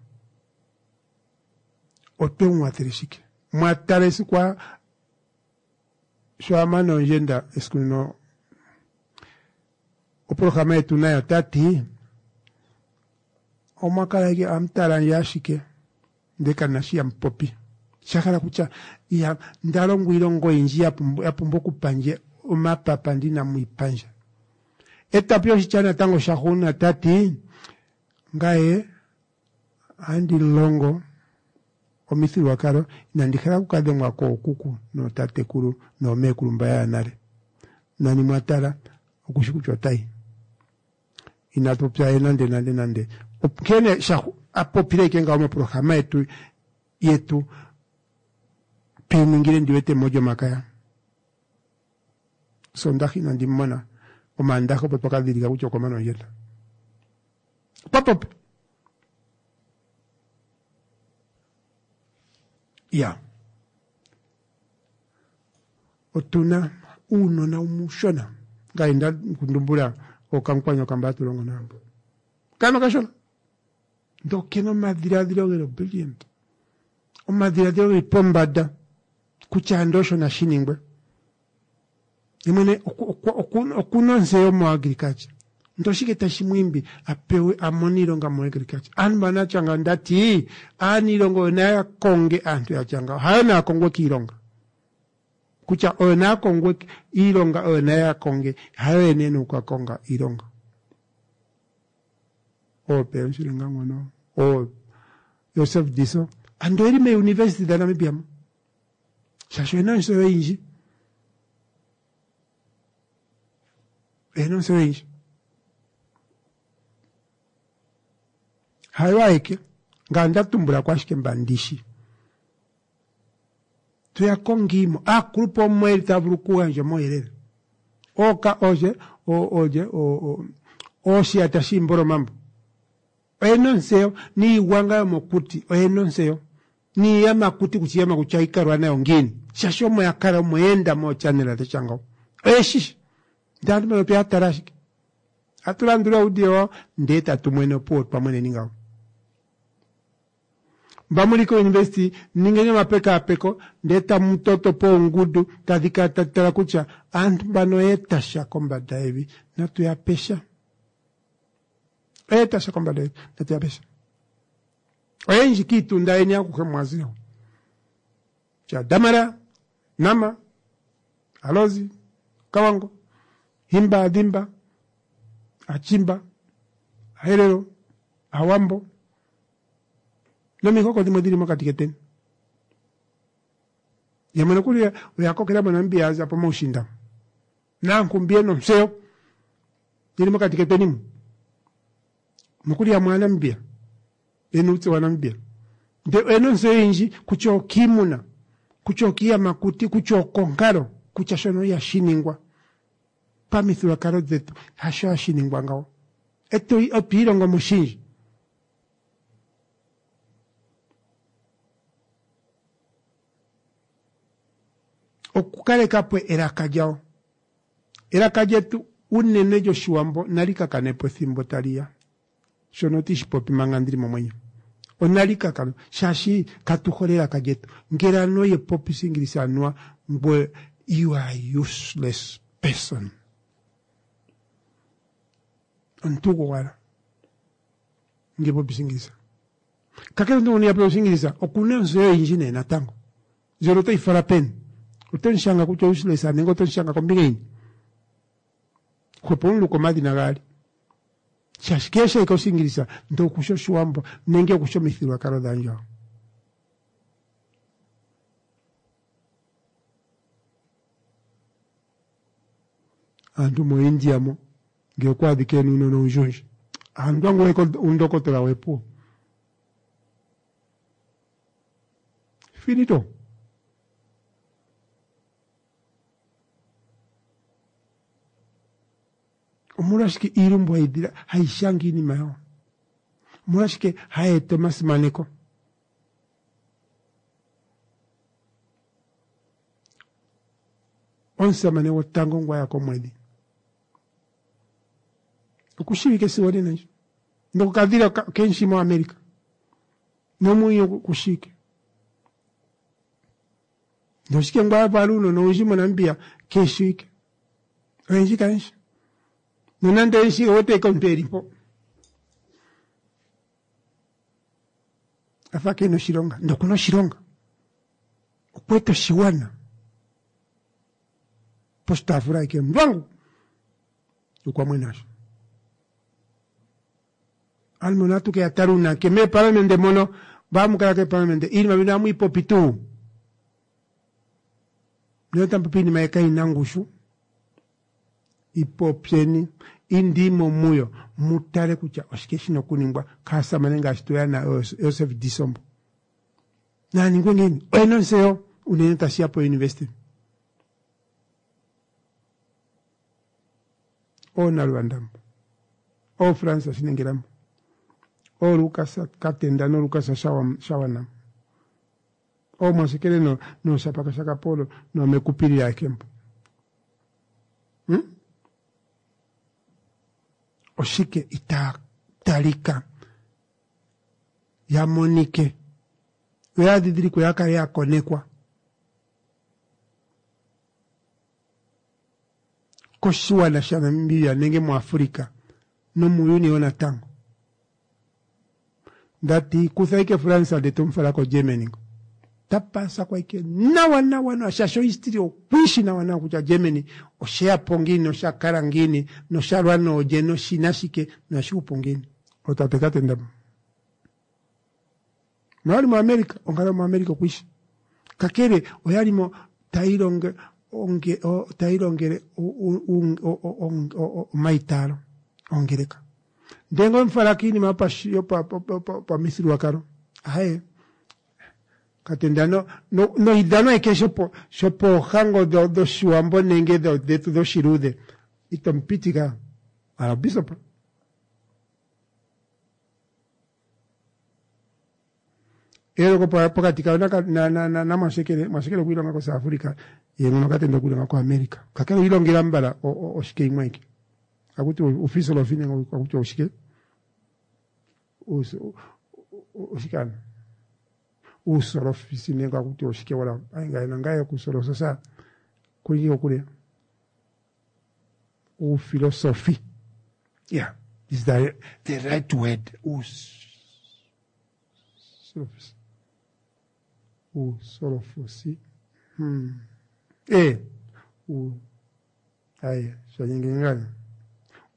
otwe mu wathele shike mwa tala esiku a sho a mana ondjenda esiku ndino oprograma yetu nayo ota ti omwa kala ike amu tala ndje ashike ndele kandi na shi hamu popi. Sha hala kutya iha nda longwa iilonga oyindji ya pumbwa okupa ndje omapapa ndele inamu yi pa ndje. Eta po oshitya natango shahugunina ta ti, Ngaye ohandi longo omithigululwakalo, inandi hala oku ka dhengwa kookuku nootatekulu noomeekulu mba ya ya nale. Nani mwa tala, oku shi kutya ota yi. Ina popya ye nande nande nande. Nkene sha a popile ike ngawo moprograma yetu yetu tweyi ningile ndi wete mOlyomakaya. Sondaha inandi mu mona, Omaandaha opo twa ka dhidhilika kutya okwa mana ondjenda. Okwa popi. Ya. Otuna uunona umushona ngaye nda kundumbula okankwanya okamba hatu longo naambo. Kana okashona. Ndele okena omadhiladhilo geli brilliant. Omadhiladhilo geli pombada kutya ando osho nashi ningwe. Ye mwene okuna ontseyo moagriculture. Ndele oshike tashi mu imbi a pewe a mone iilonga moagriculture? Aantu mba natya ngawo ndati aaniilonga oyo naya konge aantu yatya ngawo, hayo naya kongwe kiilonga. Kutya oyo naya kongwe iilonga oyo naya konge, hayo yene yena oku ka konga iilonga. Oo Peon Shilenga ngono, oo Joseph Diso, ando oyeli meeuniversity dhaNamibia mo. Shaashi oyena ontseyo oyindji. Oyena ontseyo oyindji. Hayo ayeke, ngame nda tumbula ko ashike mba ndishi. Tuya kongiimo, aakulupe omo yeli taya vulu okugandja omauyelele. Ooka oolye, oolye, ooshiyata shiimbolomambo. Oyena ontseyo niigwanga yomokuti oyena ontseyo niiyamakuti kutya iiyamakuti ohayi kalwa nayo ngiini shaashi omo ya kala omo ya enda moochannel dha tya ngawo oye shishi ndele aantu mbano otwe ya tala ashike atu landula uudio wawo ndee tatu mwene opuwo otwa mweneni ngawo mba muli kouniversity ningeni omapekaapeko ndee tamu toto po oongundu tadhi kala tadhi tala kutya aantu mbano oya eta sha kombanda yevi natu ya pe sha Oya eta sha kombanda yevi natu ya pe sha. Oyendji kiitunda yeni akuhe mwa zile ho. Kutya Damara, Nama, Alozi, Kawango, Himba, Adhimba, Achimba, Aherero, Awambo nomihoko dhimwe dhili mokati keteni. Yamwe nokuli oya kokela moNamibia ya za pomaushinda. Naankumbi yena ontseyo yeli mokati ketweni mu. Nokuli yamwe Aanamibia yena uutse waNamibia ndele oyena ontseyo oyindji kutya okiimuna, kutya okiiyamakuti, kutya okonkalo, kutya shono ihashi ningwa pamithigululwakalo dhetu hasho hashi ningwa ngawo. Eto otwi ilongo mo oshindji. Okukaleka po elaka lyawo. Elaka lyetu Unene lyOshiwambo nali ka kane po ethimbo tali ya. Shono otii shi popi manga ndi li momwenyo. Onali ka kane, shaashi katu hole elaka lyetu. Ngele anuwa oye popi Oshiingilisa anuwa ngwe you are useless person. Omuntu gwowala. Nge popi Oshiingilisa. Kakele omuntu ngono iha popi Oshiingilisa okuna ontseyo oyindji nee natango. Ndjono otoyi fala peni? Oto mu shanga kutya useless nenge oto mu shanga kombinga yini? Hwepo omuluka omadhina gaali. Shaashi kehe eke Oshiingilisa ndee okushi Oshiwambo nenge okushi omithigululwakalo dhaandjawo. Aantu moIndia mo ngele okwa adhika ena uunona owundji owundji, aantu angu uundokotola wepuwo. Finito. Omolwashike iilumbu hayi dhila hayi shanga iinima yawo? Omolwashike hayi eta omasimaneko? Omusamane gwotango ngwa ya komwedhi okushiwike sigo onena ndji nokukadhila kenshi moAmerica nomwenyo kushike noshike ngwa vala uunona owundji moNamibia keeshiwike oyendji kayeshi nonande oyeshi owete eke omuntu eli mpo afa kena oshilonga nokuna oshilonga okweta oshiwana poshitaafula eke ndwangu okwa mwenasho Ano natu ke ya tala uunake meeparlamente mono mba kala keeparlamente iinima mbino amu yi popi tuu nena otamu popi iinima kayi na ngushu ipopyeni indiimo muyo mu tale kutya oshike shina okuningwa kaasamane ngaashi tu ya na Joseph Disombo naa ningwe ngiini oyena ontseyo unene tashi ya pouniversity ooNalwandambo, ooFrans Shinengelambo, ooLukas Katenda noLukas Shawanam, ooMwashekele nooShapaka shaKapolo noomekupili aekembo. Hmm? Oshike itaa talika ya monike yo ya dhidhilikwe ya kale ya konekwa koshigwana shaNamibia nenge muAfrica nomuuyuni wo natango. Ndati kutha ike France nde to mu fala koGermany ngo. Ta pasa kwa ike nawa nawa nawa shaashi ohistory okwiishi nawa nawa kutya Germany osheya po ngiini nosha kala ngiini nosha lwa noolye noshina shike nohashi hupu ngiini. Otate Katenda noyali muAmerica onkalo yomuAmerica okwiishi. Kakele oyali mo tayi longe onge tayi longele omaitaalo ongeleka ndee ngee omufala kiinima yopamithigululwakalo aye katenda no noidhano eke shopoohango dhoshiwambo nenge dhetu dhoshiluudhe ito mupitika ala bishop Eyooloko pokati kayo naMwashekele, Mwashekele okwa ilonga koSouth Africa, ye ngono Katenda okwa ilonga koAmerica. Kakele oyi ilongela mbala oshike imwe aike. Akuti uufisolofi nenge akuti oshike? Oshike ano? Uusolofisi nenge akuti oshike wala. Ai ngaye nangaye okusolososa kuli kokule. Uufilosofi. Yeah, is the, the right word. Uusolofosi. Uusolofosi. Hmm. Eh. U, aye, shanyengengana.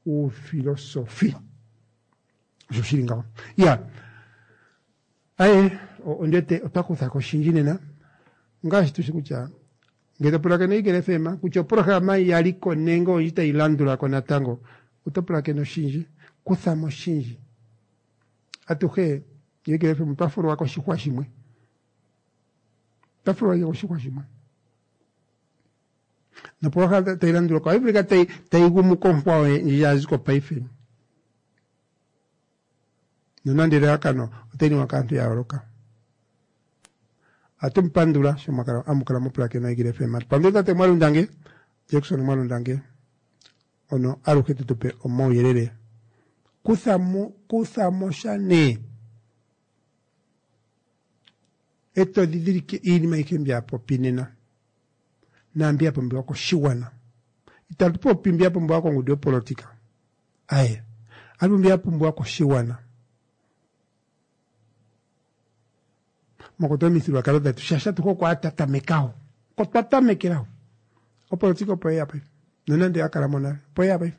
Uufilosofi. Osho shili ngaho. Yeah. Aye, ondete otwa kutha ko oshindji nena. Ngaashi tushi kutya ngele to pulakene Eagle FM kutya oprograma ya li ko nenge oyi tayi landula ko natango, oto pulakene oshindji, kutha mo oshindji. Atuhe Eagle FM otwa fulwa koshihwa shimwe. Otwa fulwa koshihwa shimwe. Noprograma tayi landula ko ohayi vulika tayi tayi gumu konkwawo ndji ya zi ko paife. Nonande elalakano otayi ningwa kaantu ya yooloka. Ohatu mu pandula sho mwakala amukala mupulakena Eagle FM. Atu pandula tate Mwalundange, Jackson Mwalundange. Ono aluhe te tu pe omauyelele. Kutha mo, kutha mo sha nee. E to dhidhilike iinima ayihe mbi a popi nena naambi ya pumbiwa koshigwana. Itatu popi mbi ya pumbiwa kongundu yopolotika. Aye, atu popi mbi ya pumbiwa koshigwana. Mwakwatelwa omithigululwakalo dhetu shaashi atuhe oko a tatamekaho. Oko twa tamekelaho. Opolotika opo ye ya paife. Nonande ya kala mo nale, opo ye ya paife.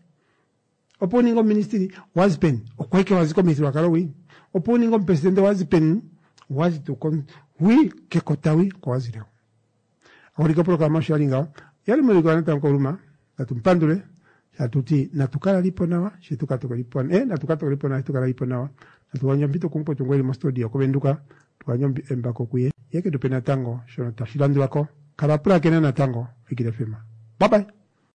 Opo u ninge oministili, wa zi peni? Okwa ike wa zi komithigululwakalo hwi. Opo u ninge omupresidente wa zi peni? Wa zi tuu ko hwi kekota hwi oko wa zile ho. Aholike opolohalama osho ya li ngaho. Yali muliko natango Kauluma, natu mu pandule hatu ti natu kala lipo nawa she tu ka tokolipo eh, natu ka tokolipo nawa she tu kala lipo nawa. Natu gandje ompito kumukwetu ngu eli mostudio koVenduka, tu gandje embako kuye ye ke tu pe natango shono tashi landula ko. Kala wa pulakena natango Eagle FM. Bye bye.